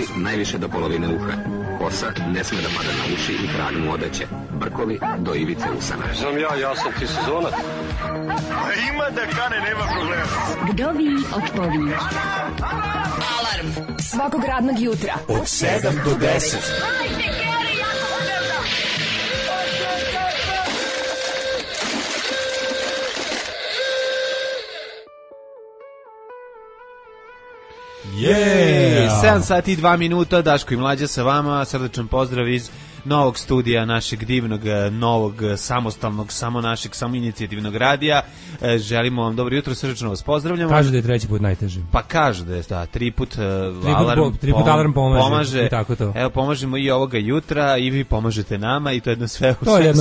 Uši najviše do polovine uha. Kosa ne sme da pada na uši i trag mu odeće. Brkovi do ivice usana. Znam ja sam ti sezonac. Ima da kane, nema problema. Vdovi otpovi. Alarm svakog radnog jutra od 7 do 10. Yeah. 7 sati i 2 minuta, Daško i Mlađa sa vama, srdečan pozdrav iz novog studija našeg divnog, novog, samostalnog, samo našeg, samoinicijativnog radija. Želimo vam dobro jutro, srdečno vas pozdravljamo. Kažu da je treći put najteži. Pa kažu da je, da, tri put alarm pomaže. I tako to. Evo, pomažemo i ovoga jutra i vi pomažete nama i to je jedno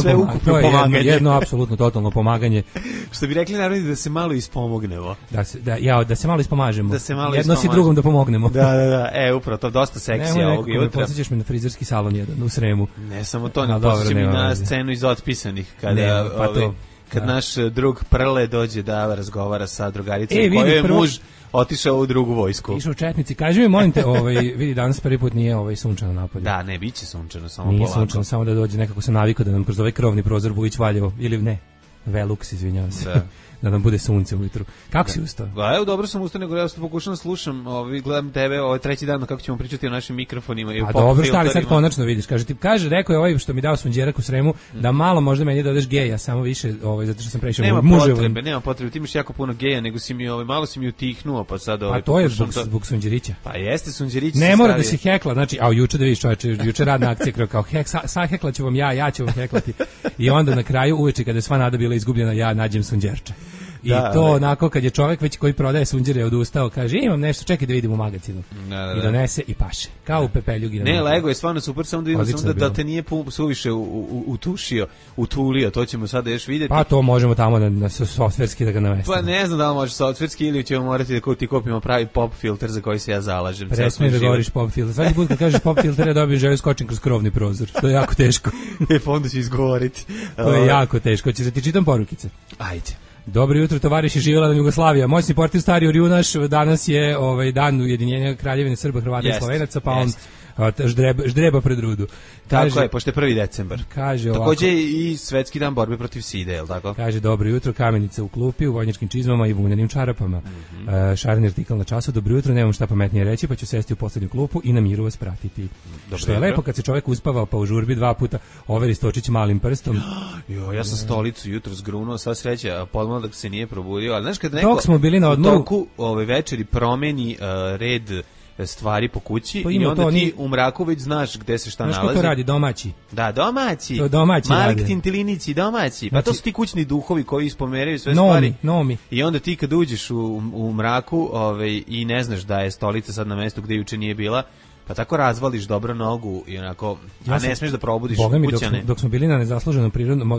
sve ukupno pomaganje. Jedno apsolutno totalno pomaganje. Što bi rekli narodni, da se malo ispomognemo. Da se malo ispomažemo. Da se malo jedno si drugom da pomognemo. Da, upravo to, dosta seksija ovoga jutra. Podsjećaš me na frizerski salon jedan u Sremu. Ne samo to, ne posjećam i na scenu iz Otpisanih, kad naš drug Prle dođe da razgovara sa drugaricom kojoj je muž otišao u drugu vojsku. Išao u Četnici. Kaži mi, molim te, vidi, danas prvi put nije sunčano napolje. Da, ne, bit će sunčano, samo nije polako. Nije sunčano, samo da dođe, nekako sam navikao da nam kroz ovaj krovni prozor Vujić Valjevo, ili ne, Velux, izvinjavam se. Da nam bude sunce ujutru. Kako si ustao? Evo, dobro sam ustao, nego ja pokušam slušam, gledam tebe, treći dan kako ćemo pričati o našim mikrofonima i o pop filterima. A dobro, šta, ali sad konačno vidiš, rekao je ovaj što mi dao sunđerak u Sremu, da malo možda meni dodaš geja, samo više, zato što sam prešao muževom. Nema potrebe, ti imaš jako puno geja, nego si mi, malo si mi utihnuo, pa sad A to je zbog sunđerića. Pa jeste, sunđerić. Ne mora da si hekla, znači, juče da vidiš, čoveče, juče radna akcija, kao sahekla ću vam ja ću vam heklati. I onda na kraju, uveče kada je sva nada bila izgubljena, ja nađem sunđerče. I to onako kad je čovjek već koji prodaje sunđere odustao, kaže imam nešto, čekaj da vidim u magazinu. I donese i paše. Kao u pepeljugi. Ne, Lego je stvarno super, samo da vidim da te nije suviše utulio, to ćemo sada još vidjeti. Pa to možemo tamo na softverski da ga namestimo. Pa ne znam da li može softverski ili ćemo morati da ti kopimo pravi pop filter za koji se ja zalažem. Presmi da govoriš pop filter. Svaki put kad kažeš pop filter ja dobijem želju skočim kroz krovni prozor. To je jako teško. Pa onda ću izgovoriti. To je jako teško. Hoćeš da ti čitam porukice? Ajde. Dobro jutro, tovariši, živjela nam Jugoslavija. Moćni portir stari Orjunaš, danas je dan ujedinjenja Kraljevine Srba, Hrvata i Slovenaca, pa on ždreba pred rudu. Tako je, pošto je 1. decembar. Kaže takođe i svetski dan borbe protiv side, je li tako? Kaže, dobro jutro, Kamenica u klupi, u vojničkim čizmama i vunjanim čarapama. Šareni artikal na času, dobro jutro, nemam šta pametnije reći, pa ću sesti u poslednju klupu i na miru vas pratiti. Što je lepo kad se čovjek uspava pa u žurbi 2 puta overi Stočić malim prstom. Ja sam stolicu jutro zgrunuo, sva sreća, podmladak se nije probudio, ali znaš kad neko dok smo bili na odmoru, u toku večeri promeni red stvari po kući i onda ti u mraku već znaš gde se šta nalazi. Znaš ko to radi? Domaći. Da, domaći. To domaći Malik radi. Tintilinici, domaći. Pa to su ti kućni duhovi koji ispomeraju sve stvari. Nomi. I onda ti kad uđeš u mraku i ne znaš da je stolica sad na mestu gde juče nije bila, pa tako razvališ dobro nogu i onako, a ne smiješ da probudiš kućane. Dok smo bili na nezasluženom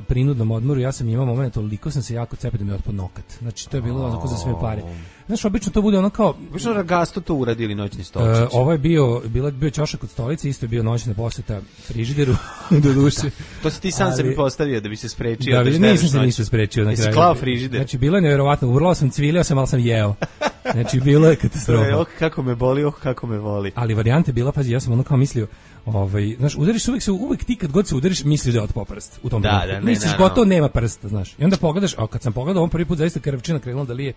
prinudnom odmoru, ja sam imao moment, toliko sam se jako cepio da mi je otpao nokat. Znači, to je bilo onako za sve pare. Znaš, obično to bude ono kao... Obično Ragasto to uradili noćni stolčić. Ovo je bio ćošak od stolice, isto je bio noćna poseta frižideru, do duše. To si ti sam sebi postavio da bi se sprečio. Da, nisam se ništa sprečio na kraju. Jesi klao frižider? Znači, bilo je nevjerovatno, urlao sam, cvilio sam, ali sam jeo. Znači, bilo je katastrofa. Kako me boli, kako me voli. Ali varijanta je bila, pazi, ja sam ono kao mislio, znaš, udariš uvek ti kad god se udariš, misliš da je otpao prst u tom trenutku. Misliš gotovo nema prsta, znaš. I onda pogledaš, a kad sam pogledao, on prvi put zaista krvčina krenula da lije.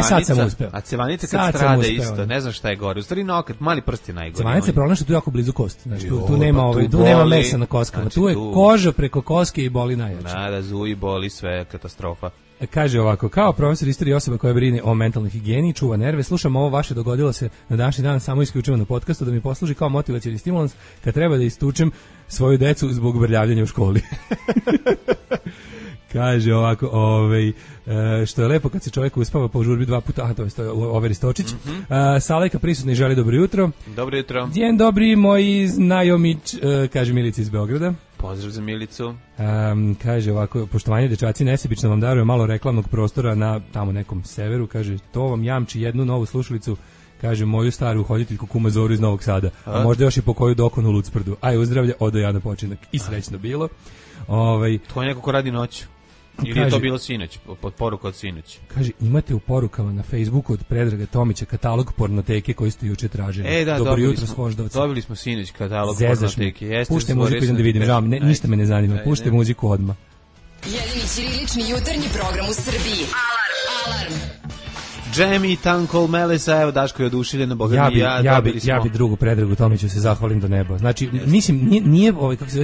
Sad sam uspeo. A cevanica kad strada isto, ne znam šta je gore. U stvari nokat, mali prst je najgore. Cevanica je problem što tu jako blizu kost. Znači, tu nema mesa na koskama. Tu je koža preko koske i boli najjače. Da, zuji, boli, sve katastrofa. Kaže ovako, kao profesor istorije osoba koja brine o mentalnoj higijeni, čuva nerve, slušam ovo vaše, dogodilo se na današnji dan samo isključivo na podcastu da mi posluži kao motivacioni stimulans kad treba da istučem svoju decu zbog brljavljanja u školi. Kaže ovako, što je lepo kad se čovjek uspava po žurbi 2 puta, to je Overi Stočić. Salajka prisutni želi dobro jutro. Dobro jutro. Dzień dobri, moji znajomić, kaže Milica iz Beograda. Pozdrav za Milicu. Kaže ovako, poštovanje dečaci, nesebično vam daruje malo reklamnog prostora na tamo nekom severu, kaže, to vam jamči jednu novu slušalicu, kaže, moju staru hoditeljku kuma Zoru iz Novog Sada, a možda još i po koju dokonu u Lucprdu. Aj, uzdravlja, odo ja na počinak. I srećno bilo. To je neko ko radi noću. Ili je to bilo sinoć, pod poruka od sinoć? Kaže, imate u porukama na Facebooku od Predraga Tomića katalog pornoteke koji ste juče tražili. Da, dobro jutro s Voždovca. Dobili smo sinoć katalog pornoteke. Puštaj muziku, idem da vidim, žao, ništa me ne zanima, puštaj muziku odmah. Jedini ćirilični jutarnji program u Srbiji. Alarm! Džemi, Tankol, Melesa, evo Daško je oduševljen na Boga mi ja bi drugu Predragu Tomiću se zahvalim do neba. Znači, mislim, nije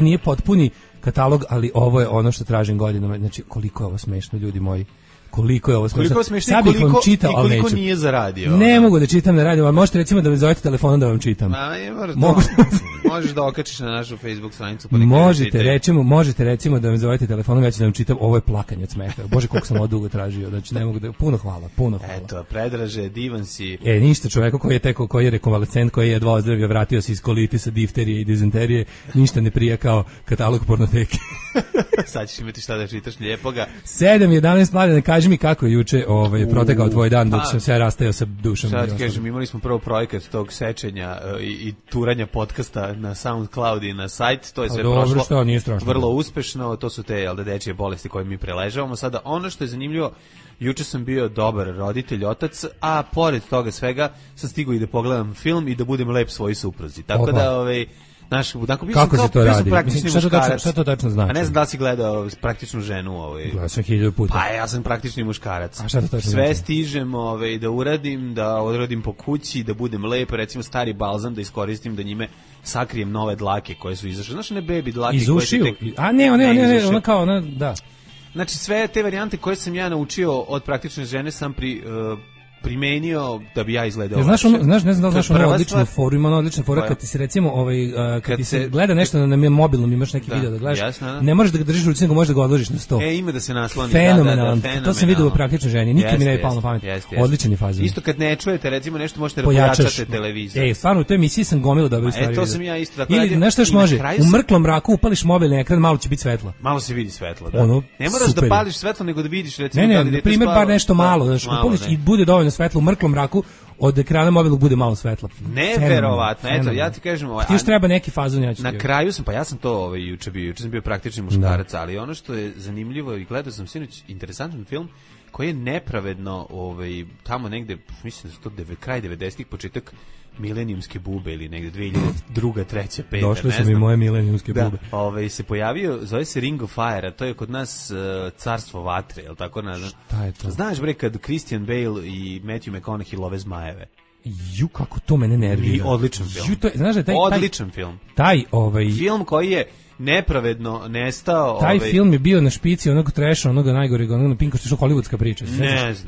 nije potpuni katalog, ali ovo je ono što tražim godinama. Znači, koliko je ovo smešno, ljudi moji. Koliko je ovo smešno. Sad bih vam čitao, ali neću. Koliko nije zaradio. Ne mogu da čitam na radiju, ali možete recimo da me zovete telefonom da vam čitam. Možeš da okačiš na našu Facebook stranicu. Možete recimo da me zovete telefonom, ja ću da vam čitam. Ovo je plakanje od smeha. Bože, koliko sam ovo dugo tražio. Znači, ne mogu da... Puno hvala. Eto, Predraže, divan si. Ništa, čoveku koji je rekonvalescent, koji je jedva ozdravio, vratio se iz kolitisa, difterije i dizenterije, ništa ne prija kao katalog pornoteke. Sad ćeš imati šta da čitaš lijepoga. 7:11 mladene, kaži mi kako je juče protekao tvoj dan dok sam se rastajao sa Dušom. Sad kažem, imali smo prvo projekat tog sečenja i turanja podcasta na SoundCloud i na sajt, to je sve prošlo vrlo uspešno, to su te dečije bolesti koje mi preležavamo. Sada ono što je zanimljivo, juče sam bio dobar roditelj, otac, a pored toga svega sam stigao i da pogledam film i da budem lep svojoj supruzi. Tako da kako se to radi? Šta to tačno znači? A ne znam da li si gledao Praktičnu ženu. Gledao sam 1000 puta. Pa ja sam praktični muškarac. A šta to tačno sve znači? Stižem da uradim, da odradim po kući, da budem lep, recimo stari balzam da iskoristim, da njime sakrijem nove dlake koje su izašle. Znaš, ne baby dlake iz ušiju? A ne, ona kao, da. Znači sve te varijante koje sam ja naučio od Praktične žene sam primenio da bi ja izgledao. Znaš ono odličnu foru, ima ono odlična fora kad ti se recimo kad ti se gleda nešto na mobilnom, imaš neki video da gledaš, ne možeš da ga držiš u ruci, nego možeš da ga odložiš na sto. Ima da se nasloni. Fenomenalno. To sam vidio u Praktičnoj ženi, nikad mi ne je palo na pamet. Odličan je fazon. Isto kad ne čujete, recimo nešto možete pojačati televizor. Stvarno u toj emisiji sam gomilo dobro stvari. To sam ja isto. Ili nešto još može, u mrklom mraku upališ mobilni ekran, malo će biti svetlo. Malo se vidi svetlo, da. Ne moraš da pališ svetlo, nego da vidiš recimo da li na primer bar nešto malo, znači upališ i bude dovoljno svetlo u mrklom mraku, od ekrana mobilnog bude malo svetla. Neverovatno. Eto, ja ti kažem, ti još treba neki fazon, na kraju sam, pa ja sam to juče sam bio praktični muškarac, ali ono što je zanimljivo i gledao sam sinoć interesantan film koji je nepravedno tamo negde, mislim da je to kraj 90-ih, početak milenijumske bube ili negde 2002, 3, 5. Došle su mi moje milenijumske bube. Da, se pojavio, zove se Ring of Fire, a to je kod nas carstvo vatre, je li tako? Šta je to? Znaš bre kad Christian Bale i Matthew McConaughey love zmajeve? Kako to mene nervira. Odličan film. Odličan film. Film koji je nepravedno nestao. Taj film je bio na špici onog treša, onoga najgoreg, onoga na Pinku, što je hollywoodska priča.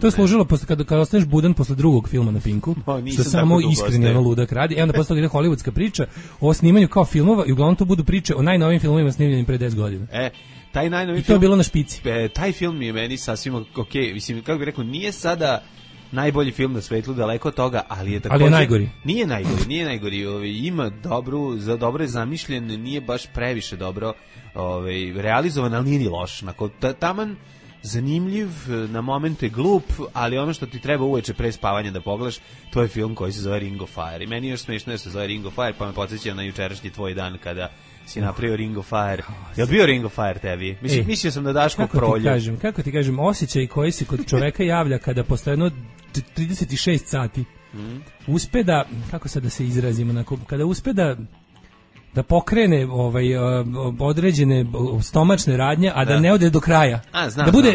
To je služilo kada ostaneš budan posle drugog filma na Pinku, što samo iskreni ono ludak radi. Onda posle toga ide hollywoodska priča o snimanju kao filmova i uglavnom to budu priče o najnovijim filmovima snimljenim pre 10 godina. Taj najnoviji film. I to je bilo na špici. Taj film je meni sasvim okej. Mislim, kako bih rekao, nije sada najbolji film na svetu, daleko od toga, ali je također... Ali je najgori. Nije najgori. Ima dobro je zamišljen, nije baš previše dobro realizovan, ali nije ni loš. Taman zanimljiv, na momente glup, ali ono što ti treba uveče pre spavanja da pogledaš, to je film koji se zove Ring of Fire. I meni je još smiješno da se zove Ring of Fire, pa me podsjeća na jučerašnji tvoj dan kada si napravio Ring of Fire. Je li bio Ring of Fire tebi? Mislio sam da Daško prolju. Kako ti kažem, osjećaj koji se kod čoveka javlja kada posle jedno 36 sati uspe da, kako sad da se izrazimo, kada uspe da pokrene određene stomačne radnje, a da ne ode do kraja.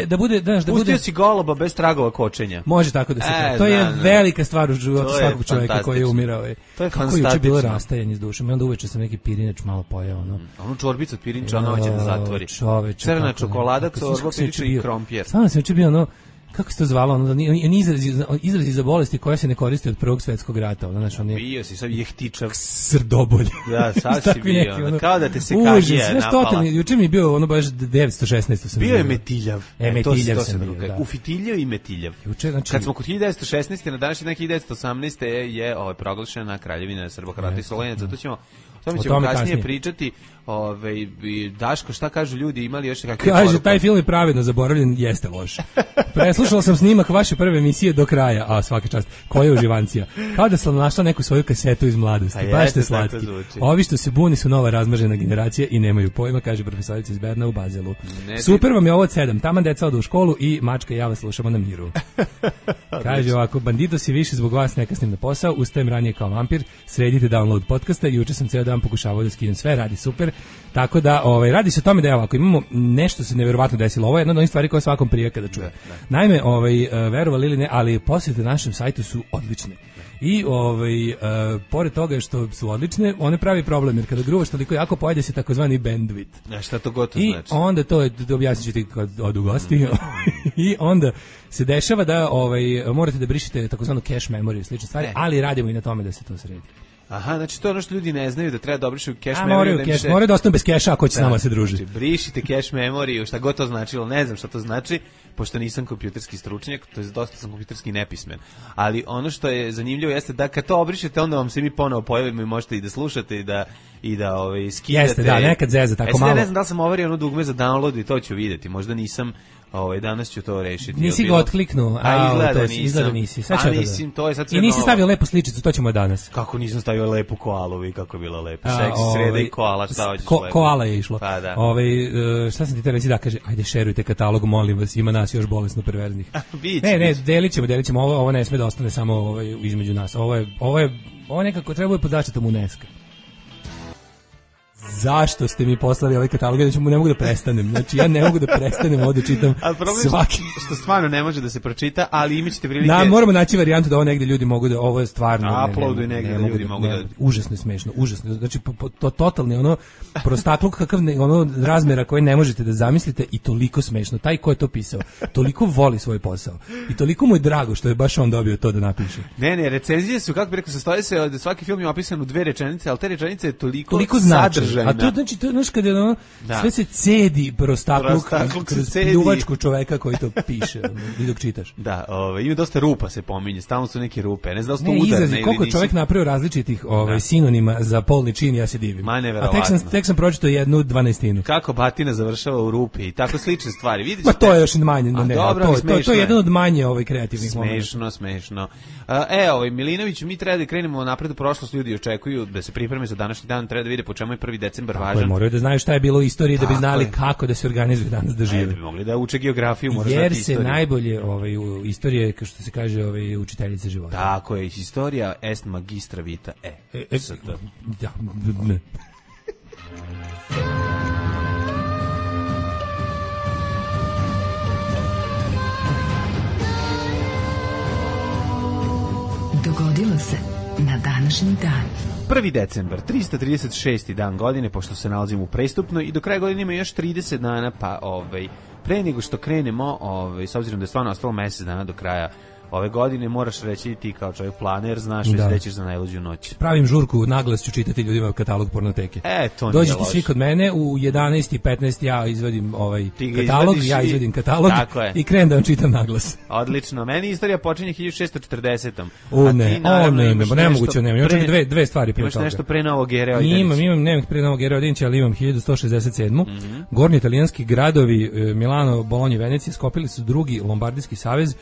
Da bude pustio si goloba bez tragova kočenja. Može tako da se kaže. To je velika stvar u životu svakog čovjeka koji je umirao. To je kako juče bilo rastajanje s dušom. I onda uveče sam neki pirinač malo pojeo. Onu čorbicu od pirinča ona hoće da zatvori. Crna čokolada, čorba, pirinča i krompir. Stvarno sam juče bio kako se to zvalo, izrazi za bolesti koja se ne koriste od Prvog svjetskog rata. Bio si, sad jehtičav. Srdobolj. Da, sad si bio. Kao da te se kažije napala. Juče mi je bio baš 916. Bio je metiljav. Metiljav sam bio, da. Ufitiljav i metiljav. Kad smo kod 1916. na današnji dan 1918. je proglašena Kraljevina Srbohrvata i Slovenaca. To ćemo tome ćemo kasnije pričati. Daško, šta kažu ljudi, imali još kakve Kaže, poruke? taj film je pravedno zaboravljen, jeste loš. Preslušala sam snimak vaše prve emisije do kraja, a svaka čast, koja je uživancija. Kao da sam našla neku svoju kasetu iz mladosti, baš ste slatki. Ovi što se buni su nova razmržena generacija i nemaju pojma, kaže profesorica iz Berna u Bazelu. Super vam je ovo od 7, taman deca odu u školu i mačka i ja vas slušamo na miru. Kaže ovako, bandito si više zbog vas ne kasnim na posao, ustajem ranije kao vampir, sredite download podcasta, juče sam ceo dan pokušavao da skinem sve, radi super. Tako da, radi se o tome da je ovako, imamo nešto se neverovatno desilo. Ovo je jedna od onih stvari koje svakom prija kada čuje. Naime, verovali ili ne, ali posjete našem sajtu su odlične. I pored toga što su odlične, one pravi problem, jer kada gruvaš toliko jako pojede se takozvani bandwidth. Šta to gotovo znači? I onda to objasnit ću ti kad odu gosti. I onda se dešava da morate da brišete takozvanu cache memory i slične stvari, ali radimo i na tome da se to sredi. Aha, znači to je ono što ljudi ne znaju, da treba da obrišu cache memory. Moraju da ostanu bez keša ako će s nama se druži. Znači, brišite cache memory, šta god to značilo, ne znam šta to znači, pošto nisam kompjuterski stručnjak, to je dosta sam kompjuterski nepismen. Ali ono što je zanimljivo jeste da kad to obrišete, onda vam se mi ponovo pojavimo i možete i da slušate i da skidate. Jeste, da, nekad zeza, tako malo. Ne znam da li sam ovario ono dugme za download i to ću vidjeti, možda nisam. Danas ću to rešiti. Nisi ga otkliknuo, izgleda nisi. Sad ću I nisi stavio lepu sličicu, to ćemo danas. Kako nisam stavio lepu koalu, vi kako bila lepa. Seksi sreda i koala, šta hoćeš lepo? Koala je išlo. Pa da. Šta sam ti te reći da kaže, ajde šerujte katalog, molim vas, ima nas još bolesno perverznih. Ne, delit ćemo, ovo ne sme da ostane samo između nas. Ovo nekako treba pod zaštitom UNESCO. Zašto ste mi poslali ovaj katalog? Ja ne mogu da prestanem. Znači, ja ne mogu da prestanem ovdje čitam svaki. Što stvarno ne može da se pročita, ali imat ćete prilike. Moramo naći varijantu da ovo negdje ljudi mogu da, ovo je stvarno. Uploaduj negdje da ljudi mogu da. Užasno je smešno, užasno. Znači, to totalni prostakluk kakav razmjera koje ne možete da zamislite i toliko smešno. Taj ko je to pisao, toliko voli svoj posao i toliko mu je drago što je baš on dobio to da napiše. Ne, recenzije su, kako bi rekao, sastoje se da svaki film je opisan u 2 rečenice, ali te rečenice je toliko sadržajne. A to znači, znaš kada je sve se cedi prostakluk kroz pljuvačku čoveka koji to piše i dok čitaš. Da, ima dosta rupa se pominje, stalno su neke rupe, ne znam da li su to udarne ili nisu. Koliko čovjek napravio različitih sinonima za polni čin, ja se divim. A tek sam pročitao 1/12. Kako batina završava u rupi i tako slične stvari. Vidiš, to je još manje, to je jedan od manje kreativnih momenta. Smešno. Milinović, mi treba da krenemo napred u prošlost, ljudi očekuju da se pripreme za današnji dan, treba da vide po čemu je 1. decembar važan. Moraju da znaju šta je bilo u istoriji da bi znali kako da se organizuje danas da žive. Da bi mogli da uče geografiju, moraš znati jer istoriju. Se najbolje u istorije, kao što se kaže, učiteljice života. Tako je, historija est magistra vita. Da. Dogodilo se na današnji dan. 1. decembar, 336. dan godine, pošto se nalazimo u prestupnoj i do kraja godine ima još 30 dana, pa pre nego što krenemo, s obzirom da je stvarno ostalo mjesec dana do kraja ove godine, moraš reći ti kao čovjek planer, znaš već da ćeš za najluđu noć. Pravim žurku, naglas ću čitati ljudima katalog pornoteke. To nije dođite loš. Svi kod mene, u 11:15 ja izvadim katalog, katalog i krenem da vam čitam naglas. Odlično, meni istorija počinje 1640. Nemoguće, imam dve stvari pre toga. Imaš nešto pre Novog Era? Nemam pre Novog Era, ali imam 1167. Gornji italijanski gradovi Milano, Bolonja i Venecija skopili su drugi Lombardijski savez,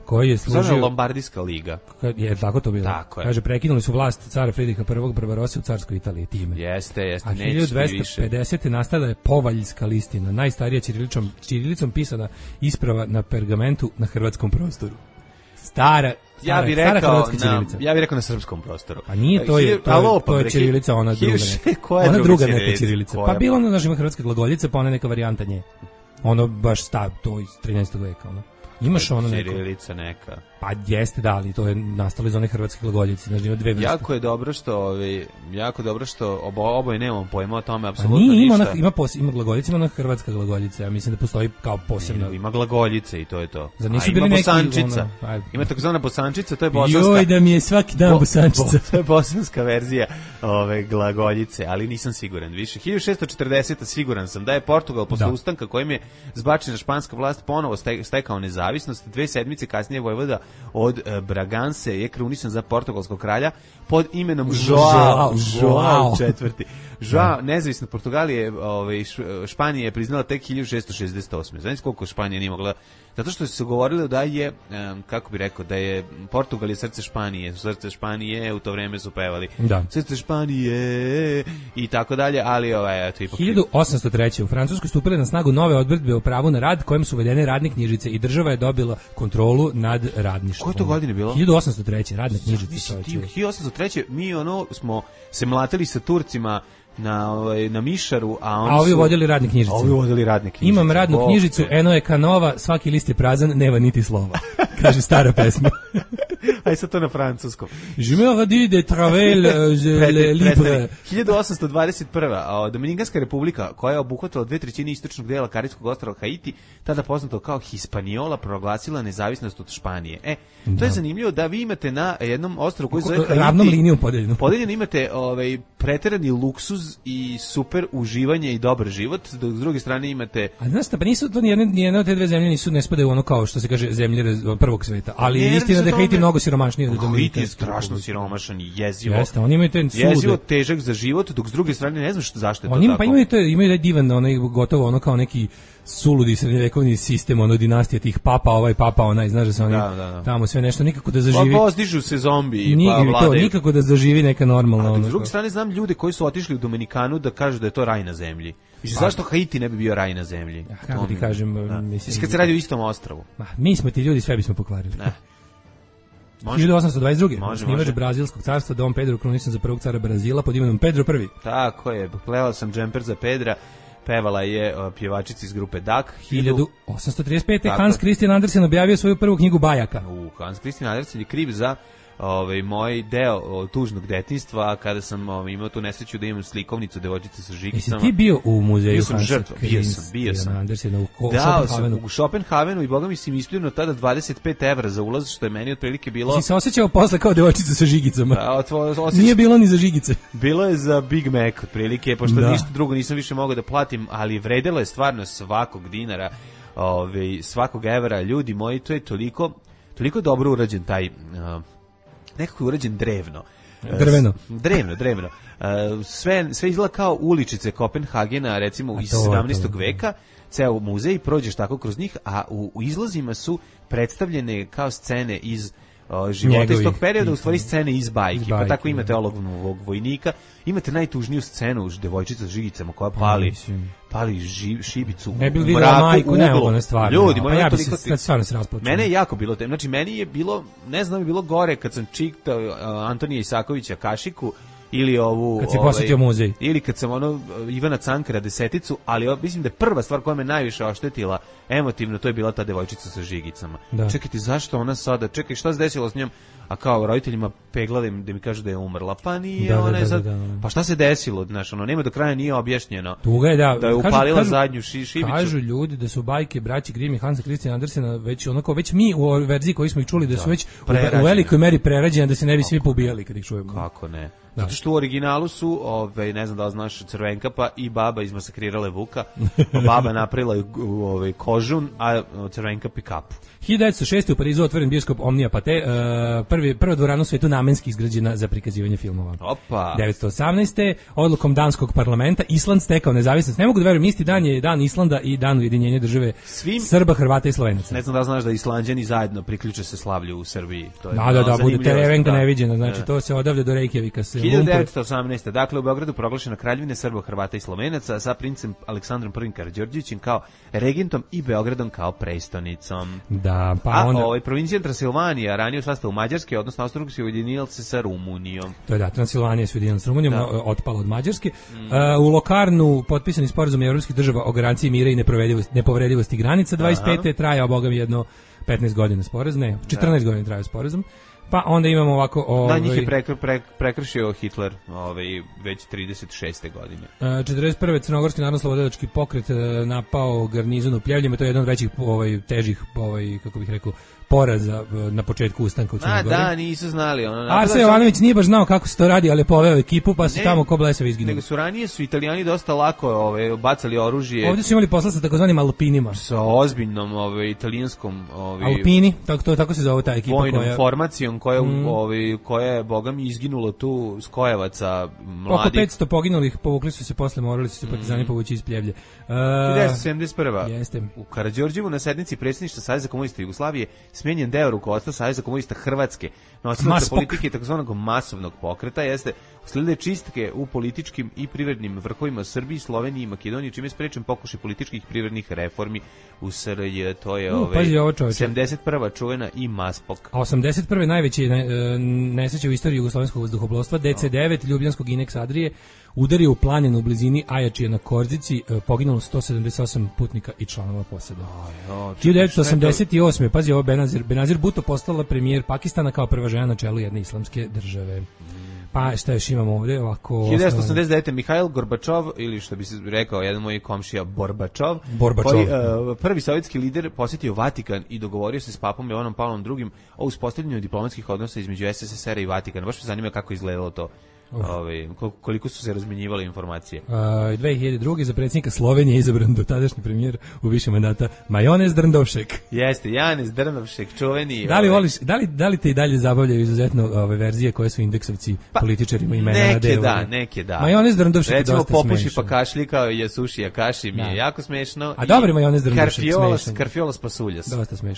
koji je služio Lombardijska liga. Je tako to bilo. Tako je. Kaže, prekinuli su vlast cara Fridriha I Barbarosse u carskoj Italiji time. Jeste, a 1250. nastala je Povaljska listina, najstarija ćirilicom pisana isprava na pergamentu na hrvatskom prostoru. Stara ja bih rekao na srpskom prostoru. A nije, to je ćirilica, ona druga neka. Ona druga neka ćirilica. Pa bilo ono, znaš, ima hrvatska glagoljica, pa ona neka varijanta nje. Ono baš to iz 13. veka, ono. Imaš ono neko. Ćirilica neka. Pa jeste, da, ali to je nastalo iz one hrvatske glagoljice, znači ima dve vrste. Jako dobro što oboje nemamo pojma o tome apsolutno ništa. Ima glagoljica, ima ona hrvatska glagoljica, ja mislim da postoji kao posebno. Ima glagoljice i to je to. Zar nisu bili neki bosančica? Ima takozvana bosančica, to je bosanska. Joj, da mi je svaki dan bosančica. To je bosanska verzija ove glagoljice, ali nisam siguran više. 1640. siguran sam da je Portugal posle ustanka kojim je zbačena španska vlast ponovo stekao nezavisnost. 2 sedmice kasnije vojvoda od Braganse je krunisan za portugalskog kralja pod imenom Joao IV. Joao, nezavisno Portugalije, Španija je priznala tek 1668. Znači koliko Španija nije mogla, zato što se govorilo da je, kako bi rekao, da je Portugal je srce Španije, u to vreme su pevali srce Španije i tako dalje, ali to ipak 1803. u Francuskoj stupile na snagu nove odredbe o pravu na rad kojim su uvedene radne knjižice i država je dobila kontrolu nad radništvom. Koje to godine bilo? 1803. radne knjižice. 1803. mi smo se mlatili sa Turcima na Mišaru, a ovi vodili radne knjižice. Imam radnu knjižicu, eno je kanova, svaki list je prazan, nema niti slova. Kaže stara pesma. Aj sad to na francuskom. Je me radi de travel libre. 1821. Dominikanska republika, koja je obuhvatila 2/3 istočnog dela Karibskog ostrva Haiti, tada poznato kao Hispaniola, proglasila nezavisnost od Španije. To je zanimljivo da vi imate na jednom ostrvu koji zove Haiti, ravnom linijom podeljeno imate preterani luksuz i super uživanje i dobar život, dok s druge strane imate... A znaš, pa nisu to nijedne od te dve zemlje ne spadaju ono kao što se kaže zemlje prvog sveta, ali istina da je Haiti mnogo siromašniji od Dominikana. Haiti je strašno siromašan i jezivo. Jeste, oni imaju te jezivo težak za život, dok s druge strane ne znam zašto je to tako. Pa imaju da divan, gotovo ono kao neki suludi srednjevekovni sistem, dinastija tih papa, papa onaj, znaš da se oni tamo sve nešto nikako da zaživi. Pa pozdižu se zombi, pa vladaju. Nikako da zaživi neka normalna. A s druge strane znam ljude koji su otišli u Dominikanu da kažu da je to raj na zemlji. Mislim, zašto Haiti ne bi bio raj na zemlji? Kako ti kažem, mislim... Kad se radi u istom ostrvu. Mi smo ti ljudi, sve bismo pokvarili. 1822. Snimač Brazilskog carstva Dom Pedro krunisan za prvog cara Brazila pod imenom Pedro I. Tako je, plevao sam džemper za Pedra. Pevala je pjevačica iz grupe Dak. 1835. Hans Christian Andersen objavio svoju prvu knjigu bajaka. Hans Christian Andersen je kriv za moj deo tužnog detinjstva, kada sam imao tu nesreću da imam slikovnicu devojčice sa žigicama. Jesi ti bio u muzeju Hansa Christian Andersena u Schopenhavenu? U Schopenhavenu i boga mi si mi ispljeno tada 25 evra za ulaz, što je meni otprilike bilo... Si se osjećao posle kao devojčica sa žigicama? Nije bilo ni za žigice. Bilo je za Big Mac otprilike, pošto ništa drugo nisam više mogao da platim, ali vredelo je stvarno svakog dinara, svakog evra. Ljudi moji, to je toliko dobro urađen taj... nekako je urađen drevno. Drevno. Sve izgleda kao uličice Kopenhagena, recimo iz 17. veka, ceo muzej, prođeš tako kroz njih, a u izlazima su predstavljene kao scene iz života iz tog perioda, u stvari scene iz bajki. Pa tako imate olovnog vojnika, imate najtužniju scenu, devojčica s žigicama koja pali šibicu u mraku, uglu. Ljudi, ja bi se stvarno se rasplačio. Mene je jako bilo te, znači meni je bilo, ne znam, je bilo gore kad sam čitao Antonija Isakovića Kašiku, ili ovu... Kad si posjetio muzej. Ili kad sam Ivana Cankara Deseticu, ali mislim da je prva stvar koja me najviše oštetila emotivno, to je bila ta devojčica sa žigicama. Čekajte, zašto ona sada, čekaj, šta se desilo s njom? A kao roditeljima peglali da mi kažu da je umrla, pa nije, ona je sad... Pa šta se desilo, znaš, nema do kraja nije objašnjeno. Tuga je, da je upalila zadnju šibicu. Kažu ljudi da su bajke braći Grimm i Hansa Christian Andersena već mi u verziji koji smo ih čuli da su već u velikoj meri prerađene, da se ne bi svi pobijali kad ih čujemo. Kako ne? Zato što u originalu su, ne znam da li znaš, Crvenkapa i baba izmasakrirale Vuka. Baba napravila kožun, a Crvenkap i kapu. 1906. u Parizu otvoren bioskop Omnia Pathé, prva dvorana u svetu namenski izgrađena za prikazivanje filmova. 1918. odlukom danskog parlamenta Island stekao nezavisnost. Ne mogu da verujem, isti dan je dan Islanda i dan ujedinjenja države Srba, Hrvata i Slovenaca. Ne znam da znaš da Islanđani zajedno priključe se slavlju u Srbiji. To je da, bude terevenka neviđena, znači to se odavlja do Reykjavika. 1918. Dakle, u Beogradu proglašena kraljevina Srba, Hrvata i Slovenaca sa princem Aleksandrom I Karađorđevićem kao regentom i Beogradom kao prestonicom. Da, pa onda... provincija Transilvanija, ranije u sastavu Mađarske, odnosno Austro-Ugarske, ujedinila se sa Rumunijom. To je Transilvanija se ujedinila sa Rumunijom, otpala od Mađarske. U Lokarnu potpisani sporazum evropskih država o garanciji mira i nepovredivosti granica. 25. trajao, bogam, jedno 15 godina sporazum, 14 godina trajao sporazum. Pa onda imamo ovako... Da, njih je prekršio Hitler već 36. godine. 41. Crnogorski narodno-slobodilački pokret napao garnizon u Pljevljima, to je jedan od većih težih, kako bih rekao, poraza na početku ustanka u Crnoj Gori. Da, nisu znali. Arsen Jovanović nije baš znao kako se to radi, ali je poveo ekipu, pa su tamo ko blesavi izginuli. Nego su ranije Italijani dosta lako bacali oružje. Ovdje su imali posla sa takozvanim Alpinima. Sa ozbiljnom italijanskom... Alpini, tako se zove ta ekipa. Vojnom formacijom koja je, boga mi, izginula tu Skojevaca mladih. Oko 500 poginulih, povukli su se posle, morali su se partizani povući iz Pljevlje. 1971. Jeste. U Karađorđevu na sednici predsjedništva Saveza komunista Jugoslavije smenjen deo rukovodstva Saveza komunista Hrvatske, nosilaca politike takozvanog masovnog pokreta, usledile čistke u političkim i privrednim vrhovima Srbiji, Sloveniji i Makedoniji, čime je sprečen pokušaj političkih i privrednih reformi u SRJ. To je 71. čuvena i Maspok. A 81. najveći nesreće u istoriji jugoslovenskog vazduhoplovstva, DC-9 Ljubljanskog Inex Adrije udario u planinu u blizini Ajačije na Korzici, poginulo 178 putnika i članova posade. 1988. Pazi ovo, Benazir Bhutto postala premijer Pakistana kao prva žena na čelu jedne islamske države. Pa šta još imamo ovdje ovako... 1989. Mihajl Gorbačov, ili što bi se rekao jedan moj komšija Borbačov, prvi sovjetski lider, posjetio Vatikan i dogovorio se s papom Jovanom Pavlom II o uspostavljanju diplomatskih odnosa između SSSR-a i Vatikana. Baš me zanima kako izgledalo to. Koliko su se razmenjivale informacije. 2002. za predsjednika Slovenije izabran dotadašnji premijer u više mandata Majonez Drndovšek. Jeste, Janez Drndovšek, čuveni. Da li te i dalje zabavljaju izuzetno verzije koje su indeksovci političarima imena na delu? Neke da. Majonez Drndovšek je dosta smešan. Recimo popuši pa kašlji kao Jasuši Akaši mi je jako smešno. A dobri Majonez Drndovšek smešan. Karfiolas pasuljas.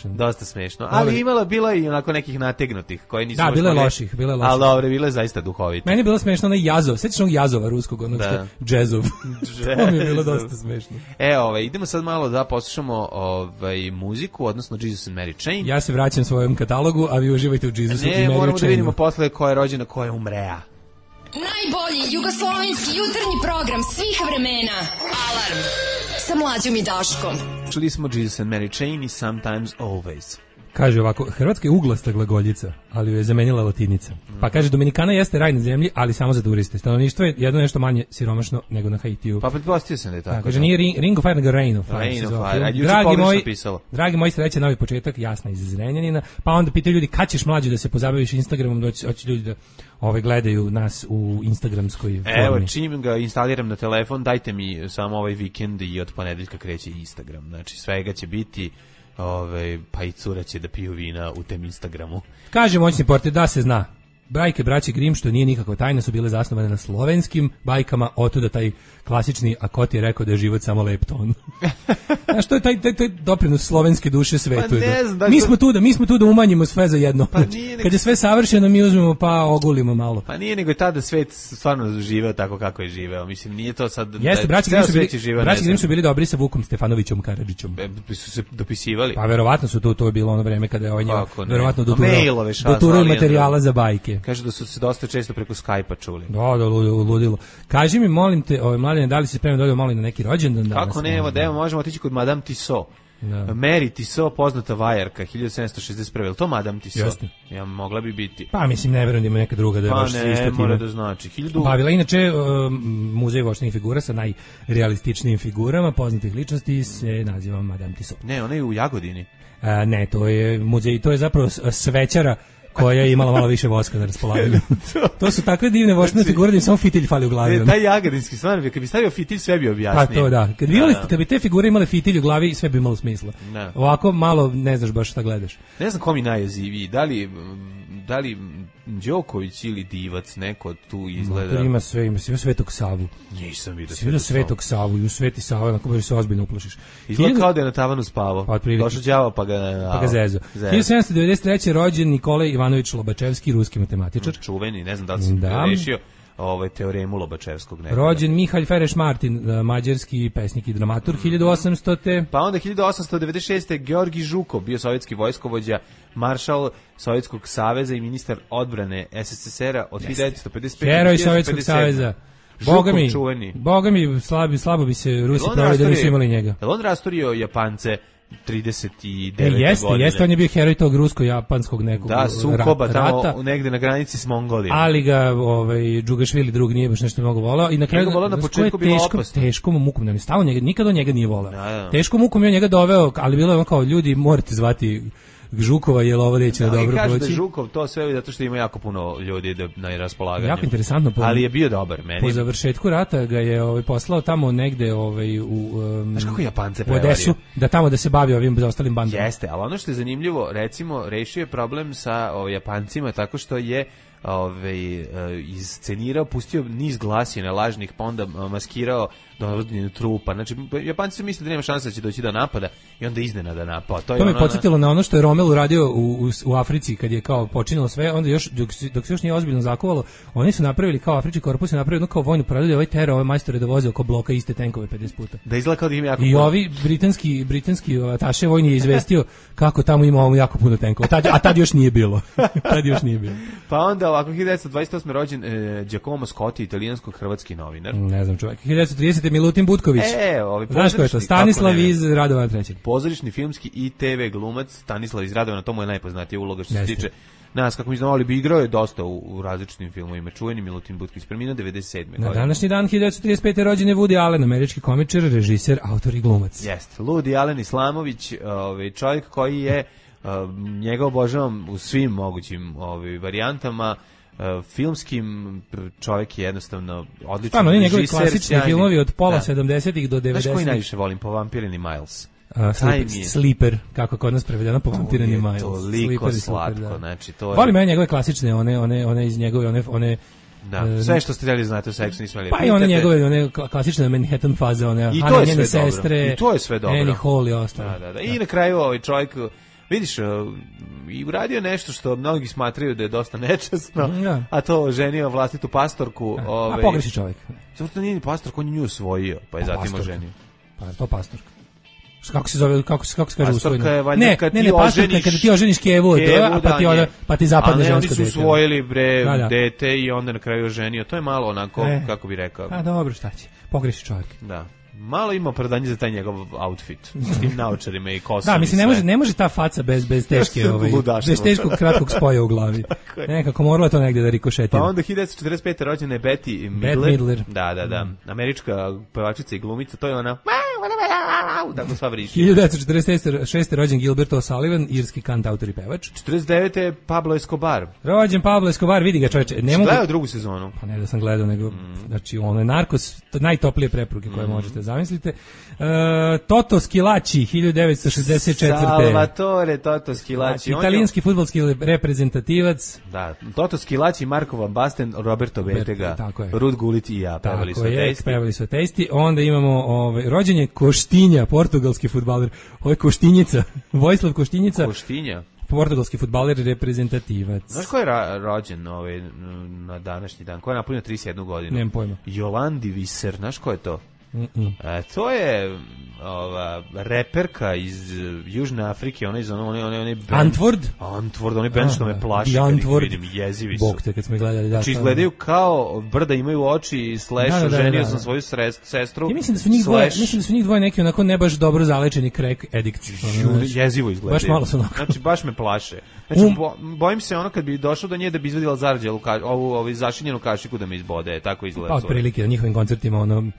Dosta smešno. Ali bilo i onako nekih nategnutih koje nisu... Da, bile loših. Ali dobre, bile zaista duhovite. Meni je bilo smešno onaj Jazov, sećaš onog Jazova ruskog, onog što Džezov. To mi je bilo dosta smešno. Idemo sad malo da poslušamo muziku, odnosno Jesus and Mary Chain. Ja se vraćam svojom katalogu, a vi uživajte u Jesusu i Mary Chainu. Moramo da vidimo posle ko je rođena, ko je umrea. Najbolji jugoslovenski jutarnji program svih vremena. Alarm sa Mlađom i Daškom. Čuli smo Jesus and Mary Chain i Sometimes Always. Kaže ovako, Hrvatska je uglasta glagoljica, ali ju je zamenila latinica. Pa kaže, Dominikana jeste raj na zemlji, ali samo za turiste. Stanovništvo je jedno nešto manje siromašno nego na Haitiju. Pa pretpostavio sam da je tako. Kaže, nije Ring of Fire, nego Rain of Fire. Rain of Fire. Dragi moji, sreće, novi početak, jasna iz Zrenjanina. Pa onda pitaju ljudi, kad ćeš mlađe da se pozabaviš Instagramom, hoće ljudi da gledaju nas u instagramskoj formi. Evo, čim ga instaliram na telefon, dajte mi samo ovaj vikend i od ponedeljka kreće Instagram. Znači, svega će biti... pa i cura će da piju vina u tem Instagramu. Kaže moćni portir da se zna. Bajke braće Grimm, što nije nikakva tajna, su bile zasnovane na slovenskim bajkama, otuda taj klasični, a ko ti je rekao da je život samo lep ton. Znaš, to je taj doprinos slovenske duše svetu. Pa mi smo tu da umanjimo sve za jedno. Pa kad je sve savršeno, mi uzmemo pa ogulimo malo. Pa nije nego je tada svet stvarno živeo tako kako je živeo. Mislim, nije to sad... Jeste, braći Grimm su bili dobri sa Vukom Stefanovićom Karadžićom. Su se dopisivali. Pa verovatno su to je bilo ono vreme kada je verovatno doturao materijala za bajke. Kaže da su se dosta često preko Skype-a čuli. Da, ludilo. Kaži mi, molim te, mladine, da li se spremno dođe malo na neki rođendan danas? Kako ne, evo, možemo otići kod Madame Tissot. Mary Tissot, poznata vajarka, 1761. Je li to Madame Tissot? Jeste. Ja, mogla bi biti. Pa mislim, ne verujem da ima neka druga da je baš se isto mora da znači. Bavila inače muzej voštenih figura sa najrealističnijim figurama poznatih ličnosti se naziva Madame Tissot. Ne, ona je u Jagodini. Ne, to je muzej, to je zapravo svećara koja je imala malo više voska na raspolaganju. To su takve divne voštene figure da im samo fitilj fali u glavi. Taj jagodinski stvarno, kad bi stavio fitilj, sve bi objasnio. Pa to da. Kad bi te figure imale fitilj u glavi, sve bi imalo smisla. Ovako malo ne znaš baš šta gledaš. Ne znam ko mi najjeziviji. Da li Đoković ili Divac, neko tu izgleda. Ima Svetog Savu. Nisam vidio Svetog Savu. I u Sveti Sava, onako baš se ozbiljno uplošiš. Izgleda kao da je na tavanu spavao. Došao đavo pa ga zezo. 1793. rođen Nikolaj Ivanović Lobačevski, ruski matematičar. Čuveni, ne znam da li sam rešio teoremu Lobačevskog. Rođen Mihalj Fereš Martin, mađarski pesnik i dramaturg, 1800. Pa onda 1896. Georgi Žukov, bio sovjetski vojskovođa, maršal Sovjetskog saveza i ministar odbrane SSSR-a od 1955. Heroj Sovjetskog saveza. Boga mi, slabo bi se Rusi pravili da nisu imali njega. On rasturio Japance 39. godine. Jeste, on je bio heroj tog rusko-japanskog nekog sukoba rata. Tamo negde na granici s Mongolijom. Ali ga Džugašvili drug nije baš nešto mnogo volao i na kraju na početku bilo opasno. Teškom mukom nam je stalo njega, nikad on njega nije volao. Teškom mukom je njega doveo, ali bilo je on kao ljudi morate zvati Žukova, jer ovo neće na dobro proći. Kaže da Žukov to sve zato što ima jako puno ljudi na raspolaganju. Jako interesantno. Ali je bio dobar meni. Po završetku rata ga je poslao tamo negde znaš kako Japance prevario? U Odesu, da tamo da se bavi ovim ostalim bandama. Jeste, ali ono što je zanimljivo, recimo, rešio je problem sa Japancima tako što je iscenirao, pustio niz glasina lažnih, pa onda maskirao dovođenje trupa. Znači, Japanci su mislili da nema šanse da će doći do napada i onda iznenada napao. To me podsjetilo na ono što je Rommel uradio u Africi kad je kao počinilo sve, onda još, dok se još nije ozbiljno zakovalo, oni su napravili kao Afrički korpus, je napravili kao vojnu paradu, ovaj tero, ove majstore da voze oko bloka iste tenkove 50 puta. Da izgleda kao da im jako I ovi britanski ataše vojni je izvestio kako tamo ima jako puno tenkova, a tad još nije bilo. Pa onda ovako 1928. rođen Giacomo Scotti, italijansko-hrvatski novinar. Ne znam čovjek. 1930. Milutin Butković. Znaš ko je to? Stanislav iz Radovana III. Pozorišni, filmski i TV glumac Stanislav iz Radovana, to mu je najpoznatija uloga što se tiče nas, kako mi znamo, ali bi igrao je dosta u različitim filmovima. Čuveni Milutin Butković, preminuo 97. Na današnji dan 1935. rođen je Woody Allen, američki komičar, režiser, autor i glumac. Jeste. Woody Allen Islamović, čovjek koji je njega obožavam u svim mogućim varijantama. Filmskim čovjek je jednostavno odličan. Stvarno, oni njegovi klasični filmovi od pola 70-ih do 90-ih. Znaš koji najviše volim? Povampirini Miles. Sleeper, kako kod nas prevedeno, Povampirini Miles. Toliko slatko, znači to je... Volim ja njegove klasične, one iz njegove, one... Da, sve što ste htjeli znate o seksu nismo imali. Pa i one njegove, one klasične Manhattan faze, one njene sestre, i to je sve dobro. Annie Hall i ostalo. Da. I na kraju ovaj čovjek, vidiš, i uradio nešto što mnogi smatraju da je dosta nečasno, a to ženio vlastitu pastorku. A pogreši čovjek. Zato to nije ni pastorka, on je nju osvojio, pa je zatim oženio. Pa to pastorka. Kako se zove, kako se kaže usvojeno? Ne, pastorka kada ti oženiš Kevu, pa ti zapadne žensko dete. A ne, oni su usvojili dete i onda na kraju oženio. To je malo onako, kako bi rekao. A dobro, šta će? Pogreši čovjek. Da. Malo ima opravdanje za taj njegov outfit s tim naočarima i kosom. Da, mislim, ne može ta faca bez teške, bez teškog kratkog spoja u glavi. Nekako moralo to negdje da rikošetira. Pa onda 1945. rođena je Betty Midler. Da. Američka pevačica i glumica, to je ona... Tako sva vriši. 1946. rođen Gilbert O'Sullivan, irski kantautor i pevač. 49. je Pablo Escobar. Rođen Pablo Escobar, vidi ga čoveče. Gledao drugu sezonu? Pa ne da sam gledao, nego, znači, ono je Narkos, najtoplije preporuke koje možete zamislite. Toto Schillaci, 1964. Salvatore Toto Schillaci. Italijanski fudbalski reprezentativac. Da, Toto Schillaci, Marko Van Basten, Roberto Bettega, Rud Gullit i ja pevali su Testi. Onda imamo rođen je Koštinja, portugalski fudbaler. Ovo je Koštinjica, Vojislav Koštinjica. Koštinja. Portugalski fudbaler, reprezentativac. Znaš ko je rođen na današnji dan? Ko je napunio 31 godinu? Nemam pojma. Jolandi Viser, znaš ko je to? To je reperka iz Južne Afrike, ona iz one Antwoord, onaj band što me plaši kad ih vidim, jezivi su. Bog te kad smo gledali, znači izgledaju kao brda, imaju oči, ženio sam svoju sestru. Ja mislim da su njih dvoje neki onako ne baš dobro zalečeni crack addicts. Jezivo izgledaju. Baš malo su onako. Znači baš me plaše. Znači bojim se ono kad bi došao do nje da bi izvadila zarđelu, ovu zašinjenu kašiku da me izbode, tako izgleda. Pa otprilike na njihovim koncertima ono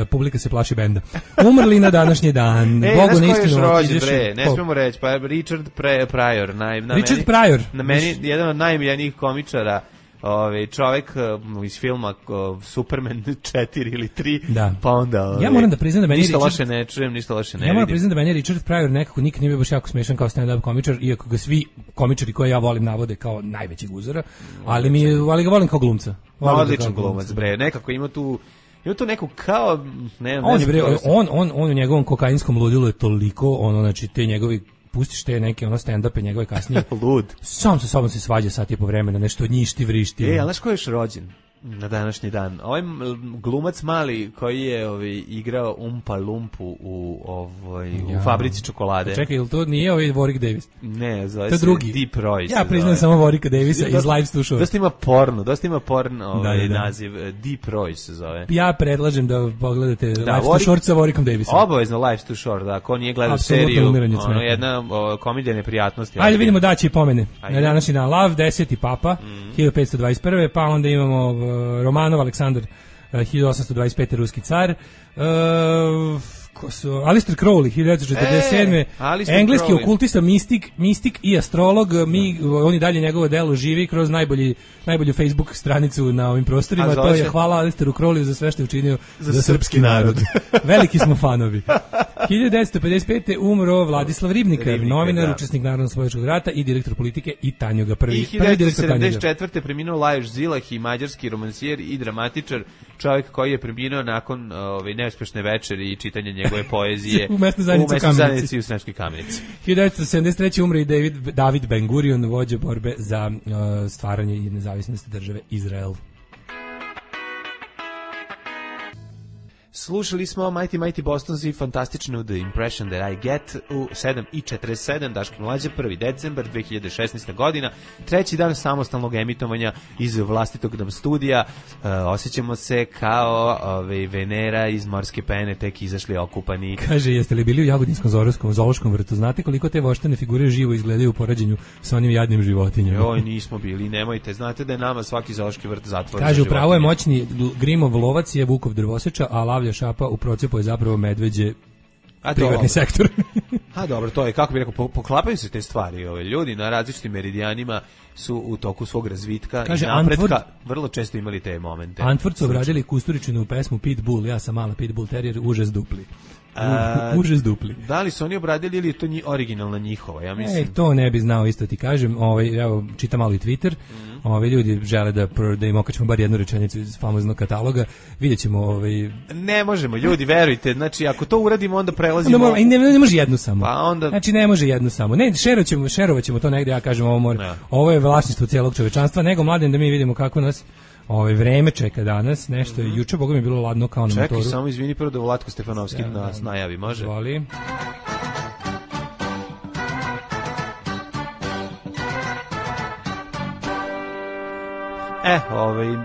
publika se plaši benda. Umrli na današnji dan. Bogu na istinu. Ne smijemo reći, pa Richard Pryor. Richard Pryor. Na meni jedan od najmiljenijih komičara, čovjek iz filma Superman 4 ili 3, da. Pa onda... Ja moram da priznam da meni ništa loše ne čujem, ništa loše ne vidim. Ja moram priznam da meni Richard Pryor nekako nikad nije bio baš jako smešan kao stand-up komičar, iako ga svi komičari koje ja volim navode kao najvećeg uzora, ali ga volim kao glumca. Odličan glumac, bre, nekako ima tu neku kao... On u njegovom kokainskom ludilu je toliko, znači te njegovi pustiš te neke stand-upe njegove kasnije. Lud. Sam sa sobom se svađa sat i po vremena, nešto njišti, vrišti. Ali znaš ko je još rođen? na današnji dan. Ovaj glumac mali koji je igrao Umpa Lumpu u fabrici čokolade. Čekaj, ili to nije Warwick Davis? Ne, zove se Deep Royce. Ja priznam samo Warwicka Davisa iz Live Too Short. Dosta ima porno naziv. Deep Royce se zove. Ja predlažem da pogledate Live Too Short sa Warwickom Davisom. Obavezno Live Too Short, da. Ko nije gledao seriju, jedna komedija neprijatnosti. Ajde vidimo daći pomene. Na današnji dan Lav, 10. papa, 1521. Pa onda imamo Romanov Aleksandar, 1825. ruski car, Aleister Crowley, 1947. Engleski okultista, mistik i astrolog. On i dalje njegovo delo živi kroz najbolju Facebook stranicu na ovim prostorima. To je hvala Aleisteru Crowleyu za sve što je učinio za srpski narod. Veliki smo fanovi. 1955. umro Vladislav Ribnikar, novinar, učesnik Narodno-slobodačkog rata i direktor politike i Tanjuga prvi. I 1974. preminuo Lajos Zilah, i mađarski romansijer i dramatičar, čovjek koji je preminuo nakon neuspešne večeri i čitanja njegove poezije u mesnoj zajednici u Sremskoj Kamenici. 1973. umre i David Ben Gurion, vođa borbe za stvaranje i nezavisnosti države Izrael. Slušali smo Mighty Bostons i fantastičnu The Impression That I Get u 7:47, Daško Mlađa, 1. decembar 2016. godina, treći dan samostalnog emitovanja iz vlastitog nam studija. Osjećamo se kao Venera iz morske pene, tek izašli okupani. Kaže, jeste li bili u Jagodinskom zoološkom vrtu? Znate koliko te voštane figure živo izgledaju u poređenju sa onim jadnim životinjama? Oj, nismo bili, nemojte. Znate da je nama svaki zoološki vrt zatvoren. Kaže, upravo je moćni Grimov lovac je Vukov drvoseča, a Lavlja šapa u procepu je zapravo medveđe privatni sektor. A dobro, to je, kako bih rekao, poklapaju se te stvari. Ljudi na različitim meridijanima su u toku svog razvitka i napretka vrlo često imali te momente. Antwort su obradili Kusturičinu pesmu Pitbull, ja sam mala Pitbull terrier, užas dupli. Užas dupli. Da li su oni obradili ili je to originalna njihova? Ja mislim. To ne bi znao, isto ti kažem. Evo, čitam malo i Twitter. Ljudi žele da im okačemo bar jednu rečenicu iz famoznog kataloga. Vidjet ćemo. Ne možemo, ljudi, verujte. Znači, ako to uradimo, onda prelazimo. Ne može jednu samo. Pa onda. Znači, ne može jednu samo. Ne, šerovat ćemo to negde, ja kažem, ovo je vlasništvo cijelog čovečanstva, nego mladen da mi vidimo kako nas vreme čeka danas, nešto je juče, boga mi je bilo ladno kao na motoru. Čekaj, samo izvini prvo da Vlatko Stefanovski nas najavi, može? Zvoli.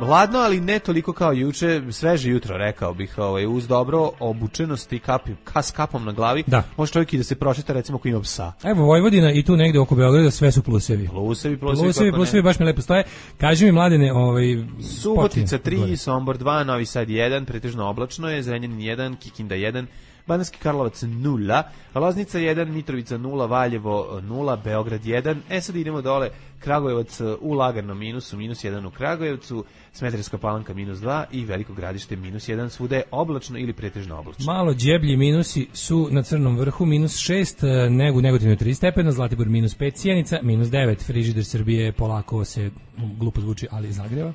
Hladno, ali ne toliko kao juče, sveže jutro, rekao bih, uz dobro obučenost i s kapom na glavi, može čovjek i da se prošeta, recimo, ako ima psa. Evo, Vojvodina i tu negde oko Beograda sve su plusevi. Plusevi baš mi lepo stoje. Kaži mi, mladene, Subotica 3, Sombor 2, Novi Sad 1, pretežno oblačno je, Zrenjanin 1, Kikinda 1, Banatski Karlovac 0, Loznica 1, Mitrovica 0, Valjevo 0, Beograd 1. Sad idemo dole, Kragujevac u laganom minusu, -1 u Kragujevcu, Smederevska Palanka -2 i Veliko Gradište -1, svuda je oblačno ili pretežno oblačno. Malo đeblji minusi su na Crnom vrhu, -6, Negotin 3 stepena, Zlatibor -5, Sjenica -9, frižider Srbije polako se, glupo zvuči, ali zagreva.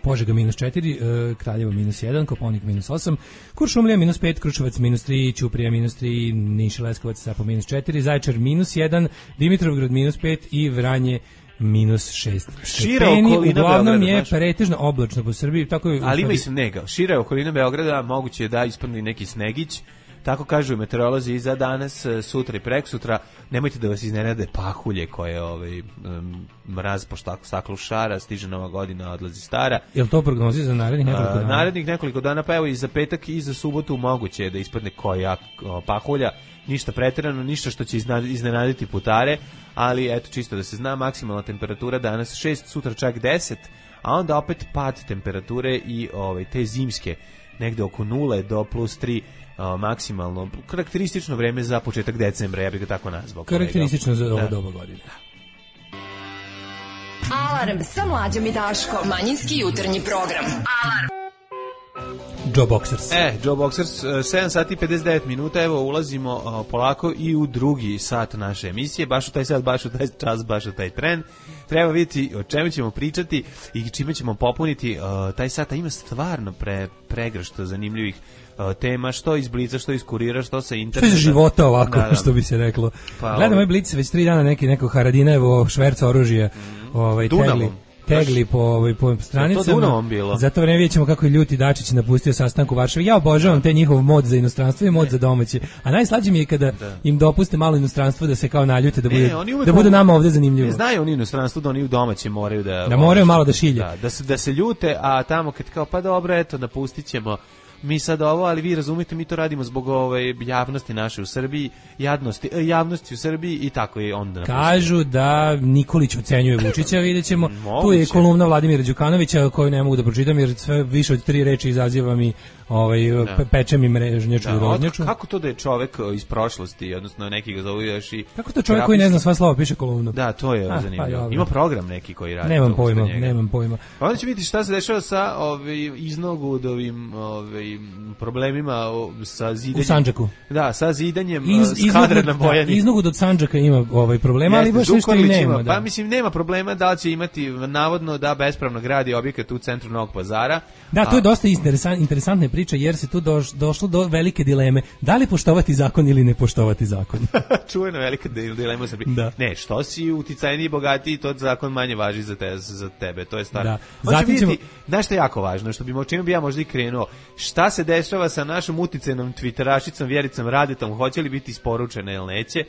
Požega -4, Kraljevo -1, Koponik -8, Kuršumlija -5, Kruševac -3, Ćuprija -3, Niš i Leskovac sa po -4, Zaječar -1, Dimitrovgrad -5 i Vranje -6 stepeni. Uglavnom je pretežno oblačno po Srbiji. Tako je, ali ima i snega. Šira okolina Beograda moguće je da ispadne neki snegić. Tako kažu meteorolozi i za danas, sutra i preksutra. Nemojte da vas iznenade pahulje koje mraz po staklu šara, stiže Nova godina, odlazi stara. Je li to prognozi za narednih nekoliko dana? Narednih nekoliko dana, pa evo i za petak i za subotu moguće je da ispadne koja pahulja. Ništa preterano, ništa što će iznenaditi putare, ali eto, čisto da se zna, maksimalna temperatura danas 6, sutra čak 10, a onda opet pad temperature i te zimske negde oko 0 do +3 maksimalno, karakteristično vreme za početak decembra, ja bih ga tako nazvao. Karakteristično za ovo doba godine. Alarm sa Mlađom i Daškom, manjinski jutarnji program. Alarm. Joe Boxers. Joe Boxers, 7 sati i 59 minuta, evo ulazimo polako i u drugi sat naše emisije, baš u taj sat, baš u taj čas, baš u taj tren. Treba vidjeti o čemu ćemo pričati i čime ćemo popuniti taj sat, a ima stvarno pregršt zanimljivih tema, što iz Blica, što iz Kurira, što sa interneta. Što iz života ovako, što bi se reklo. Gledam ovaj Blic već 3 dana neko Haradinajevo šverca oružje. Dunavom. tegli po stranicama. Za to vreme vidjet ćemo kako je ljuti Dačić napustio sastanak u Varšavi. Ja obožavam te njihov mod za inostranstvo i mod za domaće. A najslađe mi je kada im dopuste malo inostranstvo da se kao naljute, da bude nama ovde zanimljivo. Znaju oni inostranstvo da oni u domaće moraju da moraju malo da šilje. Da se ljute, a tamo kad kao pa dobro, eto, napustit ćemo mi sad ovo, ali vi razumite, mi to radimo zbog javnosti naše u Srbiji, javnosti u Srbiji i tako je onda. Kažu da Nikolić ocenjuje Vučića, vidjet ćemo. Tu je kolumna Vladimira Đukanovića koju ne mogu da pročitam jer sve više od 3 reči izaziva mi peče mi mrežnjaču i rožnjaču. Kako to da je čovek iz prošlosti, odnosno neki ga zovu još i... Kako to čovek koji ne zna sva slova piše kolumnu? Da, to je zanimljivo. Ima program neki koji radi. Nemam pojma. Pa onda će vidjeti šta se dešava sa iznogudovim problemima sa zidanjem. U Sandžaku. Da, sa zidanjem skadra na Bojani. Iznogud od Sandžaka ima problema, ali baš ništa i nema. Pa mislim, nema problema da li će imati navodno da bespravno gradi objekat u centru Novog Pazara. Da, to je dosta interesantna priča jer se tu došlo do velike dileme. Da li poštovati zakon ili ne poštovati zakon? Čuvena velika dilema u Srbiji. Da. Ne, što si uticajniji i bogatiji, to zakon manje važi za tebe. To je stvar. Da. Zatim ćemo... Znaš što je jako važno, čime bi ja možda i krenuo, šta se dešava sa našom uticajnom twitterašicom Vjericom Radetom, hoće li biti isporučena ili neće?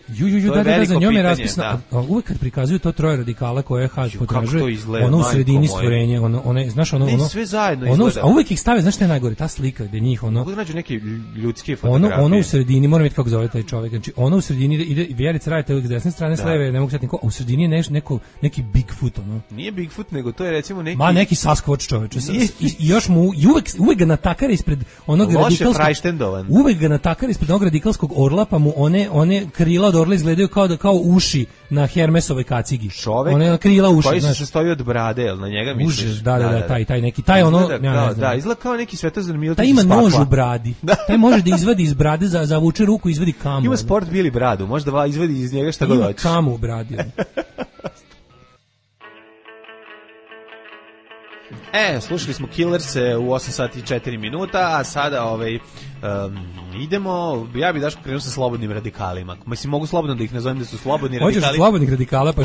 Da, za njom je raspisano. Uvek kad prikazuju to troje radikala koje Haš potražuje, ono u sredini stvorenje, znaš ono sve zajedno izgleda. A uvek ih stave, znaš šta je najgore, ta slika gde njih mogu da nađu neke ljudske fotografije. Ono u sredini, moram vidjeti kako zove taj čovjek, znači ono u sredini ide Vjerica Radeta s desne strane, s leve, ne mogu setiti ko, a u sredini je neki Bigfoot, ono. Nije Bigfoot, nego to je recimo neki... neki Sasquatch čoveče. I još mu uvek ga natakare ispred onog uvek ga natakare ispred onog radikalskog orla, pa mu one krila od orla izgledaju kao uši na Hermesove kacigi. Čovek one krila uši, koji se sastoji od brade, jel na njega misliš? Taj ono, da, izgleda kao neki Svetozar Miletić. Taj ima nož u bradi. Taj može da izvadi iz brade, zavuče ruku i izvadi kamu. Ima sport bili bradu, može da izvadi iz njega šta god hoće. Ima kamu u bradi. Slušali smo Killerse u 8 sati i 4 minuta, a sada idemo, ja bih daško krenuo sa slobodnim radikalima. Mislim, mogu slobodno da ih nazovem da su slobodni radikali. Hoćeš slobodnih radikala, pa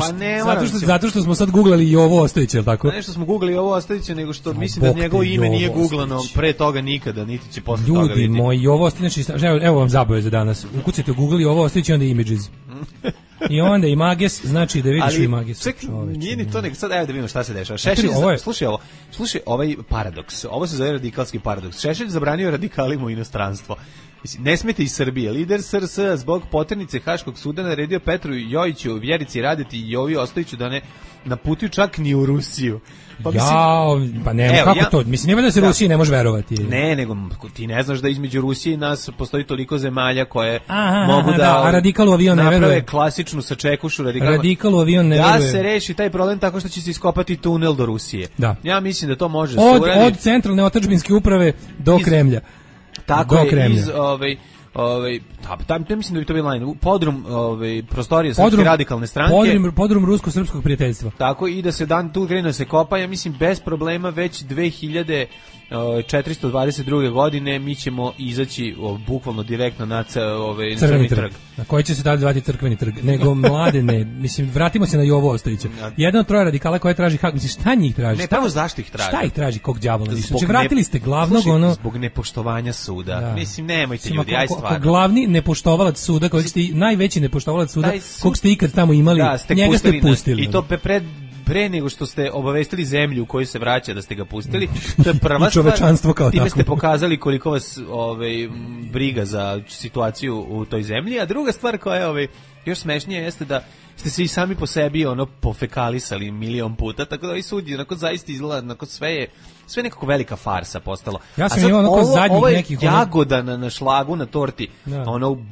zato što smo sad googlali i ovo Ostojića, ili tako? Ne što smo googlali ovo Ostojića, nego što mislim da njegovo ime nije googlano pre toga nikada, niti će posle toga vidjeti. Ljudi moji, ovo Ostojić, evo vam zabave za danas. Ukucajte u Google i ovo Ostojić i onda Images. I onda Images, znači da vidiš Images. Čekaj, nije ni to, nego sad evo da vidimo šta se dešava. Slušaj ovaj paradoks, ovo se zove radikalski paradoks. Šešelj zabranio radikalima u inostranstvo. Ne smete iz Srbije. Lider SRS zbog poternice Haškog suda naredio Petru Jojiću, Vjerici Radeti i Jovi Ostojiću da ne naputuju čak ni u Rusiju. Pa ne, kako to? Mislim, nema da se Rusiji ne može verovati. Ne, nego ti ne znaš da između Rusije i nas postoji toliko zemalja koje mogu a radikalu avion ne veruje. Naprave klasičnu sačekušu radikalu avion ne veruje. Da se reši taj problem tako što će se iskopati tunel do Rusije. Da. Ja mislim da to može od centralne otadžbinske uprave do Kremlja. Tako je, iz mislim da bi to bilo podrum prostorije Srpske radikalne stranke. Podrum rusko-srpskog prijateljstva. Tako i da se tu krene se kopa, ja mislim bez problema već 2422. godine mi ćemo izaći bukvalno direktno na Crveni trg. Na koji će se dalje zvati Crkveni trg. Nego Mladene, mislim, vratimo se na Jovo Ostojića. Jedan od troje radikala koje traži hak, mislim, šta njih traži? Ne, pravo zašto ih traži? Šta ih traži, kog đavola? Znači, vratili ste glavnog, zbog nepoštovanja suda. Mislim, nemojte ljudi, aj stvarno. Glavni nepoštovalac suda, najveći nepoštovalac suda, kog ste ikad tamo imali, njega ste pustili. I to pre nego što ste obavestili zemlju u kojoj se vraća da ste ga pustili, to je prva stvar. Time ste pokazali koliko vas briga za situaciju u toj zemlji, a druga stvar koja je još smešnije jeste da ste se i sami po sebi pofekalisali milion puta, tako da ovaj sud onako zaista izgleda, onako sve je nekako velika farsa postalo. Ja sam imao onako zadnjih nekih... Ovo je jagoda na šlagu, na torti,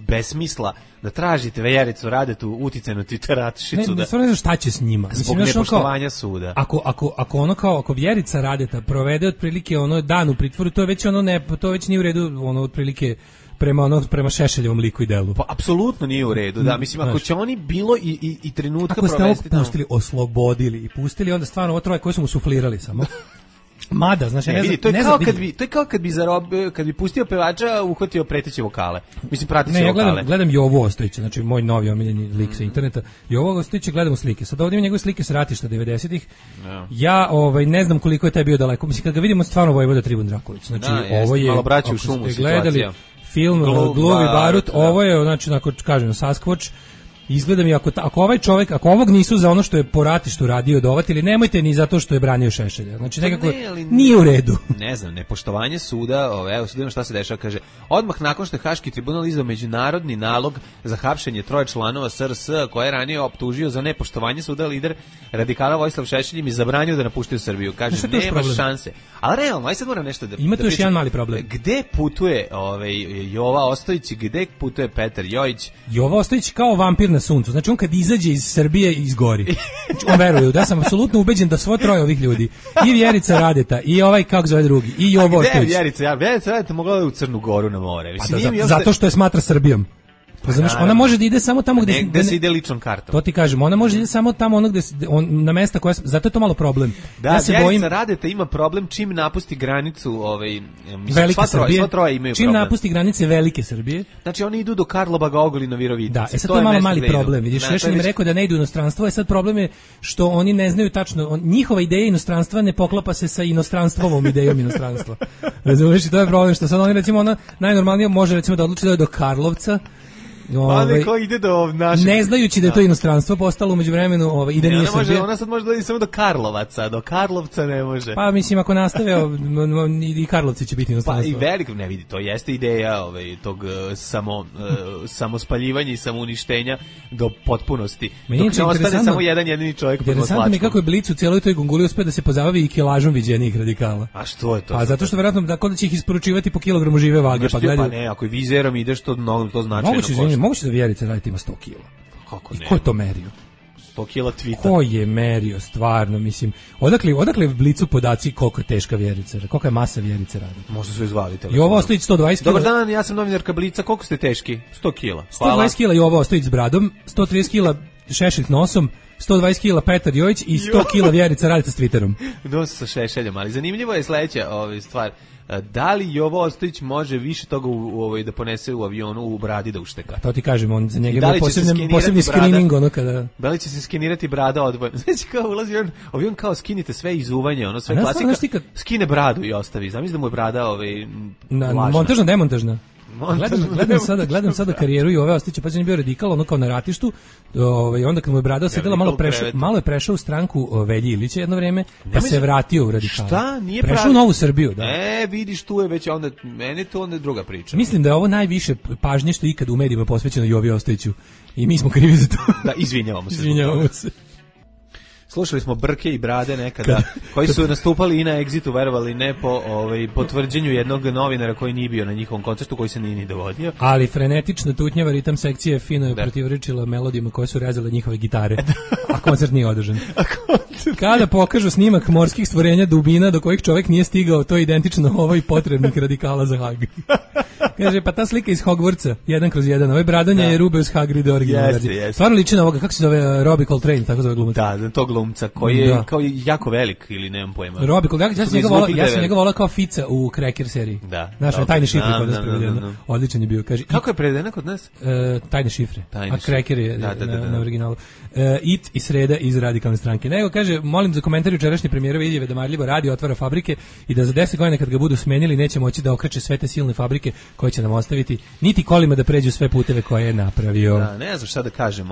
besmisla, da tražite Vjericu Radetu, uticajnu Twitterašicu. Ne znam šta će s njima. Zbog nepoštovanja suda. Ako Vjerica Radeta provede otprilike dan u pritvoru, to već nije u redu, otprilike prema Šešeljevom liku i delu. Pa apsolutno nije u redu, da. Mislim, ako će oni bilo i trenutka provesti... Ako ste ovo pustili, oslobodili i pustili, onda stvarno ovo troje koje su mu suflirali samo. Mada, znači ne znam, to je kao kad bi pustio pevača, uhvatio preteće vokale. Mislim prateće vokale. Ja gledam Jovu Ostojića, znači moj novi omiljeni lik sa interneta. Jovu Ostojića gledam u slike. Sad ovdje ima njegove slike sa ratišta 90-ih. Ja ne znam koliko je taj bio daleko. Mislim kad ga vidimo stvarno Vojvoda Tribun Drakulić. Znači ovo je malo braći u šumu situacija. Film Gluvi barut, ovo je znači onako kažem Sasquatch. Izgleda mi ako ovaj čovjek, ako ovog nisu za ono što je po ratištu radio dovatili, nemojte ni zato što je branio Šešelja. Znači nekako nije u redu. Ne znam, nepoštovanje suda, evo sad šta se dešava, kaže, odmah nakon što je Haški tribunal izdao međunarodni nalog za hapšenje 3 članova SRS koje je ranije optužio za nepoštovanje suda, lider radikala Vojislav Šešelj im je zabranio da napuštaju Srbiju. Kaže, nema šanse. Ali realno, aj sad moram nešto da... Ima tu još jedan mali problem. Gde putuje Jova Ostojić, gde putuje Petar Jojić? Jova Ostojić kao vampir na suncu. Znači on kad izađe iz Srbije izgori. Znači on veruje, da sam apsolutno ubeđen da svo troje ovih ljudi, i Vjerica Radeta, i ovaj kako zove drugi, i Jovo Ostojić. Vjerica Radeta mogla da u Crnu Goru na more. Zato što je smatra Srbijom. Znaš, ona može da ide samo tamo gde se ide ličnom kartom. To ti kažem, ona može da ide samo tamo ono gde na mesta koja, zato je to malo problem. Da, ja se bojim, Radeta ima problem čim napusti granicu, Velike Srbije. Sva troje imaju čim problem. Napusti granice Velike Srbije. Znači oni idu do Karlobaga, Ogulina, Virovitica. Da, sad to je malo mali problem. Vidiš, još im rekao da ne idu u inostranstvo, sad problem je što oni ne znaju tačno, njihova ideja inostranstva ne poklapa se sa inostranstvovom idejom inostranstva. Razumeš, to je problem što sad oni recimo ona najnormalnije može recimo da odluči da je do Karlovca. Ko ide do našeg... Ne znajući da je to inostranstvo postalo umeđu vremenu i da nije Srbija. Ona sad može da ide samo do Karlovaca, do Karlovca ne može. Pa mislim ako nastave i Karlovci će biti inostranstvo. Pa i veliko, ne vidi, to jeste ideja tog samospaljivanja i samouništenja do potpunosti. Dok ne ostane samo jedan jedini čovjek pod Interesantno mi kako je Blic u cijeloj toj gunguli uspeo da se pozabavi i kilažom viđenijih radikala. A što je to? A zato što verovatno da kod će ih isporučivati po kilogramu žive vage, pa gledaju. Pa ne, ako vizerom ideš to značajno. Moguće da Vjerica Radeta ima 100 kila. Kako ne? Ko je to merio? 100 kila tvita. Ko je merio, stvarno, mislim. Odakle v Blicu podaci koliko je teška Vjerica, koliko je masa Vjerice Radeta? Možda su izvali telefon. Jovo Ostojić 120 kila. Dobar dan, ja sam novinarka Blica, koliko ste teški? 100 kila. 120 kila Jovo Ostojić s bradom, 130 kila Šešelj nosom, 120 kila Petar Jojić i 100 kila Vjerica Radeta s Twitterom. Dosta sa Šešeljom, ali zanimljivo je sledeća stvar. Da li Jovo Ostojić može više toga da ponese u avionu u bradi da ušteka? To ti kažem, on za njega je posebni screening ono kada... Da li će se skenirati brada odvojeno? Znači kao ulazi avion kao skinite sve izuvanje, ono sve klasika, skine bradu i ostavi. Zamisli da mu je brada montažna, demontažna. Gledam sada karijeru i ove Ostojića, pa je bio radikal, ono kao na ratištu, onda kad mu je brada sedela, malo je prešao u stranku Velji Ilića jedno vreme, pa se vratio u radikal. Šta? Nije prešao u Novu Srbiju, da. Vidiš, tu je već onda, meni to onda je druga priča. Mislim da je ovo najviše pažnje što ikad u medijima posvećeno Jovi Ostojiću i mi smo krivi za to. Da, izvinjavamo se. Slušali smo Brke i Brade nekada, koji su nastupali i na Exitu, verovali ne po potvrđenju jednog novinara koji nije bio na njihovom koncertu, koji se nije ni dovodio. Ali frenetična tutnjava ritam sekcije fino je protivrečila melodijama koje su rezale njihove gitare, a koncert nije održan. Kada pokažu snimak morskih stvorenja dubina do kojih čovjek nije stigao, to je identično ovoj potrebnik radikala za Hag. Kaže, pa ta slika iz Hogwartsa, 1/1, ovaj bradanje je Rubeus Hagrid original verzija. Stvarno liči na ovoga, kako se zove Robbie Coltrane, tako zove glumac. Da, to glumca koji je kao jako velik ili nemam pojma. Robbie Coltrane, ja sam njega volao kao Fica u Cracker seriji. Da. Naša tajne šifre kod nas prevedeno. Odličan je bio, kaže. Kako je prevedena kod nas? Tajne šifre. A Cracker je na originalu. It i Sreda iz Radikalne stranke. Nego kaže, molim za komentar jučerašnje premijerove izjave da marljivo radi, otvara fabrike i da za 10 godina kad ga budu smenili neće moći da okreće sve te silne fabrike koje će nam ostaviti, niti kolima da pređu sve puteve koje je napravio. Da, ne znam šta da kažem,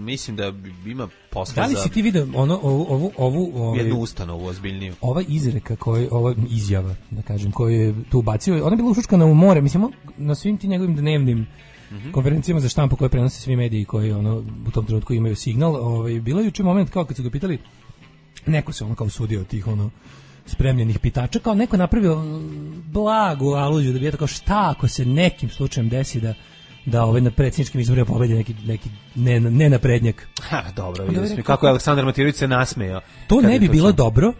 mislim da ima posla. Da li si ti vidio ovu jednu ustanovu ozbiljniju? Ova izreka ova izjava, da kažem, koju je tu bacio, ona je bila ušučkana u more, mislim, na svim ti njegovim dnevnim konferencijama za štampu koje prenose svi mediji koji u tom trenutku imaju signal, bilo je juče moment kao kad su ga pitali, neko se kao usudio od tih spremljenih pitača, kao neko napravio blagu aluziju da bi je tako šta ako se nekim slučajem desi da na predsjedničkim izborima pobedi neki nenaprednjak. Dobro, vidio kako je Aleksandar Matirović se nasmejao. To ne bi bilo dobro,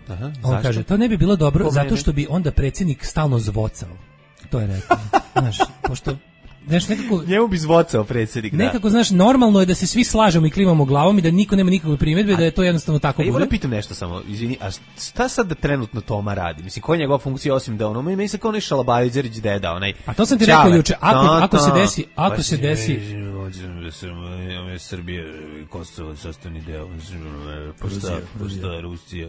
on kaže, to ne bi bilo dobro zato što bi onda predsjednik stalno zvocao. To je rekao. Znaš, pošto znaš, nekako... Njemu bi zvocao predsjednik, da. Nekako, znaš, normalno je da se svi slažemo i klimamo glavom i da niko nema nikakve primjedbe, da je to jednostavno tako bude. Ja pitam nešto samo, izvini, a šta sad da trenutno Toma radi? Mislim, koja je njegova funkcija osim da ono, meni se kao onaj Šalabajđerić deda, onaj... A to sam ti rekao juče, ako se desi... Srbije, Kosovo, sastavni deo, pošta Rusija,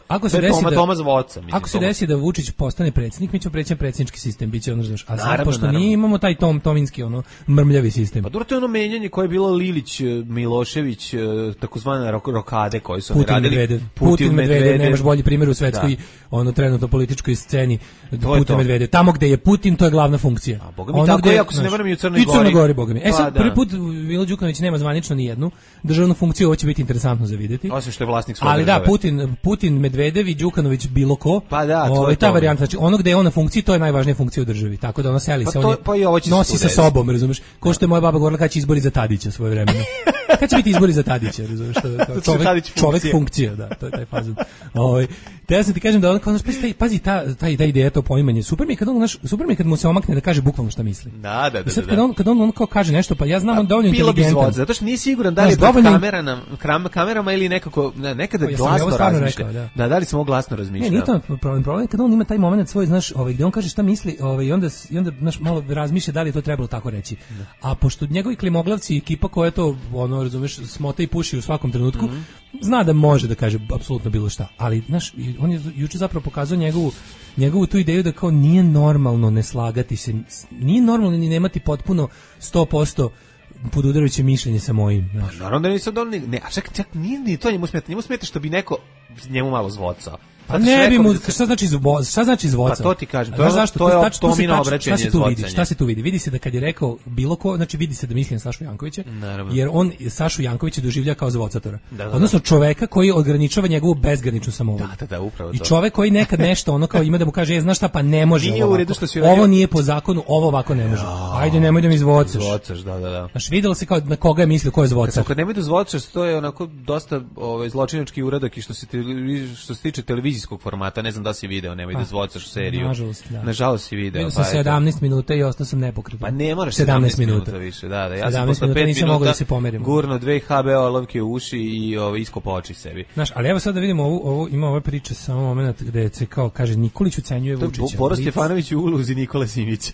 ako se desi da Vučić postane predsjednik, mi ćemo preći na predsjednički sistem, biće ono, znaš, a sad, pošto nije imamo taj tominski, ono, mrmljavi sistem. Pa dobro, to je ono menjanje koje je bilo Lilić, Milošević, takozvane rokade koje su oni radili. Putin Medvedev, nemaš bolji primjer u svetskoj, ono, trenutno političkoj sceni, Putin Medvedev. Tamo gde je Putin, to je glavna funkcija. A boga mi tako je, ako se ne varam i u Crnoj Gori. I Crnoj Gori, boga mi. Sad, prvi put Milo Đukanović nema zvanično ni jednu državnu funkciju, ovo će biti interesantno za vidjeti. Osim što je vlasnik svoje države. Ali da, Putin, Medvedev i Đukanović bilo ko. Pa da, to je ta varijanta. Znači, ono gde je on na funkciji, to je najvažnija funkcija u državi. Tako da ono seli se, on nosi sa sobom, razumeš? Ko što je moja baba govorila kad će izbori za Tadića svojevremeno. Kad će biti izbori za Tadića, razumeš? Čovek funkcija, da, to je taj fazon. Te ja sam ti kažem da on kao pazi ta ideja, to poimanje. Super mi je kad mu se omakne da kaže bukvalno šta misli. Da. Sad kad on kao kaže nešto, pa ja znam on dovoljno inteligentan. Zato što nije siguran da li je pred kamerama ili nekako nekada glasno razmišlja. Da li se mogu glasno razmišljati. Nije to problem kad on ima taj momenat svoj, znaš, gde on kaže šta misli, i onda znaš, malo razmišlja da li je to trebalo tako reći. A pošto njegovi klimoglavci i ekipa koja to, ono, razumeš, smota i puši u svakom trenutku, zna da može da kaže apsolutno bilo šta. Ali, znaš, on je juče zapravo pokazao njegovu tu ideju da kao nije normalno ne slagati se, nije normalno ni nemati potpuno 100% podudarajuće mišljenje sa mojim. Pa, naravno da nisam donio, ne, a čak nije ni to njemu smeta što bi neko njemu malo zvocao. Pa ne bi mu, šta znači zvocao? Pa to ti kažem, to je Tomino obraćanje zvocanje. Šta se tu vidi? Vidi se da kad je rekao bilo ko, znači vidi se da misli na Sašu Jankovića, jer on Sašu Jankovića doživlja kao zvocatora. Odnosno čoveka koji ograničava njegovu bezgraničnu samovolju. Da, upravo to. I čovek koji nekad nešto ono kao ima da mu kaže, znaš šta, pa ne može ovo nije po zakonu, ovo ovako ne može. Ajde, nemoj da mi zvocaš. Zvocaš, da. Znaš, videlo se kao na koga je mislio, ko je zvocar. Kad nemoj da zvocaš, to je onako dosta zločinački uradak i što se tiče televizijskog formata, ne znam da si video, nemoj da zvocaš seriju. Nažalost si video. Bio sam 17 minuta i ostao sam nepokretan. Pa ne moraš 17 minuta više, da. Ja sam posle 5 minuta gurno 2 HBO olovke u uši i iskopao oči sebi. Znaš, ali evo sad da vidimo, ima ova priča samo moment gde se kao kaže Nikolić ucenjuje Vučića. Boris Stefanović u ulozi Nikole Simića.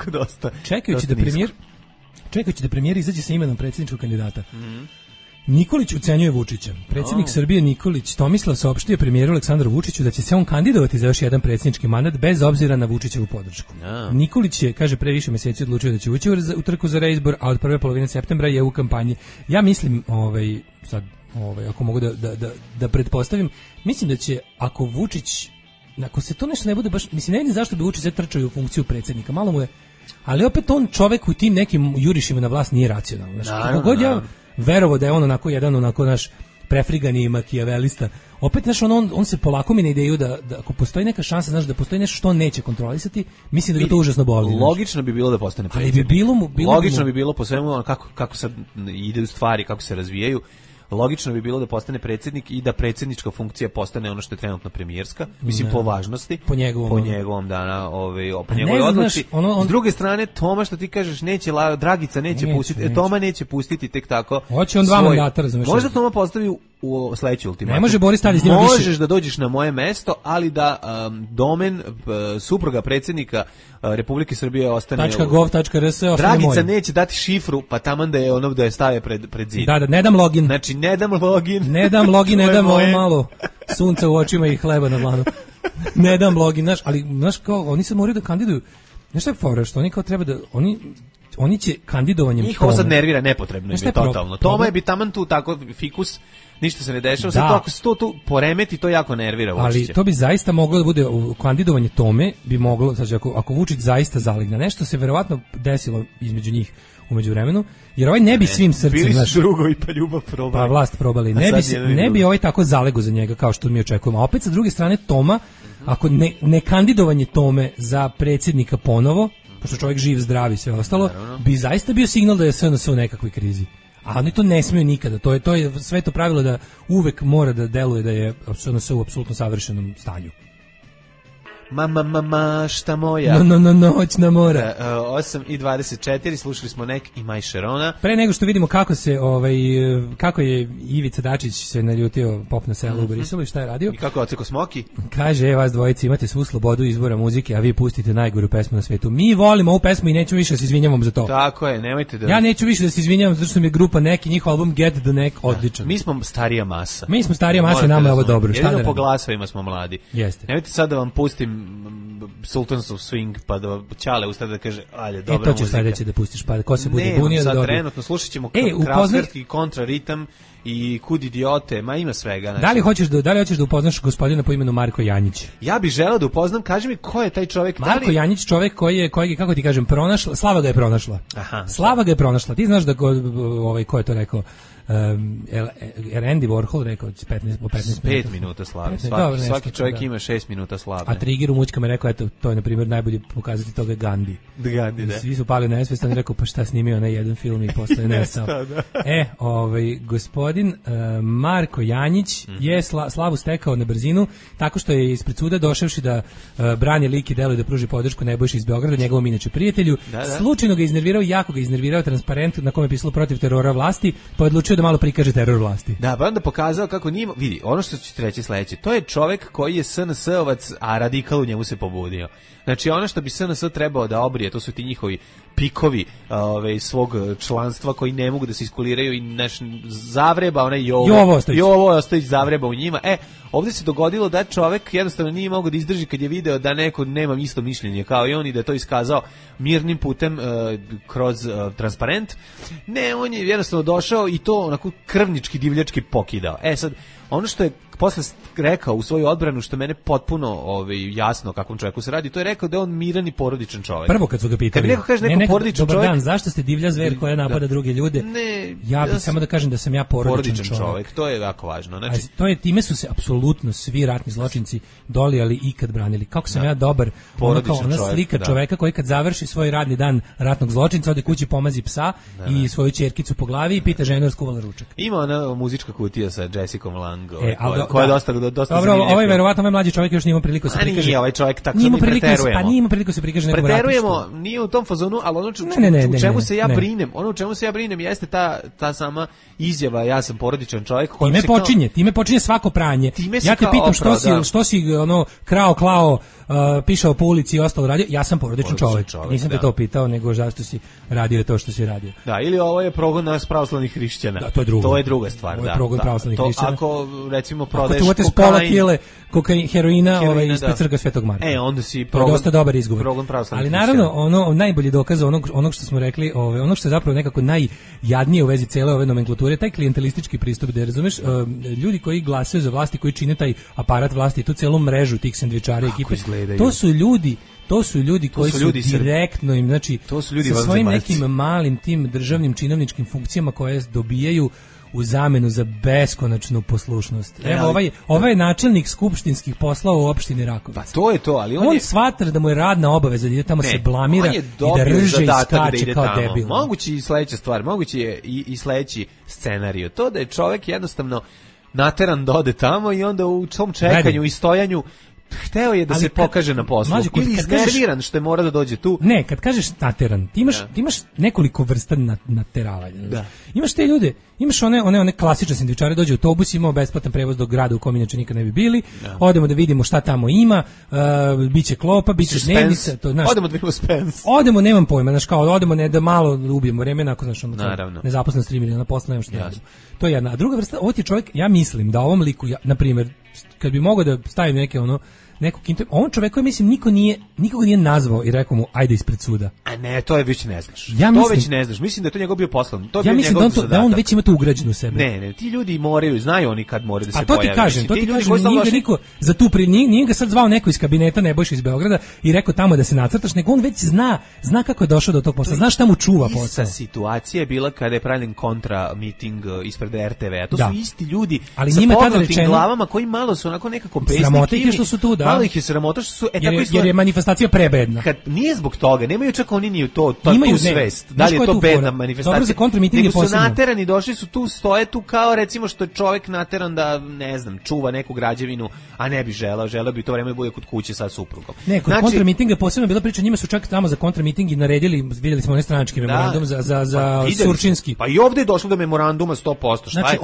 Dosta. Čekajući da premijer izađe sa imenom predsjedničkog kandidata. Nikolić ucenjuje Vučića. Predsjednik Srbije Nikolić Tomislav saopštio premijeru Aleksandru Vučiću da će se on kandidovati za još jedan predsjednički mandat bez obzira na Vučićevu podršku. Nikolić je, kaže, pre više mjeseci odlučio da će ući u trku za reizbor, a od prve polovine septembra je u kampanji. Ja mislim, ako mogu da pretpostavim, mislim da će, ako Vučić, ako se to nešto ne bude baš, mislim, ne vidim zašto bi Vučić trčao u funkciju predsjednika, malo mu je, ali opet on čovek u tim nekim jurišima na vlast nije racionalno. Kako god ja verovo da je on jedan naš prefrigani makijavelista. Opet, znaš, on se polako mi na ideju da ako postoji neka šansa, znaš, da postoji nešto što on neće kontrolisati, mislim da ga to užasno boli. Logično bi bilo da postane predsjednik. Logično bi bilo po svemu kako sad ide stvari, kako se razvijaju. Logično bi bilo da postane predsjednik i da predsjednička funkcija postane ono što je trenutno premijerska, mislim po važnosti, po njegovom dana, po njegovoj odluci. S druge strane, Toma, što ti kažeš, Dragica neće pustiti, Toma neće pustiti tek tako. Hoće on 2 mandata, razumeš. Možda Toma postavi u sledeći ultimatum. Ne može Boris Tadić s njim više. Možeš da dođeš na moje mesto, ali da Domen, supruga predsjednika Republike Srbije ostane .gov.rs Dragica neće dati šifru, pa taman da je da je stave pred zid. Da, ne dam login. Znači, ne dam login, ne dam malo sunca u očima i hleba na dlanu. Ne dam login, ali znaš kao, oni se moraju da kandiduju. Znaš šta je fora, što oni kao treba da, oni će kandidovanjem... Njih ovo sad nervira, nepotrebno je totalno. Toma je bi taman tu tako fikus, ništa se ne dešava, sad to ako se to tu poremeti, to jako nervira Vučića. Ali to bi zaista moglo da bude, kandidovanje Tome bi moglo, znači ako Vučić zaista zaligne, nešto se verovatno desilo između njih u međuvremenu, jer ovaj ne bi svim srcem... Bili su drugovi pa ljubav probali. Pa vlast probali. Ne bi ovaj tako zalego za njega kao što mi očekujemo. A opet sa druge strane Toma, ako ne kandidovanje Tome za predsjednika ponovo, pošto čovjek živ, zdrav i sve ostalo, bi zaista bio signal da je SNS u nekakvoj krizi. A oni to ne smiju nikada. To je sve to pravilo da uvek mora da deluje da je SNS u apsolutno savršenom stanju. šta moja. Noćna mora. 8:24, slušali smo Nek i Maj Šerona. Pre nego što vidimo kako je Ivica Dačić se naljutio pop na selu u Briselu i šta je radio. I kako je oceko Smoki? Kaže, vas dvojici imate svu slobodu izbora muzike, a vi pustite najgoru pesmu na svetu. Mi volimo ovu pesmu i nećemo više da se izvinjavamo za to. Tako je, nemojte da... Ja neću više da se izvinjavam zato što mi je grupa Nek i njihov album Get the Neck odličan. Mi smo starija masa. Nama je ovo dobro. Jedino po glasovima smo mladi. Jeste. Nemojte sad da vam pustim Sultans of Swing pa da Ćale ustade da kaže ajde, dobra muzika. To ću sledeće da pustiš, pa ko se bude bunio da dobro. Trenutno slušat ćemo Kraftwerk i Kontraritam i Kud idiote, ma ima svega. Znači. Da li hoćeš da upoznaš gospodina po imenu Marko Janjić? Ja bih želeo da upoznam, kaži mi ko je taj čovjek. Marko Janjić, čovjek koji je, kako ti kažem, pronašla, Slava ga je pronašla. Aha. Slava ga je pronašla. Ti znaš da ko je to rekao? Andy Warhol rekao 15 minuta slave. Svaki čovjek ima 6 minuta slave. A Trigger u mućkama rekao, eto, to je na primjer najbolji pokazatelj toga Gandhi. Gandhi, da. Svi su pali na nesvest, on je rekao, pa šta snimio na jedan film i posle nestao. Gospodin Marko Janjić je slavu stekao na brzinu tako što je ispred suda došavši da brani lik i delo i da pruži podršku Nebojši iz Beograda, njegovom inače prijatelju. Slučajno ga iznervirao, jako ga iznervirao transparent na kome je pisalo protiv terora vlasti, pa odlučio da malo prikaže teror vlasti. Da, pa onda pokazao kako nije, vidi, ono što ću ti reći sledeće, to je čovjek koji je SNS-ovac, a radikal u njemu se pobudio. Znači ono što bi SNS trebao da obrije, to su ti njihovi pikovi svog članstva koji ne mogu da se iskuliraju i naš zavreba, onaj Jovo Ostojić zavreba u njima. Ovdje se dogodilo da čovjek jednostavno nije mogao da izdrži kad je video da neko nema isto mišljenje kao i on i da je to iskazao mirnim putem kroz transparent. Ne, on je jednostavno došao i to onako krvnički, divljački pokidao. Sad, ono što je posle rekao u svoju odbranu, što mene potpuno jasno o kakvom čovjeku se radi, to je rekao da je on miran i porodičan čovjek. Prvo kad su ga pitali, neko kaže neko porodičan čovjek, dan, zašto ste divlja zver koja napada druge ljude? Ja bih samo da kažem da sam ja porodičan čovjek. To je jako važno. Znači, time su se apsolutno svi ratni zločinci dolijali i kad branili. Kako sam ja dobar, ona slika čovjeka koji kad završi svoj radni dan ratnog zločinca ode kući, pomazi psa i svoju ćerkicu po glavi i pita ženu skuvala ručak. Ima ona muzička kutija sa Jessicom Lang, koja je dosta dobro, ovaj verovatno mlađi čovjek još nije imao priliku se prikaže. Nije ovaj čovjek tako sad mi preterujemo. Pa nije imao priliku se prikaže nekom ratištu. Preterujemo, nije u tom fazonu, ali ono u čemu se ja brinem, jeste ta sama izjava, ja sam porodičan čovjek. Time počinje svako pranje. Ja te pitam što si krao, klao, pišao po ulici i ostalo radio, ja sam porodičan čovjek. Nisam te to pitao, nego zašto si radio to što si radio. Da, ili ovo je progon nas pravoslavnih hrišćana. Da, to je druga stvar. Ovo je progon pravoslavnih hrišćana. Ako recimo prodaješ kokain, heroina ispred crkve Svetog Marka. Onda si to je dosta dobar izgovor. Ali naravno, najbolji dokaz onog što smo rekli, ono što je zapravo nekako najjadnije u vezi cele ove nomenklature, taj klijentelistički pristup, da razumeš, ljudi koji glasaju za vlasti, koji čine taj aparat vlasti, tu celu mrežu tih sendvičara ekipe, to su ljudi koji su direktno im, znači, sa svojim nekim malim tim državnim činovničkim funkcijama koje dobijaju u zamenu za beskonačnu poslušnost. Evo, ovaj je načelnik skupštinskih poslova u opštini Rakovica. Pa to je to, ali on smatra da mu je radna obaveza da ide tamo se blamira i da rže i skače kao debil. Moguće i sledeća stvar, moguće je i sledeći scenarijo. To da je čovjek jednostavno nateran da ode tamo i onda u tom čekanju i stojanju hteo je da se pokaže na poslu. Ili iznerviran što je mora da dođe tu. Ne, kad kažeš nateran, ti imaš nekoliko vrsta nateravanja. Da. Imaš te ljude, imaš one klasične sendvičare, dođe autobus, imao besplatan prevoz do grada u kom inače nikad ne bi bili, odemo da vidimo šta tamo ima, biće klopa, biće dnevnica. Odemo da vidimo Spence. Odemo, nemam pojma, odemo da malo ubijemo vremena, ako nezaposlenost 3 miliona posla, nema što ne. To je jedna. A druga vrsta, ovo ti čovjek, ja mislim da ovom liku, na primjer, kad bi mogao da stavim nekog on čovjek koji mislim nikoga nije nazvao i rekao mu ajde ispred suda. A ne, to je već ne znaš. Već ne znaš. Mislim da je to njegov bio poslan. Ja mislim da on već ima to ugrađeno u sebe. Ne, ti ljudi znaju oni kad moraju da se pojave. A to ti kažem, nije ga niko za tu nije ga sad zvao neko iz kabineta Nebojša iz Beograda i rekao tamo da se nacrtaš, nego on već zna kako je došao do tog posla. Znaš šta mu čuva posao. Ista situacija je bila kada je pravljen kontra miting ispred RTV-a. To su isti ljudi sa pognutim glavama koji malo su onako nekako pesni. Sramota ih što su tu, da. malo ih je sramota što su jer je manifestacija prebedna. Kad nije zbog toga, nemaju čak oni ni to imaju svest. Da li je to bedna manifestacija? Dobro, za kontramiting je posebno. Su naterani, došli su tu, stoje tu kao recimo što je čovjek nateran da ne znam, čuva neku građevinu, a ne bi želeo bi to vreme da bude kod kuće sa suprugom. Ne, kod kontramitinga posebno bila priča, njima su čak tamo za kontramiting i naredili, vidjeli smo onaj stranački memorandum za Surčinski. Pa i ovdje je došlo do memoranduma 100%. Znači,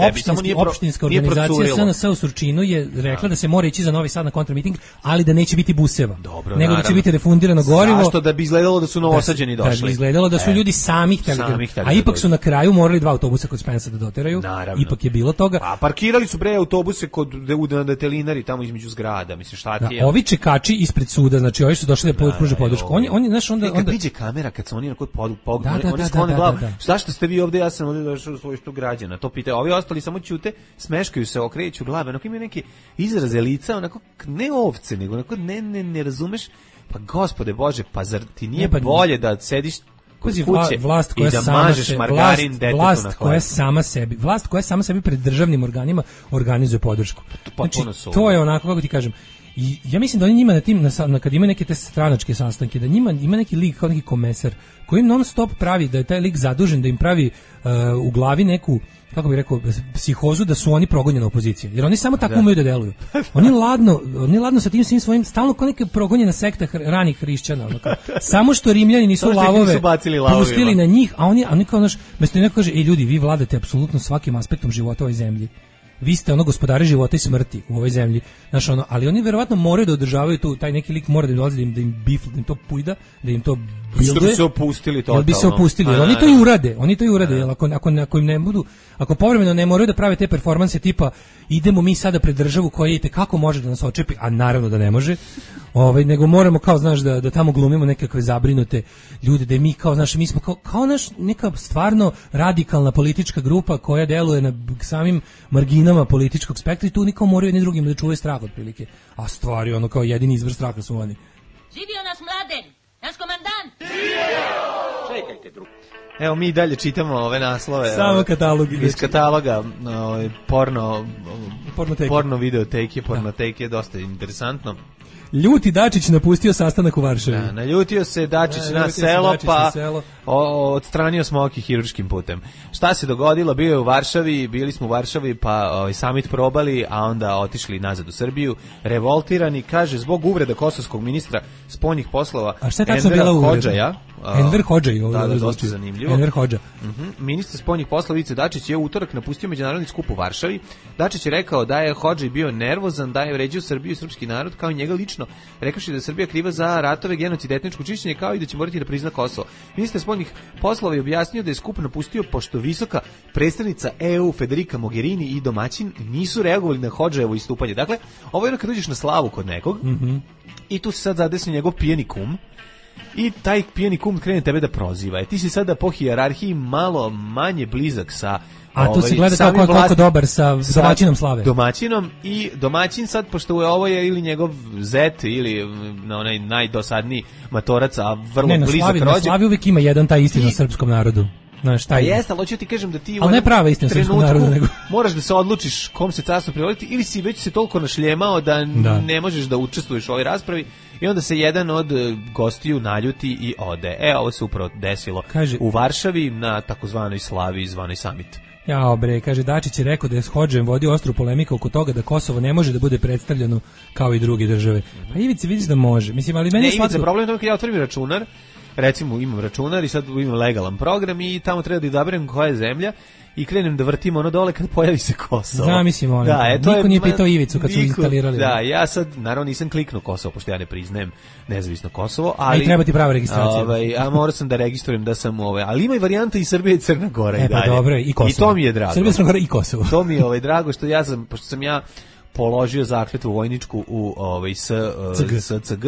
opštinska organizacija SNS u Surčinu je rekla da se mora ići za Novi Sad na kontramiting, ali da neće biti buseva. Dobro, nego da će biti refundirano gorivo. Zašto? Da bi izgledalo da su novosađeni došli. Da bi izgledalo da su ljudi sami htjeli. A ipak su na kraju morali 2 autobusa kod Spensa da doteraju. Naravno. Ipak je bilo toga. A parkirali su autobuse kod detelinari tamo između zgrada, mislim šta ti je. Ovi čekači ispred suda, znači ovi su došli da pruže podršku. Oni znaš onda kad priđe kamera, kad se oni onako oni sklone glavu. Zašto ste vi ovde? Ja sam ovde došao u svojstvu građana. To pitaju. Ovi ostali samo ćute, smeškaju se, okreću glave, onako imaju neki izraze lica, onako ne ovce, nego onako ne razumeš. Pa gospode Bože, pa zar ti nije bolje da sediš kod kuće i da mažeš margarin detetu na hleb? Vlast koja sama sebi pred državnim organima organizuje podršku. Znači, to je onako, kako ti kažem, i ja mislim da oni njima na tim, kad imaju neke te stranačke sastanke, da njima ima neki lik kao neki komesar koji im non stop pravi, da je taj lik zadužen da im pravi u glavi neku, kako bih rekao, psihozu da su oni progonjena opozicija. Jer oni samo tako umeju da deluju. Oni ladno sa tim svim svojim, stalno kao neka progonjena sekta ranih hrišćana. Samo što Rimljani nisu lavove pustili na njih, a oni kao naš, mesto neko kaže, ljudi, vi vladate apsolutno svakim aspektom života u ovoj zemlji. Vi ste gospodari života i smrti u ovoj zemlji. Znaš, ali oni verovatno moraju da održavaju tu, taj neki lik mora da im dolazi, da im bifl, da im to pujda, da im to bilduje. Bi se opustili totalno. Bi se opustili, jer oni to i urade, jer ako im ne budu, ako povremeno ne moraju da prave te performanse tipa idemo mi sada pred državu koja je kako može da nas očepi, a naravno da ne može, nego moramo kao, znaš, da tamo glumimo nekakve zabrinute ljude, da mi kao, znaš, mi smo kao naš neka stvarno radikalna politička grupa koja deluje na samim marginama političkog spektra i tu niko moraju jedni drugim da čuvaju strah otprilike. A stvari, kao jedini izvor straha su oni. Živio naš Mladen, naš komandant! Čekajte, drugo. Evo mi dalje čitamo ove naslove. Samo katalog. Iz kataloga porno videoteke, pornoteke, dosta interesantno. Ljuti Dačić napustio sastanak u Varšavi. Da, naljutio se Dačić na selo, pa odstranio Smoki hirurškim putem. Šta se dogodilo? Bio je u Varšavi, bili smo u Varšavi, pa summit probali, a onda otišli nazad u Srbiju. Revoltirani, kaže, zbog uvreda kosovskog ministra spoljnih poslova Envera Hodžaja. Enver Hodžaj, da, dosta zanimljivo. Enver Hodža. Ministar spoljnih poslova Ivica Dačić je u utorak napustio međunarodni skup u Varšavi. Dačić je rekao da je Hodžaj bio nervozan, da je vređao Srbiju i srpski narod, kao i njega lično, rekavši da je Srbija kriva za ratove, genocid, etničko čišćenje, kao i da će morati da prizna Kosovo. Ministar spoljnih poslova je objasnio da je skup napustio pošto visoka predstavnica EU Federica Mogherini i domaćin nisu reagovali na Hodžajevo istupanje. Dakle, ovo je kad uđeš na slavu kod nekog i tu se sad zadesi njegov pijeni kum. I taj pijeni kum krene tebe da proziva. Ti si sada po hijerarhiji malo manje blizak sa... A tu se gleda kako je koliko dobar sa domaćinom slave. Domaćinom i domaćin sad, pošto ovo je ili njegov zet ili onaj najdosadniji matorac, a vrlo blizak rođak. Na slavi uvijek ima jedan taj istina o srpskom narodu. Znaš, taj jeste, ali hoću ti kažem da ti ali ne prava istina srpskog naroda, nego moraš da se odlučiš kom se carstvo privoliti ili si već se toliko našljemao da ne možeš da učestvuješ u ovoj raspravi i onda se jedan od gostiju naljuti i ode. Ovo se upravo desilo u Varšavi na takozvanoj slavi zvanoj summit. Kaže, Dačić je rekao da je s Hodžem vodio ostru polemiku oko toga da Kosovo ne može da bude predstavljeno kao i druge države. Pa Ivica, vidiš da može. Mislim, ali meni je Ivica, problem je to kad ja otvorim računar, recimo imam računar i sad imam legalan program i tamo treba da izaberem koja je zemlja i krenem da vrtim ono dole kad pojavi se Kosovo. Zamislim ono. Niko nije pitao Ivicu kad su instalirali. Da, ja sad naravno nisam kliknuo Kosovo, pošto ja ne priznajem nezavisno Kosovo, ali... I treba ti prava registracija. A morao sam da registrujem da sam ali ima i varijanta i Srbije i Crna Gora i dalje. Pa dobro, i Kosovo. I to mi je drago. Srbija, Crna Gora i Kosovo. To mi je drago što ja sam, pošto sam ja položio zakletvu vojničku u SCG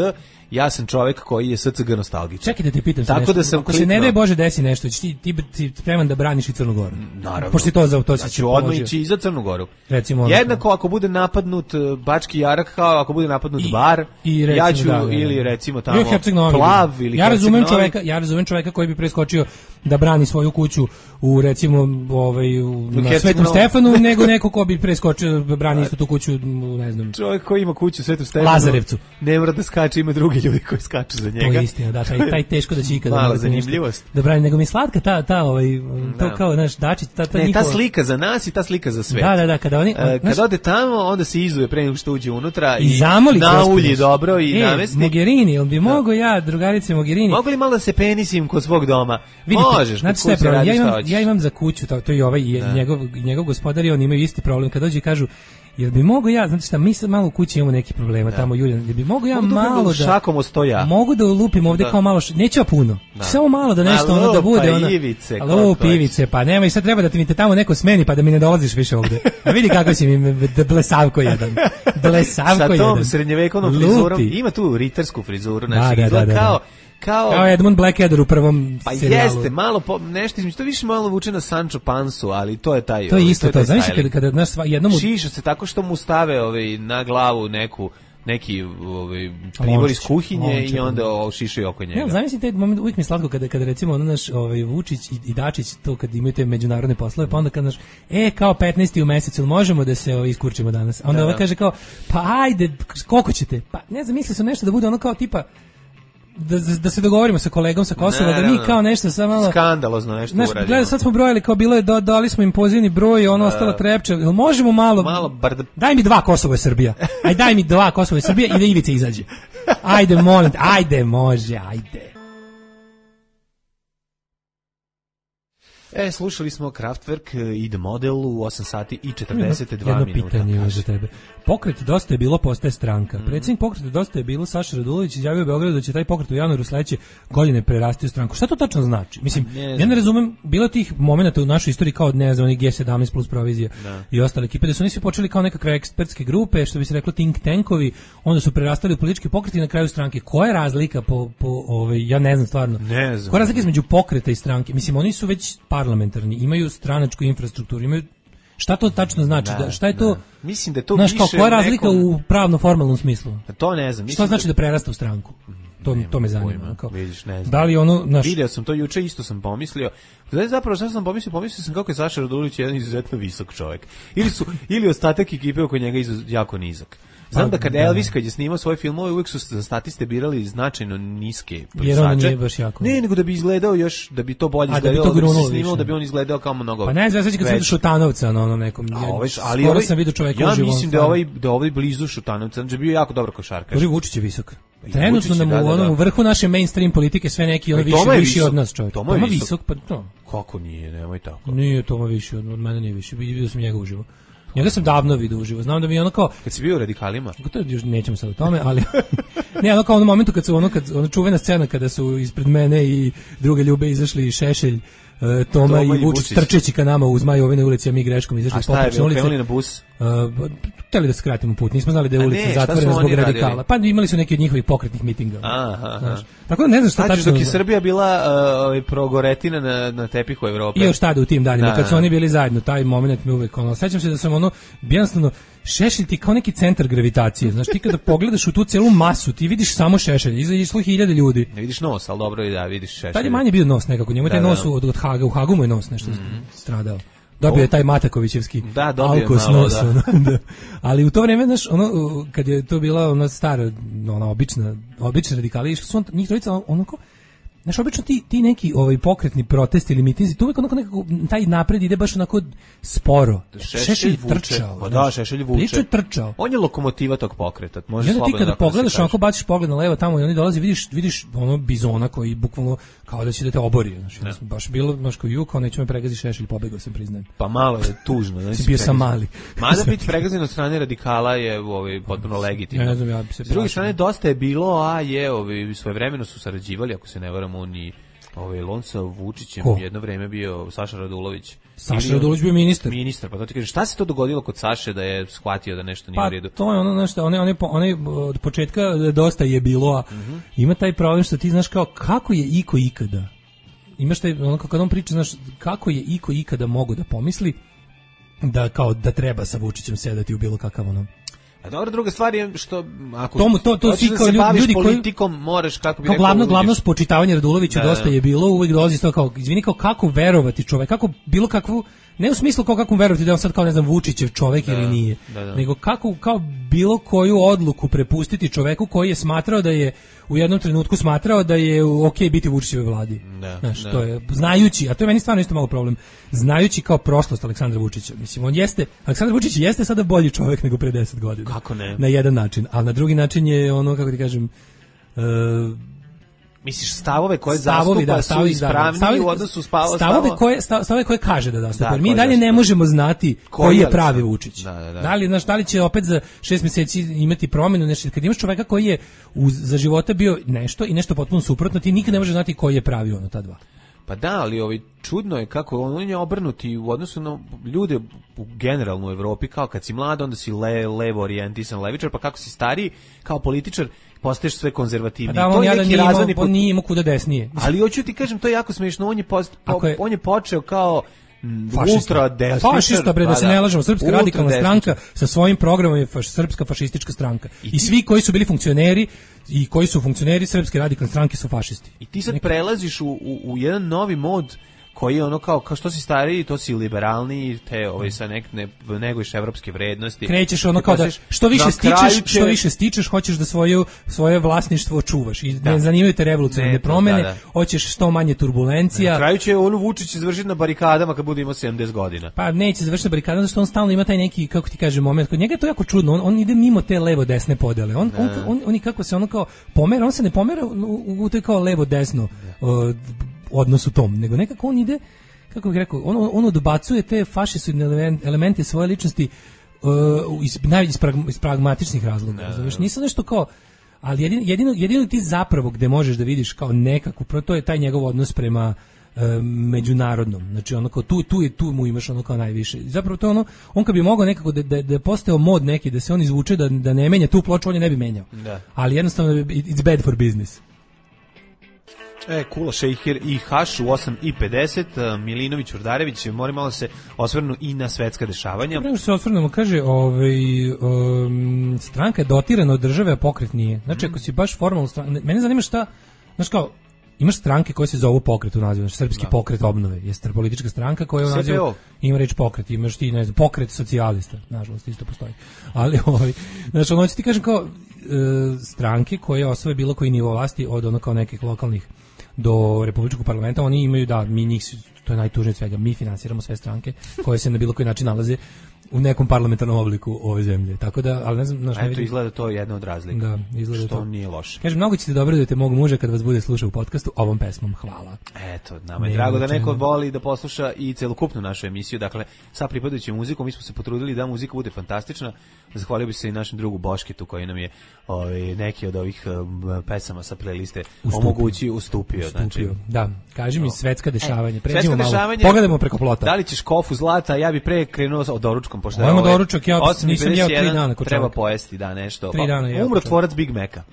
ja sam čovek koji je SCG nostalgičan. Čekaj da te pitam tako nešto. Da sam ako se ne daj Bože desi nešto, ti spreman da braniš i Crnu Goru. Naravno. Pošto to se ću odmah ići i za Crnu Goru. Recimo, jednako ako bude napadnut Bački Jarak, kao ako bude napadnut Bar, ja ću ili recimo tamo Plav ili ja razumem čoveka koji bi preskočio da brani svoju kuću u recimo na Svetom Stefanu, nego neko ko bi preskočio da brani istu tu kuću, ne znam. Čovjek koji ima kuću u Svetom Stefanu, Lazarevcu. Ne mora da skače, ima drugi ljudi koji skaču za njega. To je istina, da, taj teško da će ikada. Mala zanimljivost. Da brani, nego mi slatka to kao naš Dačić, ta slika za nas i ta slika za svet. Da, kada oni kad ode tamo, onda se izuje pre nego što uđe unutra i zamoli naulji dobro i namesti. Mogherini, on bi mogao drugarice Mogherini. Mogu li malo da se penisim kod svog doma? Možeš, znači ja imam za kuću, to i ovaj njegov gospodar i on imaju isti problem kad dođe i kažu jel bi mogu znate šta, mi sad malo u kući imamo neki problema tamo Julijan, jel bi mogu malo da šakom ostoja. Mogu da lupim ovde kao malo, neću ja puno. Samo malo da nešto ono da bude ona. Ivice, pa nema i sad treba da mi te tamo neko smeni pa da mi ne dolaziš više ovde. A vidi kako si mi blesavko jedan. Blesavko jedan. Sa tom srednjevekovnom frizurom, ima tu ritarsku frizuru, znači kao Edmund Blackadder u prvom serijalu. Pa jeste, malo nešto između, to više malo vuče na Sancho Pansu, ali to je taj. To je isto to. Znaš kada naš jednom šiša se tako što mu stave na glavu neki pribor iz kuhinje i onda šišaju oko njega. Ja, zamislite taj moment, uvijek mi slatko kada recimo naš Vučić i Dačić to kad imaju te međunarodne poslove, pa onda kad naš kao 15. u mesecu možemo da se iskurčimo danas. A onda kaže kao pa ajde, koliko ćete? Pa ne znam, misle su nešto da bude ono kao tipa da se dogovorimo sa kolegom sa Kosova, da mi kao nešto samo malo skandalozno nešto uradimo. Gledaj, sad smo brojali kao bilo je dali smo im pozivni broj, ono ostala Trepča. Jel možemo malo daj mi 2 Kosovo i Srbija. Aj daj mi 2 Kosovo i Srbija i da Ivica izađe. Ajde molim, ajde može, ajde. Slušali smo Kraftwerk i The Model u 8 sati i 42 minuta. Jedno pitanje za tebe. Pokret Dosta je bilo postaje stranka. Predsjednik pokreta Dosta je bilo Saša Radulović izjavio u Beogradu da će taj pokret u januaru sledeće godine prerasti u stranku. Šta to tačno znači? Mislim, ja ne razumem, bilo tih momenata u našoj istoriji kao ne znam, G17 plus provizija i ostale ekipe, da su oni svi počeli kao nekakve ekspertske grupe, što bi se reklo think tankovi, onda su prerastali u politički pokret i na kraju stranke. Koja je razlika ja ne znam stvarno. Ne znam. Koja je razlika između pokreta i stranke? Mislim, oni su već parlamentarni, imaju stranačku infrastrukturu, imaju šta to tačno znači? Šta je to? Mislim da je to više koja je razlika u pravno-formalnom smislu? To ne znam. Šta znači da prerasta u stranku? To me zanima. Vidiš, ne znam. Da li vidio sam to juče, isto sam pomislio. Znači, zapravo šta sam pomislio sam kako je Saša Radulović jedan izuzetno visok čovjek. Ili ostatak ekipe oko njega jako nizak. Znam da kad Elvis kad je snimao svoje filmove uvijek su za statiste birali značajno niske plisače. Jer on nije baš jako. Ne, nego da bi izgledao još, da bi to bolje izgledalo, da bi se snimao, da bi on izgledao kao mnogo. Pa ne znam, sad kad sam vidio Šutanovca na onom nekom. Skoro sam vidio čovjeka uživo. Ja mislim da je ovaj blizu Šutanovca, da je bio jako dobar košarkaš. Vučić je visok. Trenutno nam u vrhu naše mainstream politike sve neki on viši od nas čovjek. Toma visok, pa to. Kako nije, nemoj tako. Nije Toma viši od mene, nije viši. Vidio sam njega uživo. Njega sam davno vidio uživo. Znam da mi je ono kao kad si bio u Radikalima. To još nećemo sad o tome, ali ne, ono kao ono momentu kad čuvena scena kada su ispred mene i druge ljube izašli Šešelj, Toma i Vučić trčeći ka nama u Zmajovinoj ulici, a mi greškom izašli po Potočnoj ulici. A šta je, na bus? Hteli da skratimo put, nismo znali da je ulica zatvorena zbog radikala. Pa imali su neki od njihovih pokretnih mitinga. Tako da ne znam šta tačno. Dok je Srbija bila progoretina na tepihu Evrope. I još tada u tim danima, kad su oni bili zajedno, taj moment mi uvek sećam se da sam jednostavno Šešelj ti kao neki centar gravitacije. Znaš, ti kada pogledaš u tu celu masu, ti vidiš samo Šešelj, išlo 1000 ljudi. Ne vidiš nos, ali dobro je da vidiš Šešelj. Tad je manje bio nos nekako, njemu taj nos od Haga, u Hagu mu je nos nešto stradao. Dobio je taj Matakovićevski alkos nos. Ali u to vreme, znaš, kad je to bila ona stara, ona obična radikali, su njih trojica, znaš, obično ti neki pokretni protesti ili mitinzi, tu uvijek nekako taj napred ide baš onako sporo. Šešelj trčao. Pa da, Šešelj vuče. Pričao je trčao. On je lokomotiva tog pokreta. Može slobodno. Ti kada pogledaš, onako baciš pogled na levo tamo i oni dolazi, vidiš ono bizona koji bukvalno kao da će da te obori. Znači, baš bilo, znaš, kao ju, kao neću me pregazi Šešelj, pobegao sam, priznajem. Pa malo je tužno. Si bio sam mali. Mada biti pregazan od strane radikala je potpuno legitimno. Ne znam, ja bi se s druge strane, dosta je bilo, svojevremeno su sarađivali, ako se ne varam, oni On sa Vučićem jedno vreme bio Saša Radulović. Saša Radulović bio ministar. Ministar, pa to ti kaže, šta se to dogodilo kod Saše da je shvatio da nešto nije u redu? Pa to je ono nešto, one od početka dosta je bilo, a ima taj problem što ti znaš kao kako je iko ikada. Imaš taj, ono kad on priča, znaš, kako je iko ikada mogo da pomisli da kao da treba sa Vučićem sedati u bilo kakav ono. A dobro, druga stvar je što ako to svi kao ljudi politikom moraš kako bi rekao glavno spočitavanje Raduloviću dosta je bilo, uvek dolazi to kao izvini kao kako verovati čovek, kako bilo kakvu ne u smislu kao kako verovati da on sad kao ne znam Vučićev čovek ili nije, nego kako kao bilo koju odluku prepustiti čoveku koji je smatrao da je u jednom trenutku smatrao da je okej biti u Vučićevoj vladi. Znaš, to je znajući, a to je meni stvarno isto malo problem. Znajući kao prošlost Aleksandra Vučića. Mislim, Aleksandar Vučić jeste sada bolji čovek nego pre 10 godina. Kako ne? Na jedan način, a na drugi način je ono, kako ti kažem, misliš stavove koje zastupa su ispravni u odnosu stavove koje kaže da zastupa. Mi dalje ne možemo znati koji je pravi Vučić. Da li će opet za 6 mjeseci imati promjenu, nešto. Kad imaš čoveka koji je za života bio nešto i nešto potpuno suprotno, ti nikad ne možeš znati koji je pravi ono ta dva. Pa da, ali čudno je kako on je obrnuti u odnosu na ljude generalno u Evropi, kao kad si mlad, onda si levo orijentisan levičar, pa kako si stariji, kao političar, postaješ sve konzervativniji. Pa da, on nije imao kuda desnije. Ali hoću ti kažem, to je jako smiješno, on je počeo kao ultra desničar. Fašista, bre, da se ne lažemo, Srpska radikalna stranka sa svojim programom je Srpska fašistička stranka. I svi koji su bili funkcioneri i koji su funkcioneri Srpske radikalne stranke su fašisti. I ti sad prelaziš u jedan novi mod koji je ono kao što si stariji, to si liberalniji, te sa neguješ evropske vrednosti. Krećeš ono kao da što više stičeš, hoćeš da svoje vlasništvo čuvaš. I ne zanimaju te revolucionarne promene, hoćeš što manje turbulencija. Na kraju će Vučić završiti na barikadama kad bude imao 70 godina. Pa neće završiti na barikadama, zato što on stalno ima taj neki, kako ti kaže, moment. Kod njega je to jako čudno, on ide mimo te levo-desne podele. On kako se ono kao pomera, on se ne pomera u to kao levo-desno odnosu tom, nego nekako on ide, kako bih rekao, on odbacuje te fašistične elemente svoje ličnosti iz pragmatičnih razloga. Znaš, nisam nešto kao, ali jedino ti zapravo gde možeš da vidiš kao nekako, to je taj njegov odnos prema međunarodnom. Znači ono kao tu mu imaš ono kao najviše. Zapravo to ono, on kad bi mogao nekako da je postao mod neki, da se on izvuče, da ne menja tu ploču, on je ne bi menjao. Ali jednostavno it's bad for business. Kula Šejhir i Haš u 8:50, Milinović, Urdarević, moram malo se osvrnu i na svetska dešavanja. Prema što se osvrnemo, kaže, stranka je dotirana od države, a pokret nije. Znači, ako si baš formalno stranka, mene zanima šta, znaš kao, imaš stranke koje se zovu pokret u nazivu, znači Srpski pokret obnove, jeste politička stranka koja u nazivu ima reč pokret, imaš ti, ne znam, pokret socijalista, nažalost, isto postoji. Ali, znači, ono ću ti kažem kao, stranke koje osvoje bilo koji nivo vlasti od ono kao nekih lokalnih do republičkog parlamenta, oni imaju, da, mi njih, to je najtužnije od svega, mi finansiramo sve stranke koje se na bilo koji način nalaze u nekom parlamentarnom obliku ove zemlje. Tako da, ali ne znam, znaš, eto, izgleda to je jedna od razlika. Da, izgleda što to nije loše. Kaže, mnogo ćete dobro da te mog muža kad vas bude slušao u podcastu ovom pesmom. Hvala. Eto, nama je drago da neko voli da posluša i celokupnu našu emisiju. Dakle, sa pripadajućom muzikom mi smo se potrudili da muzika bude fantastična. Zahvalio bih se i našem drugu Boškitu koji nam je neki od ovih pesama sa playliste ustupio. Znači, da, kaži mi svetska dešavanja. Pređimo malo. Pogledajmo preko plota. Da li ćeš kofu zlata? Ja bih pre krenuo od doručkom, pošto je doručak, ja nisam jeo 3 dana. Treba pojesti, da, nešto. 3 dana jeo. Umro tvorac Big Maca.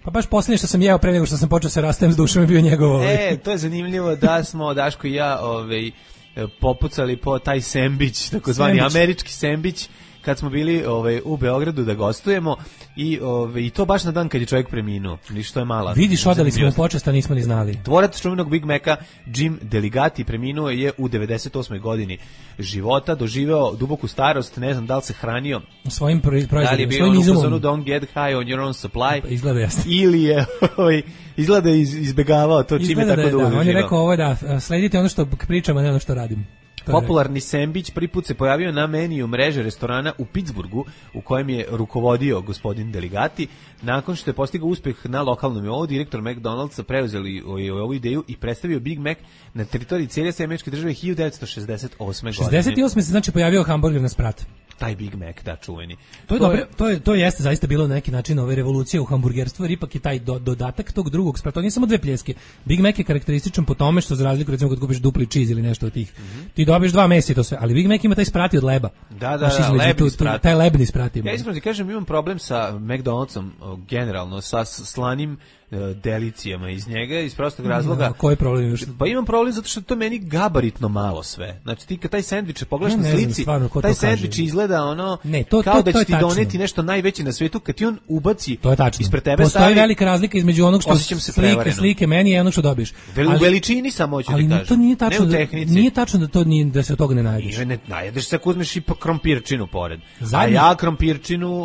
Pa baš posljednje što sam jeo pre nego što sam počeo se rastajem s dušom je bio njegov. To je zanimljivo da smo Daško i ja popucali po taj sendvič, takozvani američki sendvič, kad smo bili u Beogradu da gostujemo i to baš na dan kad je čovjek preminuo. Ništa je mala. Vidiš, odali smo počast, a nismo ni znali. Tvorac čuvenog Big Maca Jim Deligati preminuo je u 98. godini života, doživeo duboku starost, ne znam da li se hranio svojim proizvodima, da li je bio u fazonu don't get high on your own supply, izgleda jasno, ili je izgleda izbegavao to čime tako dugo doživao. On je rekao sledite ono što pričamo, ne ono što radim. Popularni sendvič prvi put se pojavio na meniju mreže restorana u Pittsburghu, u kojem je rukovodio gospodin Deligati. Nakon što je postigao uspeh na lokalnom nivou, direktor McDonald'sa preuzeli ovu ideju i predstavio Big Mac na teritoriji cijele američke države 1968. godine. 68. se znači pojavio hamburger na sprat. taj Big Mac, da, čuveni. To je dobro, to jeste zaista bilo na neki način ove revolucije u hamburgerstvu, jer ipak je taj dodatak tog drugog sprata. To nije samo dve pljeske. Big Mac je karakterističan po tome što za razliku recimo kad kupiš dupli cheese ili nešto od tih. Ti dobiješ 2 mesa i to sve, ali Big Mac ima taj sprati od leba. Da, lebni sprat. Taj lebni sprat ima. Ja iskreno ti kažem, imam problem sa McDonald'som generalno, sa slanim delicijama iz njega, iz prostog razloga. Koji problem imaš? Pa imam problem zato što to meni gabaritno malo sve. znači ti kad taj sendvič pogledaš na slici, taj sendvič izgleda ono kao da će ti doneti nešto najveće na svetu, kad ti on ubaci ispred tebe. Postoji velika razlika između onog što slike meni i onog što dobiješ. U veličini samo hoću ti kažem. Ali to nije tačno, nije tačno da se od toga ne najedeš. Ne najedeš se ako uzmeš i krompirčinu pored. A ja krompirčinu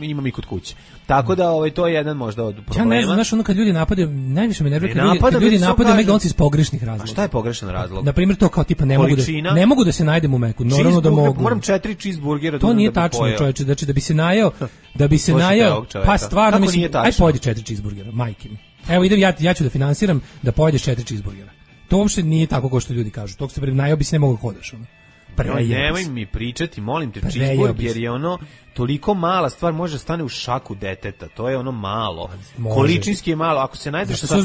imam i kod kuće. Tako da to je jedan možda od problema. Ja ne znam, znaš, ono kad ljudi napadaju, najviše me nervira kad ljudi napadaju McDonald's iz pogrešnih razloga. A šta je pogrešan razlog? Na primjer to kao tipa ne mogu da se najdem u Meku, normalno da mogu. Moram 4 cheeseburgera to nije tačno, čoveče, znači da bi se najeo, pa stvarno mislim, aj pojedi 4 cheeseburgera, majke mi. Evo idem ja ću da finansiram da pojedeš 4 cheeseburgera. To uopšte nije tako kao što ljudi kažu. Tog se najeo bi se ne mogu hodaš ono. Nemoj mi pričati, molim te, cheeseburger je ono toliko mala stvar, može stane u šaku deteta, to je ono malo. Količinski je malo, ako se najdeš sa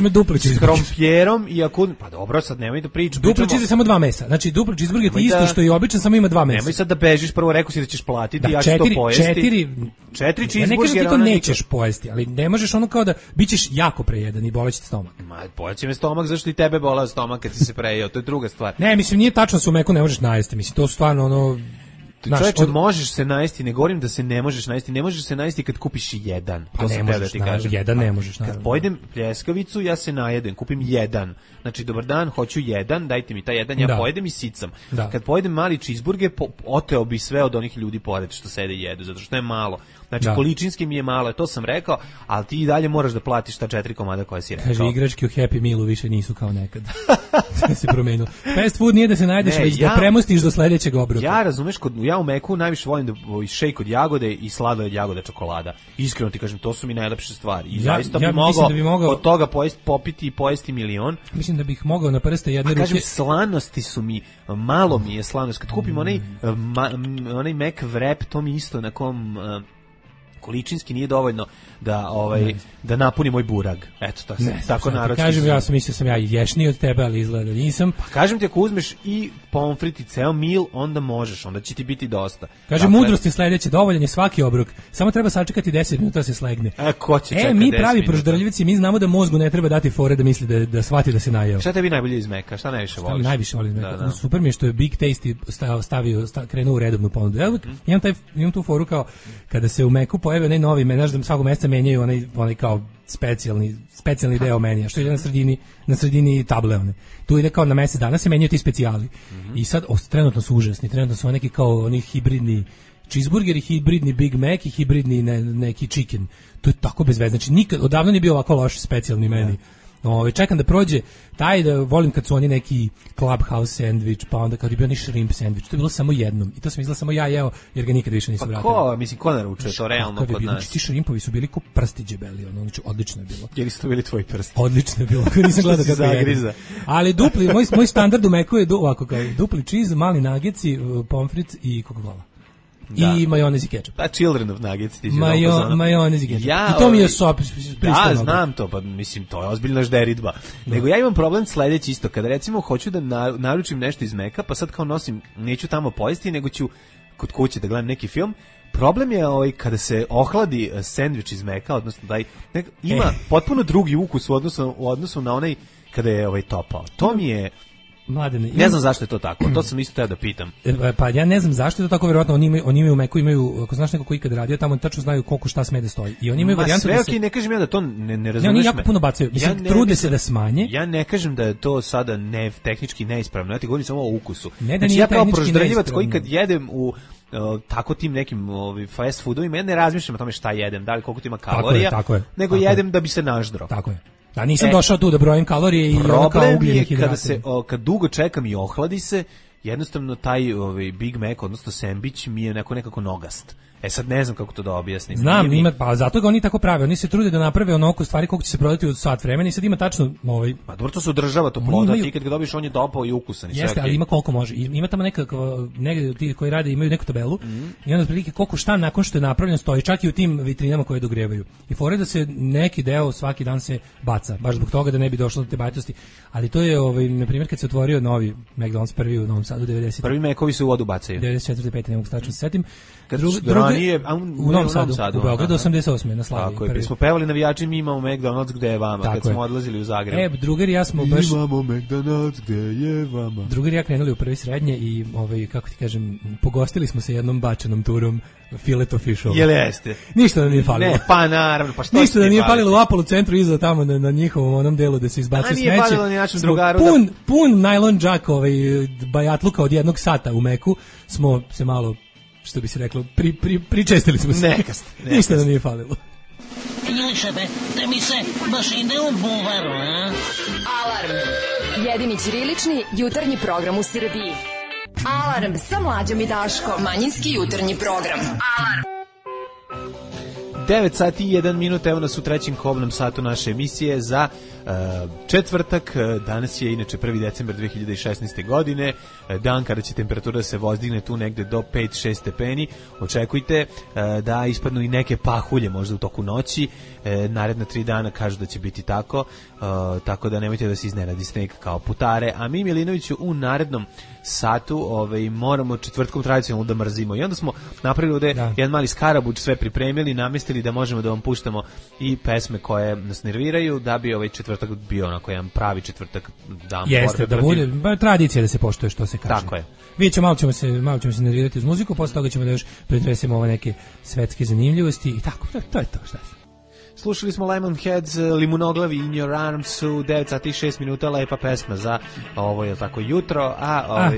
krompjerom i ako... Pa dobro, sad nemoj da pričam. Dupli cheese je samo 2 mesa, znači dupli cheeseburger je isto što i običan, samo ima 2 mesa. Nemoj sad da bežiš, prvo rekao si da ćeš platiti, ja ću to pojesti. 4 cheeseburgera... Ne kažem ti to nećeš pojesti, ali ne možeš ono kao da bićeš jako prejedan i boleće ti stomak. Boleće me stomak, zašto i tebe bolao stomak kad si se prejeo, to je druga stvar. Ne, mislim, nije tačno se u Meku ne možeš najesti, mislim, to stvarno ono... Čovječe, možeš se najesti, ne govorim da se ne možeš najesti, ne možeš se najesti kad kupiš jedan. Pa ne možeš, jedan ne možeš. Kad pojedem pljeskavicu, ja se najedem, kupim jedan. Znači, dobar dan, hoću jedan, dajte mi taj jedan, ja pojedem i sicam. Kad pojedem mali cheeseburger, oteo bi sve od onih ljudi pored što sede i jedu, zato što je malo. Znači, količinski mi je malo, to sam rekao, ali ti i dalje moraš da platiš ta 4 komada koje si rekao. Kaže, igračke u Happy Mealu više nisu kao nekad. Sve se promenilo. Fast food nije da se najdeš, već da premostiš do sledećeg obroka. Ja razumeš, ja u Meku najviše volim da šejk od jagode i sladoled jagode čokolada. Iskreno ti kažem, to su mi najlepše stvari. I zaista bi mogao od toga popiti i pojesti milion. Mislim da bih mogao na prste jedne ruke. Kažem, slanosti su mi, malo mi je slanost. Kad kupim onaj Mac wrap, to mi isto na kom... količinski nije dovoljno da napuni moj burag. Eto, to se tako narodski. Kažem, ja sam mislio sam ja ješniji od tebe, ali izgleda nisam. Pa kažem ti, ako uzmeš i pomfrit i ceo mil, onda možeš, onda će ti biti dosta. Kaže, mudrost je sledeće, dovoljan je svaki obrok, samo treba sačekati 10 minuta da se slegne. Ko će čekati 10 mi pravi proždrljivci, mi znamo da mozgu ne treba dati fore da misli da shvati da se najeo. Šta tebi najbolje iz Meka? Šta najviše voliš? Najviše volim iz Meka. Super mi je što je Big Tasty krenuo u redovnu ponudu. Ja imam tu foru kao kada se u Meku pojavi onaj novi menadž, da svakog mjeseca menjaju onaj kao specijalni deo menija, što ide na sredini table one. Tu ide kao na mjesec dana se menjaju ti specijali. I sad trenutno su užasni, trenutno su neki kao oni hibridni cheeseburgeri, hibridni Big Mac i hibridni neki chicken. To je tako bez veze. Znači nikad odavno nije bio ovako loš specijalni meni. Čekam da prođe taj, da volim kad su oni neki Clubhouse sandvič, pa onda kad je bio oni shrimp sandvič, to je bilo samo jednom i to sam izgleda samo ja jeo jer ga nikad više nisam vratio. Ko naručuje to realno kod nas? Ti shrimpovi su bili ko prsti džebeli, znači odlično je bilo. Jer su to bili tvoji prsti? Odlično je bilo, nisam gledao kako je. Ali dupli, moj standard u Meku je ovako kao dupli cheese, mali nageci, pomfrit i Coca-Cola. I majonez i kečap. Pa children of nuggets. Majonez i kečap. I to mi je pristojno. Ja znam to, pa mislim, to je ozbiljna žderidba. Nego ja imam problem sledeći isto. Kada recimo hoću da naručim nešto iz Meka, pa sad kao nosim, neću tamo pojesti, nego ću kod kuće da gledam neki film. Problem je kada se ohladi sendvič iz Meka, odnosno da ima potpuno drugi ukus u odnosu na onaj kada je topao. To mi je... Mladene, ne znam zašto je to tako, to sam isto teo da pitam. Pa ja ne znam zašto je to tako, verovatno oni imaju u Meku, ako znaš neko ko ikad radio tamo, tačno znaju koliko šta sme da stoji. I oni imaju varijantu da se... ne kažem ja da to ne razumeš. Ne, oni jako puno bacaju, mislim, trude se da smanje. Ja ne kažem da je to sada tehnički neispravno, ja ti govorim samo o ukusu. Ne da nije tehnički proždrljivac koji kad jedem u tako tim nekim fast foodovima, ja ne razmišljam o tome šta jedem, da li koliko to ima kalorija, nego jedem da bi se naždro. Tako je. Da nisam došao tu da brojim kalorije i problem je kad dugo čekam i ohladi se, jednostavno taj Big Mac, odnosno sandvič mi je nekako nogast. Sad ne znam kako to da objasnim. Znam, pa zato ga oni tako prave. Oni se trude da naprave onoliko stvari koliko će se prodati u sat vremena i sad ima tačno Pa dobro, to se održava to ploda, ti kad ga dobiš on je dopao i ukusan i sve. Jeste, ali ima koliko može. Ima tamo negde ti koji rade imaju neku tabelu i onda otprilike koliko šta nakon što je napravljeno stoji, čak i u tim vitrinama koje dogrevaju. I fore da se neki deo svaki dan se baca, baš zbog toga da ne bi došlo do te bajatosti. Ali to je na primjer kad se otvorio novi McDonald's prvi u Novom Sadu 90. Prvi Mekovi se u vodu bacaju. 94. 5. ne mogu stačno se setim. Ranije u Novom Sadu, u Beogradu 88. na Slaviji. Tako je, smo pevali navijači, mi imamo McDonald's gde je vama, kad smo odlazili u Zagreb. Drugar i ja smo baš... Imamo McDonald's gde je vama. Drugar i ja krenuli u prvi srednje i, kako ti kažem, pogostili smo se jednom bačenom turom Filet of Fish. Jel jeste? Ništa da nije falilo. Ne, pa naravno, pa što ništa da nije falilo u Apollo centru iza tamo na njihovom onom delu da se izbaci smeće. Nije falilo ni našem drugaru. Pun najlon džak bajatluka od 1 sata u Meku smo se malo, što bi se reklo, pričestili smo se. Ništa da nije falilo. Ilišebe, da mi se baš ide u buvaru, a? Alarm. Jedini ćirilični jutarnji program u Srbiji. Alarm sa Mlađom i Daškom. Manjinski jutarnji program. Alarm. 9 sati i 1 minut, evo nas u trećem kobnom satu naše emisije za četvrtak. Danas je inače 1. decembar 2016. godine, dan kada će temperatura se vozdigne tu negde do 5-6 stepeni. Očekujte da ispadnu i neke pahulje možda u toku noći. Naredna 3 dana kažu da će biti tako, tako da nemojte da se iznenadi sneg kao putare. A mi, Milinoviću, u narednom satu moramo četvrtkom tradicionalno da mrzimo. I onda smo napravili ovde jedan mali skarabuč, sve pripremili, namestili da možemo da vam puštamo i pesme koje nas nerviraju, da bi ovaj četvrtak bio onako jedan pravi četvrtak dan. Jeste, da bude tradicija da se poštuje što se kaže. Tako je. Vidjet ćemo, malo ćemo se nervirati uz muziku, posle toga ćemo da još pretresemo ove neke svetske zanimljivosti i tako, to je to, šta je. Slušali smo Lemonheads, Limunoglavi, In Your Arms u 9 sati i 6 minuta, lepa pesma za ovo je tako jutro.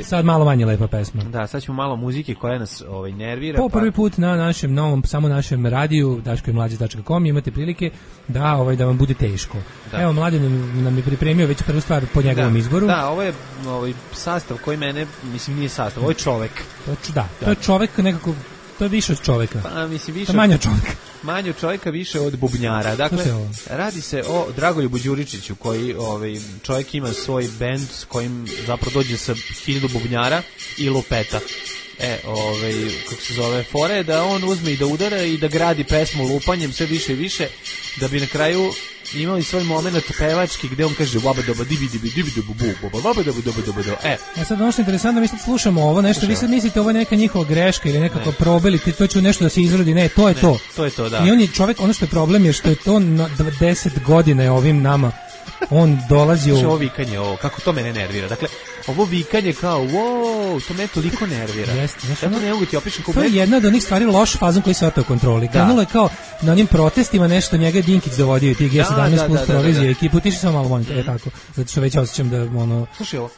Sad malo manje lepa pesma. Da, sad ćemo malo muzike koja nas nervira. Po prvi put na našem novom, samo našem radiju, daškoimlađe.com, imate prilike da vam bude teško. Da. Evo, Mladen nam je pripremio već prvu stvar po njegovom izboru. Da, ovo je sastav koji mene, mislim nije sastav, ovo je čovek. To je čovek nekako, to je više od čoveka. Pa, mislim, više to je manje od čoveka. Manje od čovjeka, više od bubnjara. Dakle, radi se o Dragoljubu Đuričiću, koji čovjek ima svoj bend s kojim zapravo dođe sa 1000 bubnjara i lupeta. Kako se zove, fore da on uzme i da udara i da gradi pesmu lupanjem sve više i više, da bi na kraju imali svoj moment pevački gde on kaže baba doba dibi dibi dibi dibi bu baba doba doba doba do. Sad ono što je interesantno, mi sad slušamo ovo nešto, vi sad mislite ovo je neka njihova greška ili nekako probili, to će nešto da se izrodi, ne, to je to. To je to, da. I on je čovjek, ono što je problem je što je to na 10 godina je ovim nama on dolazi ovo vikanje, kako to mene nervira. Dakle, ovo vikanje kao, wow, to me toliko nervira. Ja to ne mogu ti opišem. To je jedna od onih stvari loš fazon koji se otao kontroli. Krenulo je kao na onim protestima nešto, njega je Dinkić dovodio i ti G17 plus provizije ekipu, tiši samo malo monite, tako. Zato što već osjećam da,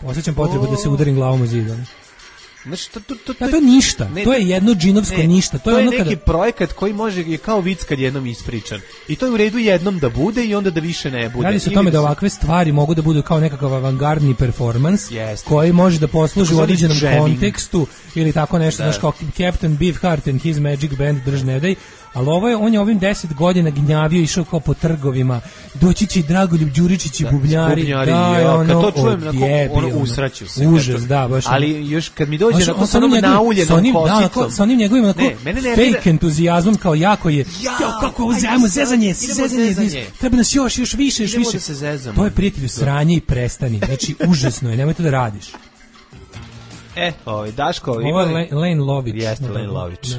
osjećam potrebu da se udarim glavom u zid. Znači, to je ništa, to je jedno džinovsko ništa. To je neki projekat koji je kao vic kad jednom ispričan. I to je u redu jednom da bude i onda da više ne bude. Radi se o tome da ovakve stvari mogu da budu kao nekakav avangardni performans koji može da posluži u određenom kontekstu ili tako nešto, znaš kao Captain Beefheart and his Magic Band drž ne daj. Ali on je ovim 10 godina gnjavio, išao kao po trgovima, doći će i Dragoljub Đuričić i bubnjari, kad to čujem, ono usraću se. Užas, da, baš. Ali još kad mi dođe sa onom nauljenom kosicom. Sa onim njegovim fake entuzijazmom, kao jako je, kako ovo zezanje, treba nas još više. To je prijatelju sranje i prestani, znači užasno je, nemoj to da radiš. Daško, ovo je Lane Lović. Jeste, Lane Lović.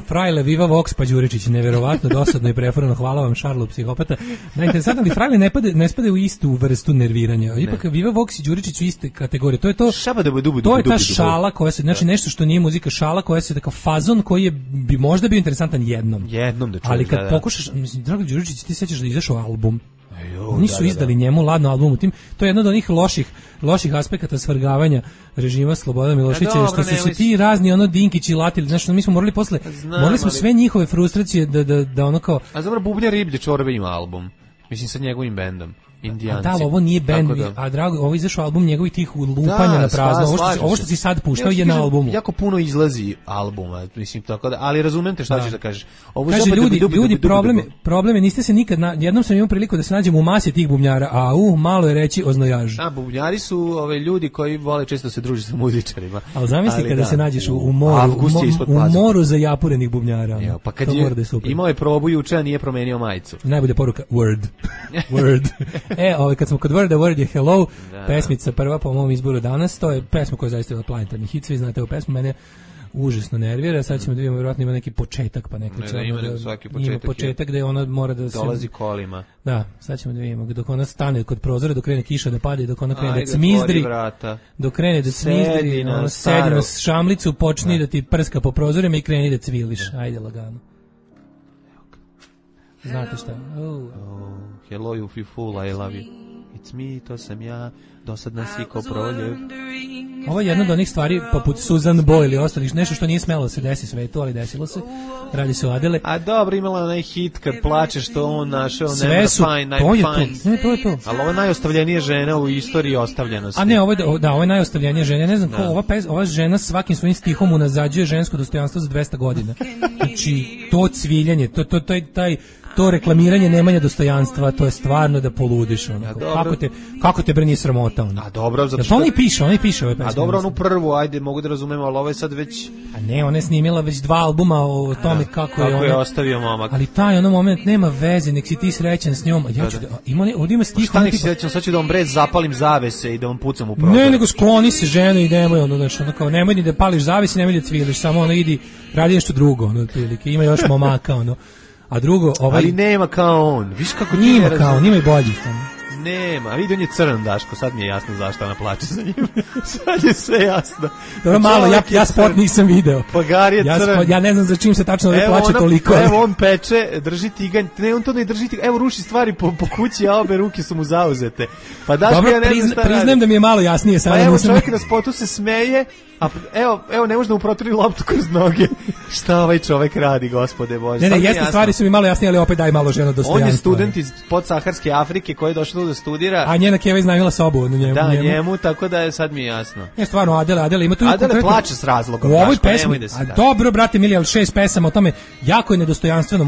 Frajle, Viva Vox, pa Đuričić, neverovatno, dosadno i preforno, hvala vam, Šarlu, psihopata. Najinteresantno, ali Frajle ne spade u istu vrstu nerviranja. Ipak Viva Vox i Đuričić u iste kategorije. To je ta šala koja se, znači nešto što nije muzika, šala koja se tako fazon koji bi možda bio interesantan jednom. Da ali kad pokušaš, mislim, Drago Đuričić, ti sećaš da izašao album. Oni su izdali njemu ladno album, to je jedno od onih loših aspekata svrgavanja režima Slobodana Miloševića, što su se ti razni Dinkići latili, znači mi smo morali smo sve njihove frustracije da ono kao... A zapravo Bubnjar Riblje Čorbe ima album, mislim sa njegovim bendom. Indijanci. Da, ovo nije bend, a drago, ovo izašao album njegovih tih lupanja na prazno. Ovo što si sad puštao je na albumu. Jako puno izlazi albuma, mislim tako da, ali razumem te šta ćeš da kažeš. Ovo kaže ljudi probleme niste se nikad jednom sam imao priliku da se nađem u masi tih bubnjara, a malo je reći oznojaž. A bubnjari su ljudi koji vole često se družiti sa muzičarima. Ali zamisli kada se nađeš u moru za japurenih bubnjara. Jo, pa kad imao je probu juče, a nije promenio majicu. Najbolja poruka word. Kad smo kod Word je Hello, pesmica prva po mom izboru danas, to je pesma koja je zaista bila planetarni hit, svi znate ovu pesmu, mene užasno nervira, sad ćemo da vidimo, vjerojatno ima neki početak, pa neko će ima početak gde ona mora da dolazi kolima. Da, sad ćemo da vidimo, dok ona stane kod prozora, dok krene kiša da pada i dok ona krene da cmizdri, ona sedi na šamlicu, počni da ti prska po prozorima i kreni da cviliš, ajde lagano. Znate šta? Hello you fool, I love you. It's me, to sam ja, dosadna si ko proljev. Ovo je jedna od onih stvari poput Susan Boyle ili ostalih, nešto što nije smelo da se desi svetu, ali desilo se. Radi se o Adele. A dobro, imala onaj hit kad plačeš što on našao Never Fine, I'm Fine. To je to. Ali ovo je najostavljenija žena u istoriji ostavljenosti. A ne, ovo je najostavljenija žena. Ne znam ko, ova žena svakim svojim stihom unazađuje žensko dostojanstvo za 200 godina. Znači, to cviljanje, to reklamiranje nemanja dostojanstva, to je stvarno da poludiš. Kako te nije sramota? A dobro, zato što... Oni piše ove pesme. A dobro, onu prvu, ajde, mogu da razumemo, ali ovo je sad već... A ne, ona je snimila već 2 albuma o tome kako je ostavio momak. Ali taj ono moment nema veze, nek si ti srećan s njom. Ovdje ima stih... Šta nek si srećan, sad ću da vam zapalim zavese i da vam pucam u prozor. Ne, nego skloni se ženu i nemoj nemoj ni da pališ zavese, nemoj da cviliš, samo idi, radi nešto drugo, ima još momaka, a drugo, ali nema kao on. Viš kako nima kao on, ima i boljih. Nema, vidi on je crn, Daško, sad mi je jasno zašto ona plače za njim. Sad je sve jasno. Dobro, malo, ja spot nisam video. Pagar je crn. Ja ne znam za čim se tačno ovdje plače toliko. Evo on peče, drži tiganj, ne, on to ne drži tiganj, evo ruši stvari po kući, a obe ruke su mu zauzete. Pa Daško, dobro, ja ne znam šta priznajem da mi je malo jasnije. Pa evo čovjek na spotu se smeje, a evo ne može da mu proturi loptu kroz noge. Šta ovaj čovjek radi, gospode Bože? Ne, jeste stvari su mi malo jasnije, ali opet daj malo žena dostojanstva. On je student iz podsaharske Afrike koji je došao da studira. A njena keva iznajmila sobu na njemu. Da, njemu, tako da je sad mi jasno. Je stvarno, Adele ima tu... Adele plače s razlogom. U ovoj pesmi, dobro, brate mili, ali 6 pesama o tome, jako je nedostojanstveno,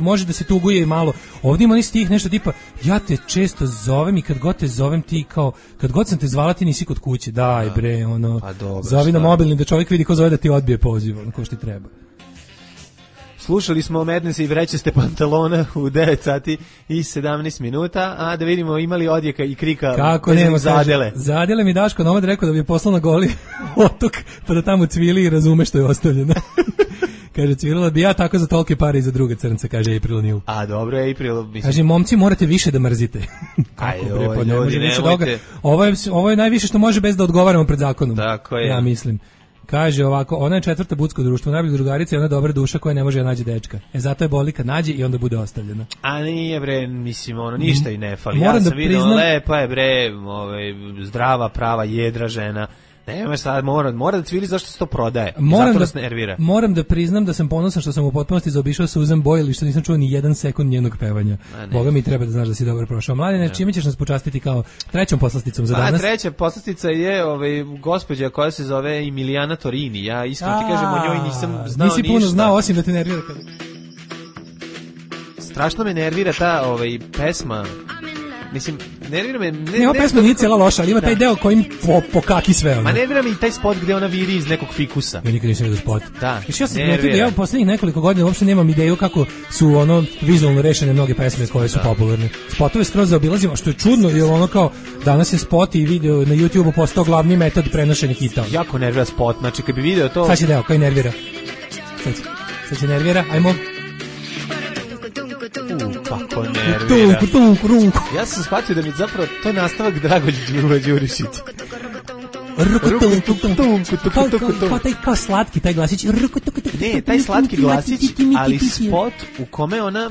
može da se tuguje i malo. Ovdje ima stih nešto tipa, ja te često zovem i kad god te zovem ti kao, kad god sam te zvala ti nisi kod kuće, daj bre, zovi na mobilni da čovjek vidi ko zove da ti odbije poziv, ko što ti treba. Slušali smo Madness i vrećaste pantalona u 9 sati i 17 minuta, a da vidimo imali odjeka i krika. Kako nema, za Adele. Za Adele mi Daško Nomad rekao da bi je poslao na Goli otok, pa da tamo cvili i razume što je ostavljeno. Kaže, cvirala bi ja tako za tolke pare i za druga crnca, kaže April O'Neil. A dobro je April, mislim. Kaže, momci morate više da mrzite. Kako bre, pa ne može više doga. Ovo je najviše što može bez da odgovaramo pred zakonom. Tako je. Ja mislim. Kaže ovako, ona je 4. budsko društvo, najbolja drugarica i ona dobra duša koja ne može da nađe dečka. Zato je boli kad nađe i onda bude ostavljena. A nije bre, mislim, ništa i ne fali. Ja sam vidio, lepa je bre, zdrava, prava, jedra žena. Nema sad, mora da cvili zašto se to prodaje. Moram da priznam da sam ponosan što sam u potpunosti zaobišao Susan Boyle i što nisam čuo ni 1 sekund njenog pevanja. Boga mi treba da znaš da si dobro prošao. Mladine, čime ćeš nas počastiti kao trećom poslasticom za danas? Treća poslastica je gospođa koja se zove Emiliana Torini. Ja iskreno ti kažem, o njoj nisam znao ništa. Nisi puno znao, osim da te nervira kada... Strašno me nervira ta pesma. Mislim, nervira me... Ova pesma nije cijela loša, ali ima taj deo kojim pokaki sve ono. Ma nervira me i taj spot gde ona viri iz nekog fikusa. Ja nikad nisam vidio spot. Da, ja sam primetio da ja posljednjih nekoliko godina uopšte nemam ideju kako su vizualno rešene mnoge pesme koje su popularne. Spotove skroz zaobilazimo, što je čudno, jer kao danas je spot i video na YouTubeu postao glavni metod prenošenja hita. Jako nervira spot, znači kad bi video to... Sad će deo, koji nervira? Sad će nervira, ajmo... Kako nervira. Ja sam shvatio da mi zapravo to je nastavak Dragoljubova Đurišića. Kao slatki taj glasić. Ne, taj slatki glasić, ali spot u kome ona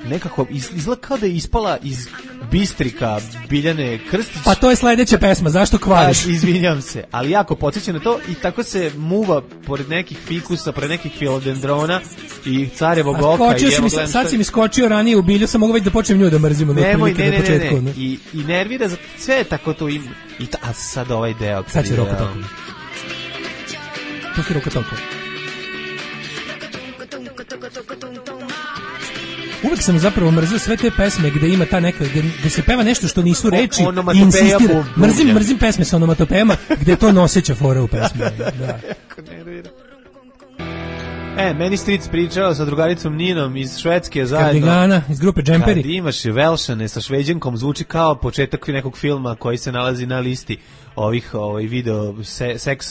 nekako izgleda kao da je ispala iz Bistrika, Biljane Krstić. Pa to je sledeća pesma, zašto kvariš? Izvinjam se, ali jako podsjeća na to i tako se muva pored nekih fikusa, pored nekih filodendrona i carevog oka. Sad si mi skočio ranije u bilju, sam mogu već da počnem nju da mrzimo. Nemoj, ne. I nervira, sve tako to im... A sad ovaj deo. Sad će Roko Toko. Pusti Roko Toko. Uvek sam zapravo mrzio sve te pesme gde ima ta neka, gde se peva nešto što nisu reči i insistira. Mrzim pesme sa onomatopejama gde je to noseća fora u pesmi. Da. Meni Stric pričao sa drugaricom Ninom iz Švedske zajedno. Kardigana, iz grupe Džemperi. Kad imaš Velšane sa Šveđankom, zvuči kao početak nekog filma koji se nalazi na listi ovih seks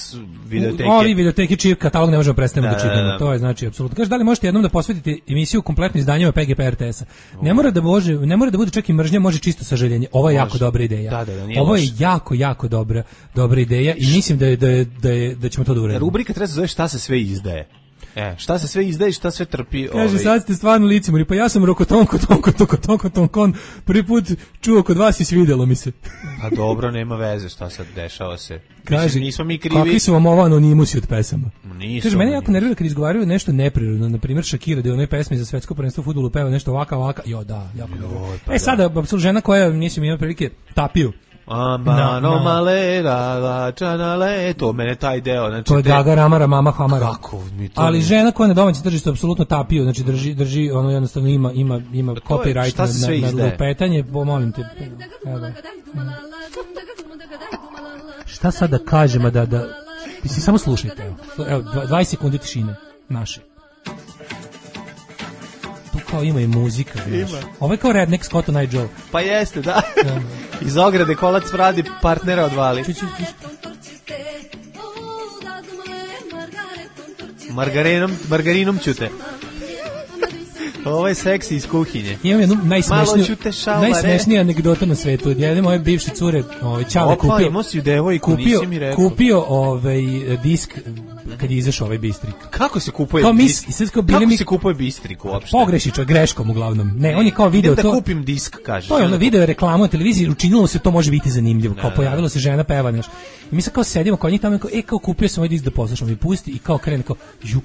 videoteke. Ovi videoteki čiji katalog ne možemo predstaviti da čitamo. To je znači apsolutno. Kaže, da li možete jednom da posvetite emisiju kompletno izdanjima PGP RTS-a? Ne mora da bude čak i mržnja, može čisto sažaljenje. Ovo je jako dobra ideja. Ovo je jako dobra ideja i mislim da ćemo to da uradimo. Rubrika treba se zove šta se sve izdaje. Šta se sve izdaje, šta sve trpi. Kaže, sad ste stvarno licemori, pa ja sam Rokotonkon, prvi put čuo kod vas i svidelo mi se. Pa dobro, nema veze šta sad dešava se. Kaže, nismo mi krivi. Kakvi su vam ovo anonimusi od pesama? Nisu. Kaže, mene jako nervira kad izgovaraju nešto neprirodno, na primjer Shakira, da je u onoj pesmi za svetsko prvenstvo u fudbalu peva nešto ovaka. Jo, da, jako nervira. Sada, apsolutno žena koja, nisam imao prilike, Tapiju. To mene taj deo, znači to je Gaga Ramara, Mama Hamara. Kako mi to? Ali žena koja na domaćem tržištu apsolutno Tapiju, znači drži ono jednostavno ima copyright na lupetanje, molim te. Šta sad da kažem, da mislim, samo slušajte, evo 20 sekundi tišine naše. Tu kao ima i muzika, znaš. Ovo je kao Redneck Scott on Night Joe. Pa jeste, da. Iz ograde kolac vradi, partnera odvali. Margarinom ćute. Ovo je seksi iz kuhinje. Imam jednu najsmešniju anegdotu na svetu. Od jedne moje bivše cure, Ćale kupio disk kad je izašao ovaj Bistrik. Kako se kupuje disk? Kako se kupuje Bistrik uopšte? Pogreši čovjek, greškom uglavnom. Ne, on je kao video to. Da kupim disk, kaže. To je ono video reklamu na televiziji, učinilo se to može biti zanimljivo. Kao pojavilo se žena peva nešto. I mi se kao sedimo kod njih tamo i kao kupio sam ovaj disk da poslušam i pusti i kao krene kao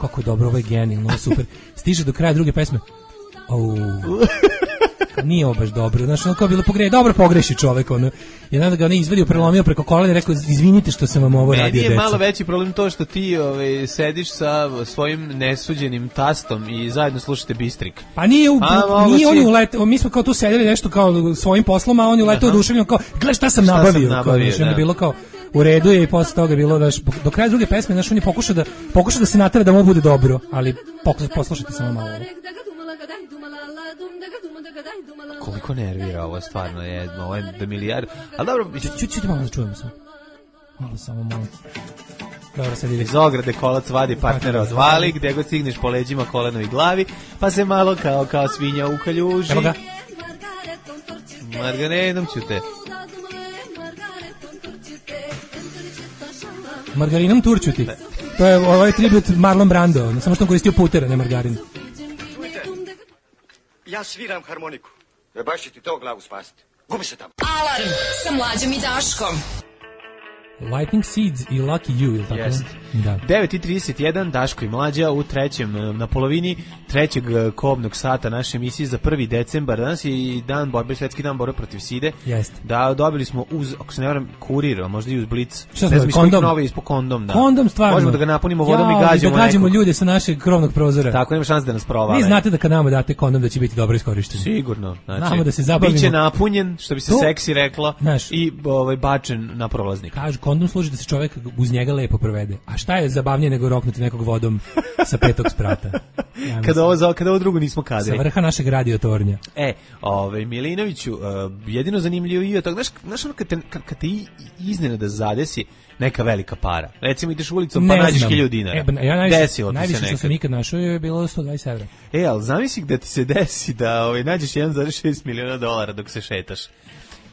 kako je dobro, ovo je genijalno, ovo je super. Stiže do kraja druge pesme. Nije ovo baš dobro, znaš, ono kao bilo dobro pogreši čovek, ono. I onda ga on izvadio, prelomio preko kolena i rekao, izvinite što sam vam ovo radio, deca. Meni je malo veći problem to što ti sediš sa svojim nesuđenim tastom i zajedno slušate Bistrik. Pa nije on je uletao, mi smo kao tu sedeli nešto kao svojim poslom, a on je uletao oduševljeno kao, gledaj šta sam nabavio. Ono bilo kao, u redu je i posle toga je bilo, do kraja druge pesme, znaš, on je pokušao da se natera da mu bude dobro, ali poslušajte samo malo. Koliko nervira ovo stvarno je, ovo je da milijardu. Ali dobro, ćuti malo da čujemo sam. Malo. Dobro, sad ide. Iz ograde kolac vadi, partnera odvali, gdje god stigneš po leđima, koleno i glavi, pa se malo kao svinja ukaljuži. Evo ga. Margarinom ćute. Margarinom turčuti. To je ovaj tribut Marlon Brando, samo što on koristio puter, ne margarin. Ja sviram harmoniku. Baš će ti to glavu spasiti. Gubi se tamo. Alarm sa Mlađom i Daškom. Lightning Seeds i Lucky You, ili tako? Yes. Da. 9:31, Daško i Mlađa u na polovini trećeg kobnog sata naše emisije za 1. decembar. Danas je i svetski dan borbe protiv side. Jeste. Da, dobili smo uz, ako se ne varam, kurir, a možda i uz Blic. Šta smo, kondom? Kondom, da. Kondom, stvarno. Možemo da ga napunimo vodom i gađamo da gađamo ljude sa našeg krovnog prozora. Tako, nema šanse da nas provale. Vi znate da kad nama date kondom da će biti dobro iskorišten. Sigurno. Znači, znamo da se zabavimo. Biće napunjen, što bi se seksi reklo, i bačen na prolaznik. Kažu, kondom služi da se čovjek uz njega lepo provede. A šta je zabavnije nego roknuti nekog vodom sa 5. sprata? Ja kada ovo drugo nismo kadri. Sa vrha našeg radiotornja. Milinoviću, jedino zanimljivo je to, znaš ono kad te iznenada zadesi neka velika para. Recimo ideš ulicom pa nađeš 1000 dinara. Desilo ti se nekad. Što sam nikad našao je bilo 120 evra. Ali zamisli da ti se desi da nađeš $1,6 miliona dok se šetaš.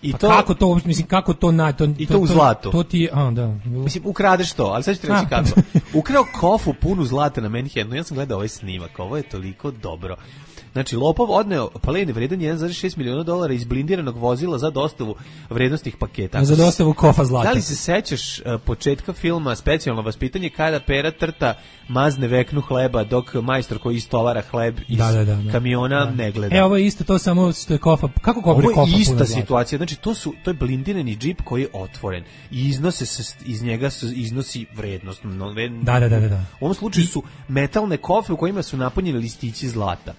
I pa to, kako to, mislim, kako to na... I to u zlatu. To ti, da. Mislim, ukradeš to, ali sad ću ti reći kako. Ukrao kofu punu zlata na Manhattanu, ja sam gledao ovaj snimak, ovo je toliko dobro. Znači, lopov odneo plen vredan $1,6 miliona iz blindiranog vozila za dostavu vrednostnih paketa. Za dostavu kofa zlata. Da li se sećaš početka filma Specijalno vaspitanje kada Pera Trta mazne veknu hleba dok majstor koji istovara hleb iz kamiona ne gleda? Ovo je isto, to samo što je kofa. Kako kofa je kofa? Ovo je ista situacija. Znači, to je blindirani džip koji je otvoren i iz njega se iznosi vrednost. Da. U ovom slučaju su metalne kofe u kojima su napunjeni listići zlata.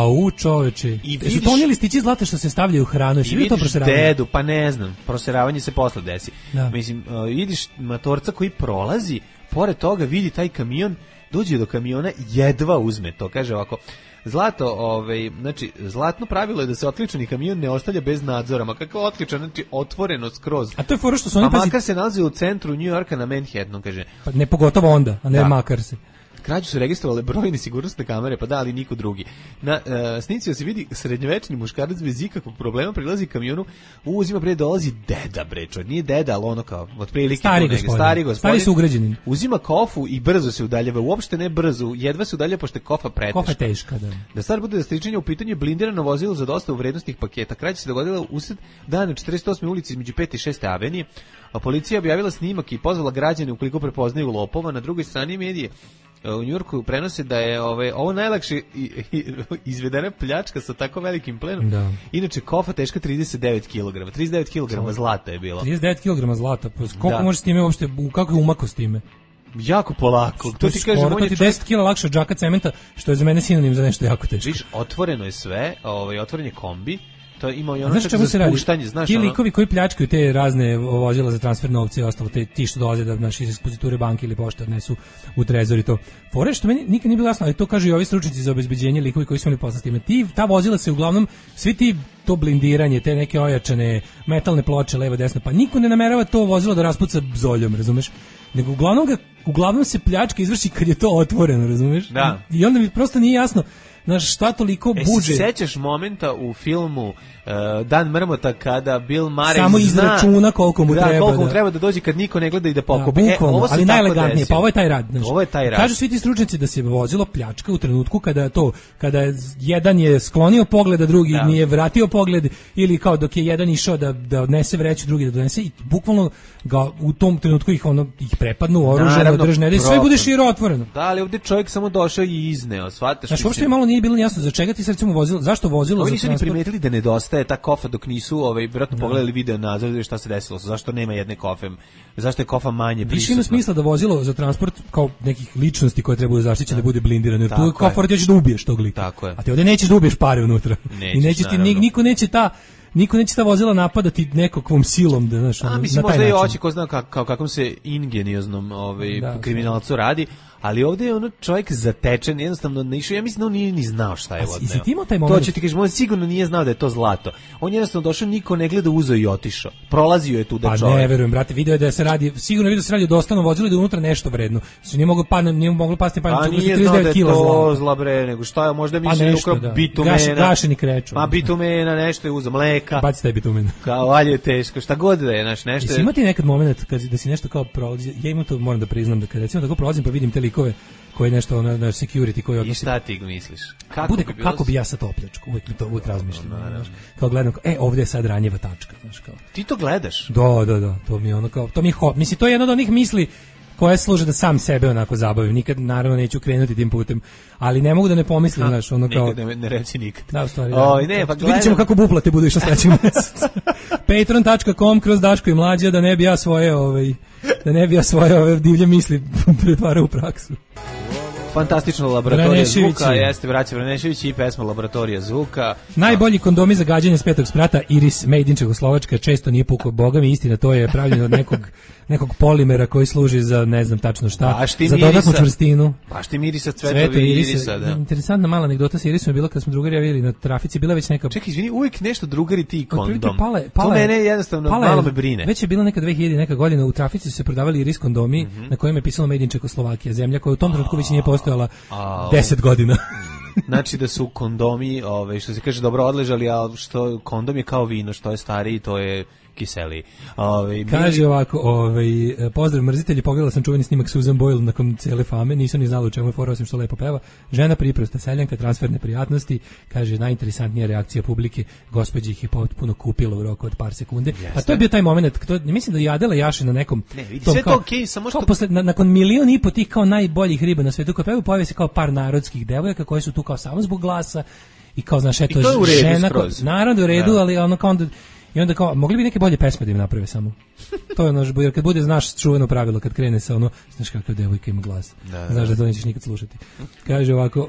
U čoveče. Su to oni listići zlata što se stavljaju u hranu? I vidiš dedu, pa ne znam, proseravanje se posle desi. Mislim, vidiš matorca koji prolazi, pored toga vidi taj kamion, dođe do kamiona, jedva uzme to, kaže ovako, zlato, znači, zlatno pravilo je da se otključani kamion ne ostavlja bez nadzora, ma kako otključan, znači otvoreno skroz. A to je fora što su oni... Pa makar se nalazi u centru New Yorka na Manhattanu, kaže. Pa ne pogotovo onda, a ne makar se. Krađu su registrovale brojne sigurnosne kamere, pa da, ali niko drugi. Na snici se vidi srednjovečni muškarac bez ikakvog problema prilazi kamionu, uzima bre, dolazi deda brečo, nije deda, ali ono kao otprilike stari gospodin. Stari su ugrađeni. Uzima kofu i brzo se udaljava, uopšte ne brzo, jedva se udaljava pošto je kofa preteška. Kofa teška, da. Da stvar bude da stričenje u pitanju je blindirano vozilo za dostavu vrednostnih paketa. Krađa se dogodila usred dana 48. ulici između 5. i 6. avenije, a policija objavila snimak i pozvala građane ukoliko prepoznaju lopova. Na drugoj strani medije u Njujorku prenose da je ovo najlakše izvedena pljačka sa tako velikim plenom. Da. Inače, kofa teška 39 kg. 39 kg zlata je bilo. 39 kg zlata. Pa koliko možeš s time uopšte, kako je umako s time? Jako polako. To ti kažem, to ti 10 kg lakše od džaka cementa, što je za mene sinonim za nešto jako teško. Viš, otvoreno je sve, otvoren je kombi. To ima i ono čak za spuštanje, znaš. Ti likovi koji pljačkaju te razne vozila za transfer novca i ostalo, ti što dolaze da naši iz ekspoziture banke ili pošte odnesu u trezor i to. Fore što meni nikad nije bilo jasno, ali to kažu i ovi stručnjaci za obezbeđenje, likovi koji su imali posla s time. Ta vozila se uglavnom, svi ti to blindiranje, te neke ojačane metalne ploče levo desno, pa niko ne namerava to vozilo da raspuca zoljom, razumeš? Nego uglavnom se pljačka izvrši kad je to otvoreno, razumeš? Da. I onda mi prosto nije jasno, znaš, šta toliko buđe. Se sećaš momenta u filmu Dan mrmota kada Bill Murray samo izračuna koliko mu treba. Koliko mu treba da dođe kad niko ne gleda i da pokupi. Ovo ali najelegatnije, pa ovo je taj rad. Znaš. Ovo je taj rad. Kažu svi ti stručnjaci da se vozilo pljačka u trenutku kada jedan je sklonio pogled, a drugi nije vratio pogled, ili kao dok je jedan išao da odnese vreću, drugi da donese, i bukvalno ga u tom trenutku ih prepadnu oružje, držne, da sve bude širo otvoreno. Da, ali ovdje čovjek samo došao i izneo, shvataš? Znači, uopšte malo nije bilo jasno za čega ti se recimo vozilo, zašto vozilo za transport? Oni nisu ni primetili da nedostaje ta kofa dok nisu vjerojatno pogledali video nadzor šta se desilo, zašto nema jedne kofe, zašto je kofa manje prisutna. Više ima smisla da vozilo za transport kao nekih ličnosti koje trebaju zaštićene da bude blindirano, jer tu kofor ćeš da ubiješ tog lika. Tako je. A ti ovdje nećeš da ubiješ pare unutra. I neće ti, niko neće ta vozila napadati nekakvom silom, da, znaš, mislim, možda i oči ko zna kakvom se ingenioznom kriminalcu radi, ali ovdje je ono čovjek zatečen, jednostavno ne išao, ja mislim da on nije ni znao šta je odneo. Jesi ti imao taj moment? To ću ti kažem, on sigurno nije znao da je to zlato. On jednostavno došao, niko ne gleda, uzeo i otišao. Prolazio je tu da čovjek. Pa ne verujem, brate, video je da se radi, sigurno video se radi o dostanom vozilu i da unutra nešto vredno. Znači nije moglo pasti pa nije znao da je to zla bre, nego šta je, možda mislim da bitumena. Gašeni kreču. Ma bitumena, nešto je uzeo, mleka. Baci taj bitumen. Kao alje je teško, šta god da je, nešto. Jesi imao ti nekad moment da si nešto kao prolazi, ja imam to, moram da priznam, da kad recimo tako prolazim pa vidim te likove koji nešto na security koji odnosi. I šta ti misliš? Kako bi ja sad opljačku? Uvijek razmišljam. Kao gledam, ovdje je sad ranjiva tačka. Znaš, kao. Ti to gledaš? Da. To mi je ono kao, mislim, to je jedno od onih misli koje služe da sam sebe onako zabavim. Nikad, naravno, neću krenuti tim putem, ali ne mogu da ne pomislim, znaš, ono kao... Nikad ne reci nikad. Da, u stvari, ne, pa vidjet ćemo kako buplate budu išlo sledećeg mjeseca. patreon.com/Daško i Mlađa, da ne bi ja svoje ove divlje misli pretvarao u praksu. Fantastična laboratorija zvuka, jeste braća Vranešević i pesma Laboratorija zvuka. Najbolji kondomi za gađanje s 5. sprata, Iris Made in Čehoslovačka, često nije pukao, boga mi istina, to je pravljeno od nekog polimera koji služi za ne znam tačno šta, za dodatnu čvrstinu. Baš ti mirisa cvetovi irisa, da. Interesantna mala anegdota sa Irisom je bila kad smo drugari javili na trafici, bila već neka... Čekaj, izvini, uvijek nešto drugari ti kondom. To mene jednostavno malo me brine. Već je bila neka 2000 neka godina, u trafici su se prodavali Iris kondomi na kojem je pisalo Made in Čehoslovakija, zemlja koja u tom trenutku već nije postojala 10 godina. Znači da su kondomi, što se kaže, dobro odležali, a što kondom je kao vino, što je stariji, to je kiseli. Kaže ovako, pozdrav mrzitelji, pogledala sam čuveni snimak Susan Boyle nakon cele fame, nisam ni znala u čemu je fora, osim što lepo peva. Žena priprosta, seljanka, transferne prijatnosti, kaže najinteresantnija reakcija publike, gospođa ih je potpuno kupila u roku od par sekunde. A to je bio taj moment, mislim da je Adela jaše na nekom... Ne, vidi, sve to okej, samo što... Nakon 1,5 miliona tih kao najboljih riba na svetu, koja peva, pojave se kao par narodskih devojaka koje su tu kao samo zbog glasa i kao, znaš, eto, žena... Naravno u redu, ali ono kao onda... I onda kao, mogli bi neke bolje pesme da im naprave samo. To je ono, jer kad bude, znaš, čuveno pravilo, kad krene sa ono, znaš kakva devojka ima glas. Znaš da to nećeš nikad slušati. Kaže ovako,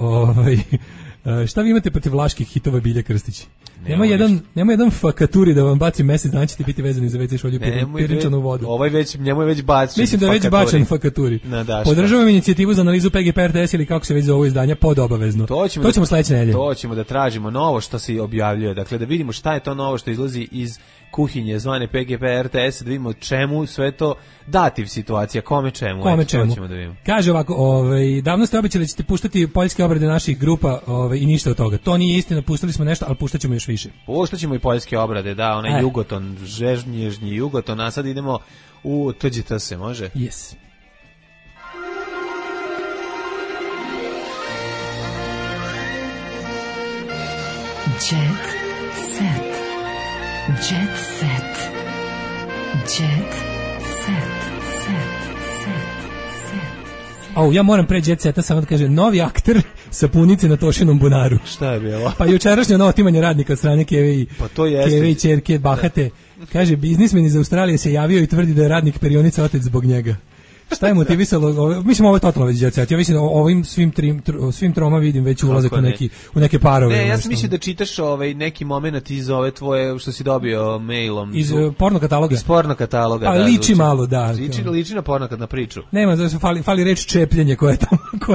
šta vi imate protiv vlaških hitova Bilje Krstić? Nema jedan fakaturi da vam baci mesec, dana ćete biti vezani za WC šolju pirinčanu vodu. Njemu je već bačen. Mislim da je već bačen fakaturi. Podržavam inicijativu za analizu PGP RTS ili kako se već zove izdanja pod obavezno. To ćemo sledeće nedelje. To ćemo da tražimo novo što se objavljuje. Dakle, da vidimo šta je to novo što izlazi iz kuhinje zvane PGP RTS, da vidimo čemu sve to dativ situacija, kome čemu. Ćemo da vidimo. Kaže ovako, davno ste obećali da ćete puštati poljske obrade naših grupa i ništa od toga. To nije istina, pustili smo nešto, ali puštat ćemo još više. Puštat ćemo i poljske obrade, da, onaj Jugoton, žežnježnji Jugoton, a sad idemo u TGTS, može? Yes. Jet set. Jet set. Jet set. Ja moram pre Jet Seta samo da kaže, novi akter sapunice na Tošinom bunaru. Šta je bilo? Pa jučerašnje ono otimanje radnika od strane Keve i ćerke Bahate. Kaže, biznismen iz Australije se javio i tvrdi da je radnik perionica otec zbog njega. Šta je motivisalo? Mislim, ovo je totalno već Jet Set. Ja mislim da ovim svim troma vidim već ulazak u neke parove. Ne, ja sam mislio da čitaš neki moment iz ove tvoje, što si dobio mailom. Iz porno kataloga. Iz porno kataloga, da. Liči malo, da. Liči na porno na priču. Nema, fali reč čepljenje koja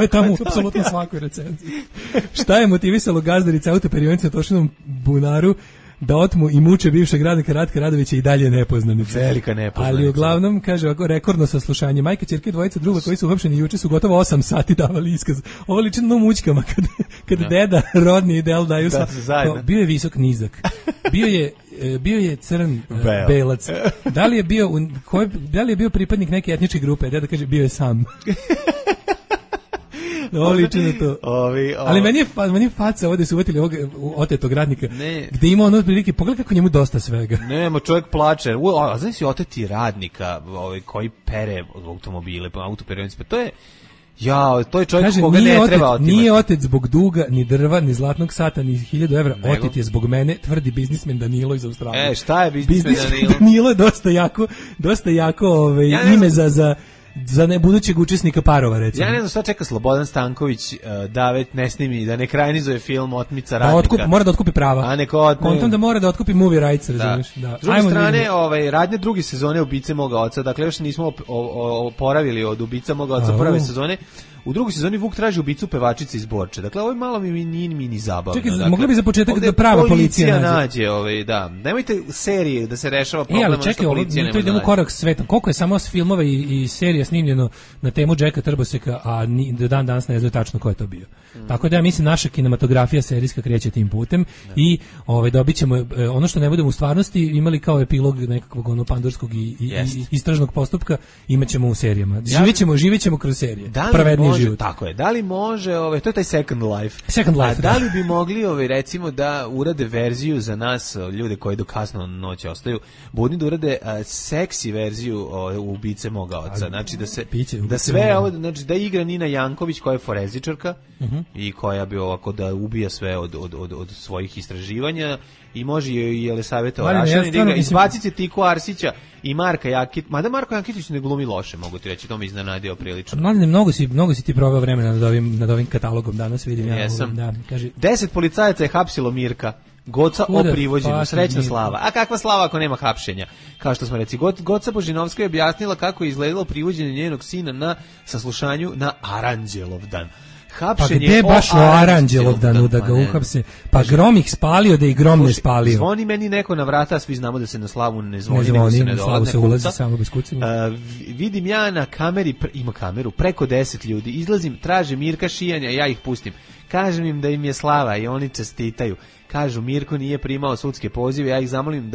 je tamo u apsolutno svakoj recenziji. Šta je motivisalo gazdarice autoperionice na Tošinom bunaru da otmu i muče bivšeg radnika Ratka Radovića i dalje nepoznanica. Velika nepoznanica. Ali uglavnom, kaže ovako, rekordno saslušanje. Majka, ćerke, dvojica druga koji su uhapšeni juče su gotovo 8 sati davali iskaz. Ovo liči na mućkama kada deda, rodni ideal daju sa... Bio je visok, nizak. Bio je crn, belac. Da li je bio pripadnik neke etničke grupe? Deda kaže, bio je sam. Liči na to. Ali meni je faca ovdje su uvetili ovog otetog radnika, gde ima ono prilike, pogledaj kako njemu dosta svega. Nema, čovjek plače. A znaš si oteti radnika koji pere automobile, autoperionice, pa to je... to je čovjek koga ne treba otimati. Nije otet zbog duga, ni drva, ni zlatnog sata, ni 1000 evra. Otet je zbog mene, tvrdi biznismen Danilo iz Australije. Šta je biznismen Danilo? Danilo je dosta jako ime za budućeg učesnika parova, recimo. Ja ne znam šta čeka Slobodan Stanković da već ne snimi, da ne ekranizuje film Otmica radnika. Mora da otkupi prava. Kontom da mora da otkupi movie rights, razumiješ? Da. S druge strane, radnje druge sezone Ubice moga oca, dakle još nismo oporavili od Ubica moga oca prve sezone. U drugoj sezoni Vuk traži ubicu pevačice iz Borče. Dakle, ovo je malo mini zabavno. Čekaj, mogli bi za početak da prava policija nađe. Da. Nemojte serije da se rešava problem što policija nema. To idemo korak svetom. Koliko je samo filmova i serija snimljeno na temu Jacka Trboseka, a do dan danas ne znaju tačno ko je to bio. Tako da ja mislim naša kinematografija serijska kreće tim putem i dobit ćemo ono što ne budemo u stvarnosti imali kao epilog nekakvog pandorskog i istražnog postupka, imaćemo u serijama. Živećemo kroz serije. Pravednije život. Tako je. Da li može, to je taj Second Life. Da li bi mogli recimo da urade verziju za nas, ljude koji do kasno noći ostaju budni, da urade seksi verziju Ubice moga oca. Znači da sve ovo, znači da igra Nina Janković koja je forenzičarka i koja bi ovako da ubija sve od svojih istraživanja i može i Jelisaveta Orašan da igra. Izbacite Tiku Arsića i Marka Jakitić. Mada Marko Jakitić ne glumi loše, mogu ti reći, to mi iznenadio prilično. Mladine, mnogo si ti proveo vremena nad ovim katalogom danas, vidim. Jesam. 10 policajaca je hapsilo Mirka. Goca o privođenju, srećna slava. A kakva slava ako nema hapšenja? Kao što smo reci, Goca Božinovska je objasnila kako je izgledalo privođenje njenog sina na saslušanju na Aranđelovdan. Pa gde baš u Aranđelovdanu da ga uhapse? Pa Grom ih spalio da ih Grom ne spalio. Zvoni meni neko na vrata, svi znamo da se na slavu ne zvoni, nego se ne dolazi. Se ulazi samo bez kucanja. Vidim ja na kameri, ima kameru, preko 10 ljudi, izlazim, traže Mirka Šijanja, ja ih pustim. Kažem im da im je slava i oni čestitaju. Kažu, Mirko nije primao sudske pozive, ja ih zamolim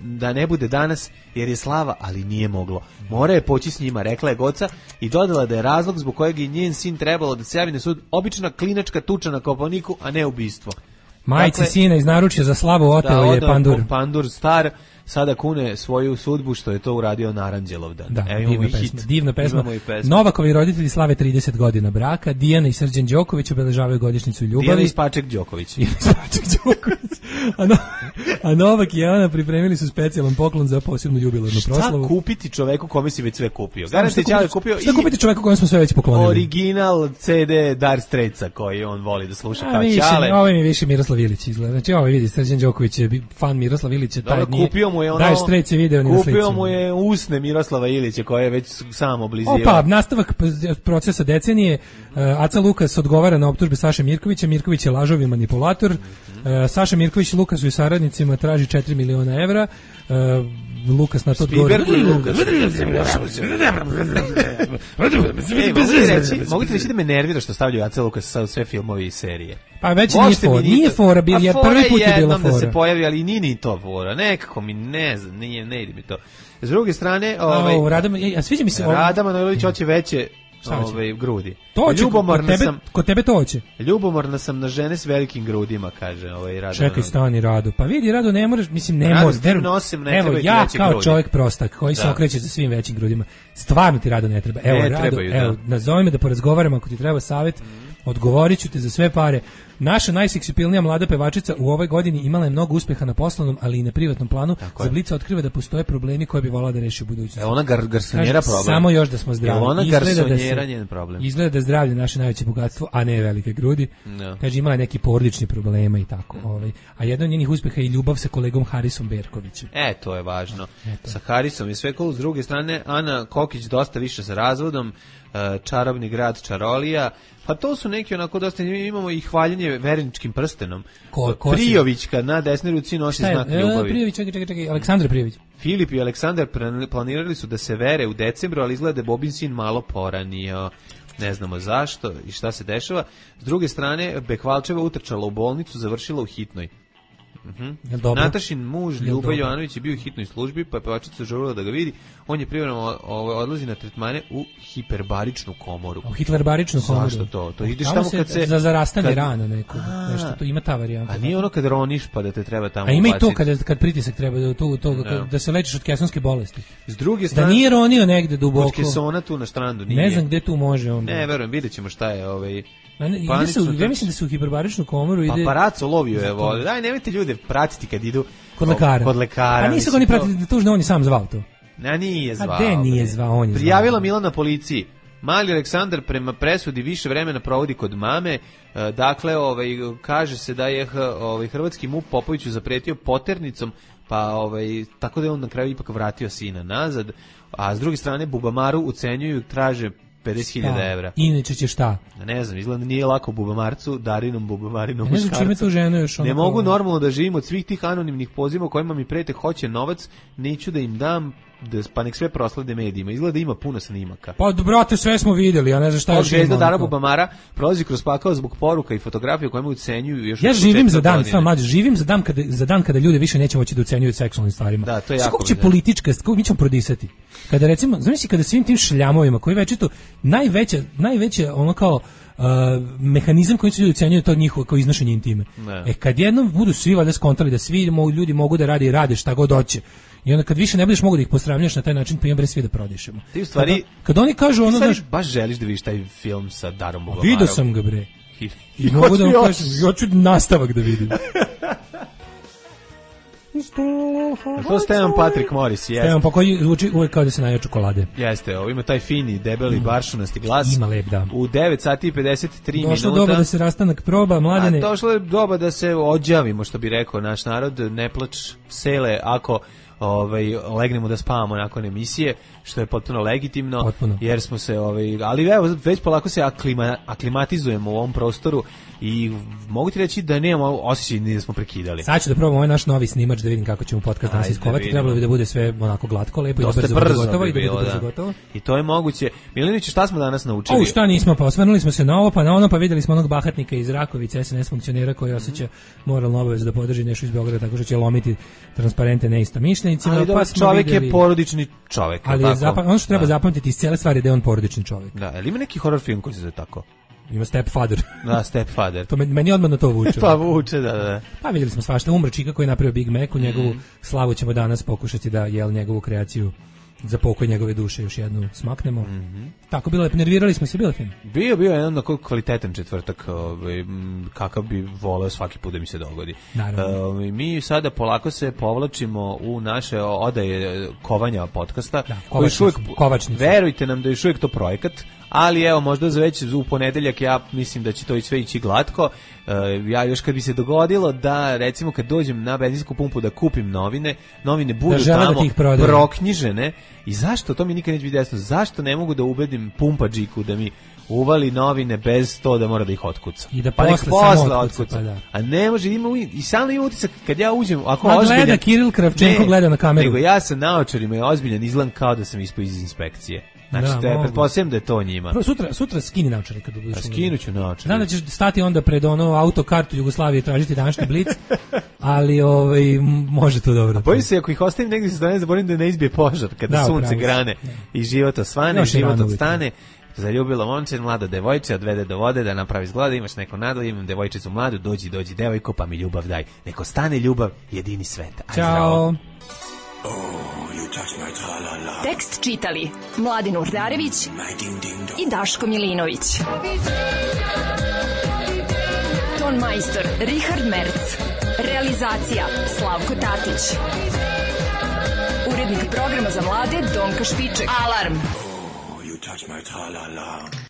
da ne bude danas jer je slava, ali nije moglo. Mora je poći s njima, rekla je Goca i dodala da je razlog zbog kojeg je njen sin trebalo da se javi na sud obična klinačka tuča na Kopaoniku, a ne ubistvo. Majici sina iz naručja za slavu oteo je Pandur. Pandur star sada kune svoju sudbu što je to uradio Naranđelovdan. Da, divna pesma. Novakovi roditelji slave 30 godina braka, Dijana i Srđan Đoković obeležavaju godišnjicu ljubavi. Dijana i Spaček Đoković. A Novak i Ana pripremili su specijalan poklon za posebnu jubilarnu proslavu. Šta kupiti čoveku kome si već sve kupio? Šta kupiti čoveku kome smo sve već poklonili? Original CD Dire Straitsa koji on voli da sluša kao Ćale. Ovo mi više Miroslav Ilić izgleda. Znači ovo vidi, Srđan Đoković je fan Miroslav Ilića, taj nije. Dire Straits je video ni na slici. Kupio mu je usne Miroslava Ilića koje je već sam oblizio. Opa, nastavak procesa decenije. Aca Lukas odgovara na optužbe Saše Mirkovića. Mirković je lažov i manipulator. Saša Mirković Lukasu i saradnicima traži 4 miliona evra. Lukas na to odgovara. Mogu ti reći da me nervira što stavljaju Aca Lukas sa sve filmove i serije. Pa već nije fora, jer prvi put je bila fora. Da se pojavi, ali nije ni to fora. Nekako mi ne znam, ne ide mi to. S druge strane, sviđa mi se Rada Manojlović hoće veće grudi. To će, kod tebe to hoće. Ljubomorna sam na žene s velikim grudima, kaže Rada. Čekaj, stani Rado. Pa vidi, Rado, ne moraš, mislim, ne možeš. Evo, ja kao čovjek prostak koji se okreće za svim većim grudima, stvarno ti Rado ne treba. Evo, Rado, nazove me da porazgovaramo ako ti treba savjet. Odgovorit ću te za sve pare. Naša najseksipilnija mlada pevačica u ovoj godini imala je mnogo uspeha na poslovnom, ali i na privatnom planu. Za Blica otkriva da postoje problemi koje bi volala da reši u budućnosti. Ona garsonjera problem. Samo još da smo zdravi. Ona garsonjera njen problem. Izgleda da je zdravlje naše najveće bogatstvo, a ne velike grudi. No. Kaže, imala je neki porodični problema i tako. A jedno od njenih uspeha je ljubav sa kolegom Harisom Berkovićem. To je važno. Sa Harisom je sve cool. S druge strane, Ana Kokić dosta više sa razvodom. Čarobni grad Čarolija. Pa to su neki onako dosta, imamo i hvaljenje verničkim prstenom. Prijovićka na desnoj ruci nosi znak ljubavi. Prijović, čekaj, Aleksandar Prijović. Filip i Aleksandar planirali su da se vere u decembru, ali izgleda da je Bobin sin malo poranio. Ne znamo zašto i šta se dešava. S druge strane, Bekvalčeva utrčala u bolnicu, završila u hitnoj. Natašin muž Ljuba Jovanović je bio u hitnoj službi, pa je pevačica žurila da ga vidi. On je privremeno odlazi na tretmane u hiperbaričnu komoru. U hiperbaričnu komoru? Zašto to? To ideš tamo kad se... Za zarastanje rana nekog. Nešto, to ima ta varijanta. A nije ono kad roniš pa da te treba tamo ubaciti. A ima i to kad pritisak treba da se lečiš od kesonske bolesti. S druge strane... Da nije ronio negde duboko. Kod kesona tu na strandu nije. Ne znam gde tu može onda. Ne, verujem, vidjet ćemo šta je ja mislim da se u hiperbaričnu komoru ide... Paparaco lovio je vode. Daj, nemojte ljude pratiti kad idu kod lekara. A nisu ga oni pratiti, tužno, on je sam zvao to. Nije zvao. A gde nije zvao, on je Prijavila Milana policiji. Mali Aleksandar prema presudi više vremena provodi kod mame. Dakle, kaže se da je hrvatski MUP Popoviću zapretio poternicom, pa tako da je on na kraju ipak vratio sina nazad. A s druge strane, Bubamaru ucenjuju, traže 50.000 evra. Inače će šta? Ne znam, izgleda nije lako Bubamarcu, Darinom Bubamarinom muškarcu. Ne znam čime tu ženu još ne mogu normalno da živim od svih tih anonimnih poziva u kojima mi prete hoće novac, neću da im dam, pa nek sve proslede medijima. Izgleda da ima puno snimaka. Pa brate, sve smo vidjeli, ja ne znam šta još ima. Zvezda Dara Bubamara prolazi kroz pakao zbog poruka i fotografija kojima ucenjuju još. Ja živim za dan, živim za dan kada ljudi više neće moći da ucenjuju seksualnim stvarima. Da, to je jako. Kako će politička, kako mi ćemo prodisati? Kada recimo, zamisli kada svim tim šljamovima koji večito najveće ono kao mehanizam koji se ljudi ucenjuju to njihovo kao iznošenje intime. Kad jednom budu svi valjda skontali da svi ljudi mogu da rade šta god hoće. I onda kad više ne budeš mogu da ih posramljaš na taj način, pa imam bre svi da prodišemo. Ti u stvari, kad oni kažu ono, znaš, baš želiš da vidiš taj film sa Darom Bubamarom. Vidio sam ga bre. I mogu da vam kažem, hoću nastavak da vidim. To Stevan Patrick Morris, jeste. Stevan, pa koji zvuči uvek kao da se naje čokolade. Jeste, ima taj fini, debeli, baršunasti glas. Ima lep, da. U 9 sati i 53 minuta. Došlo doba da se rastanak proba, Mladene. Došlo je doba da se ođavimo, što bi rekao naš narod, ne plač sele ako legnemo da spavamo nakon emisije, što je potpuno legitimno, potpuno. Jer smo se, ali evo, već polako se aklimatizujemo u ovom prostoru i mogu ti reći da nemamo osjećaj ni da smo prekidali. Sad ću da probam ovaj naš novi snimač da vidim kako ćemo podcast danas iskovati. Trebalo bi da bude sve onako glatko, lepo dosta i da brzo gotovo i da bude brzo gotovo. I to je moguće. Milinić, šta smo danas naučili? Šta nismo, pa osvrnuli smo se na ovo, pa na ono, pa videli smo onog bahatnika iz Rakovice, SNS funkcionera koji osjeća moralnu obavezu da podrži nešto iz Beograda tako što će lomiti transparente neistomišljenicima. Ali pa čovjek je porodični čovjek. Ali ono što treba zapamtiti iz cele stvari da je on porodični čovjek. Da, ali ima neki horror film koji se zove tako? Ima Stepfather. Da, Stepfather. To meni odmah na to vuče. Pa vuče, da. Pa vidjeli smo svašta. Umro čika koji je napravio Big Mac, u njegovu slavu ćemo danas pokušati da njegovu kreaciju za pokoj njegove duše još jednu smaknemo. Tako bilo je, nervirali smo se, bilo film. Bio jedan onako kvalitetan četvrtak, kakav bi voleo svaki put da mi se dogodi. Mi sada polako se povlačimo u naše odaje kovanja podcasta. Da, kovačnica. Verujte nam da je još uvijek to projekat, ali evo, možda za već u ponedeljak ja mislim da će to sve ići glatko. Ja još kad bi se dogodilo da, recimo, kad dođem na benzinsku pumpu da kupim novine budu tamo proknjižene. I zašto? To mi nikad neće biti jasno. Zašto ne mogu da ubedim pumpađiku da mi uvali novine bez to da mora da ih otkuca? I da posle otkuca. Pa da. A ne može, i samo ima utisak kad ja uđem, ako ozbiljan... gleda Kiril Kravčenko, gleda na kameru. Nego ja sam naočarima i ozbiljan, izgledam kao da sam ispao iz inspekcije. Znači, pretpostavljam da je to njima. Sutra skini naočare kad budeš. Skinuću naočare. Znam da ćeš stati onda pred autokartu Jugoslavije tražiti današnji blic, ali može to dobro. Bojim se, ako ih ostavim negdje sa strane, zaboravim da ne izbije požar kada sunce grane i život osvane, život odstane. Zaljubila momče, mlada devojče, odvede do vode da napravi zglada, imaš neko nadalje, imam devojčicu mladu, dođi devojko, pa mi ljubav daj. Neko stane ljubav, jedini svet. Ćao. Tekst čitali Mladin Urdarević i Daško Milinović. Ton majstor Richard Merc. Realizacija Slavko Tatić. Urednik programa za mlade Donka Špiček. Alarm!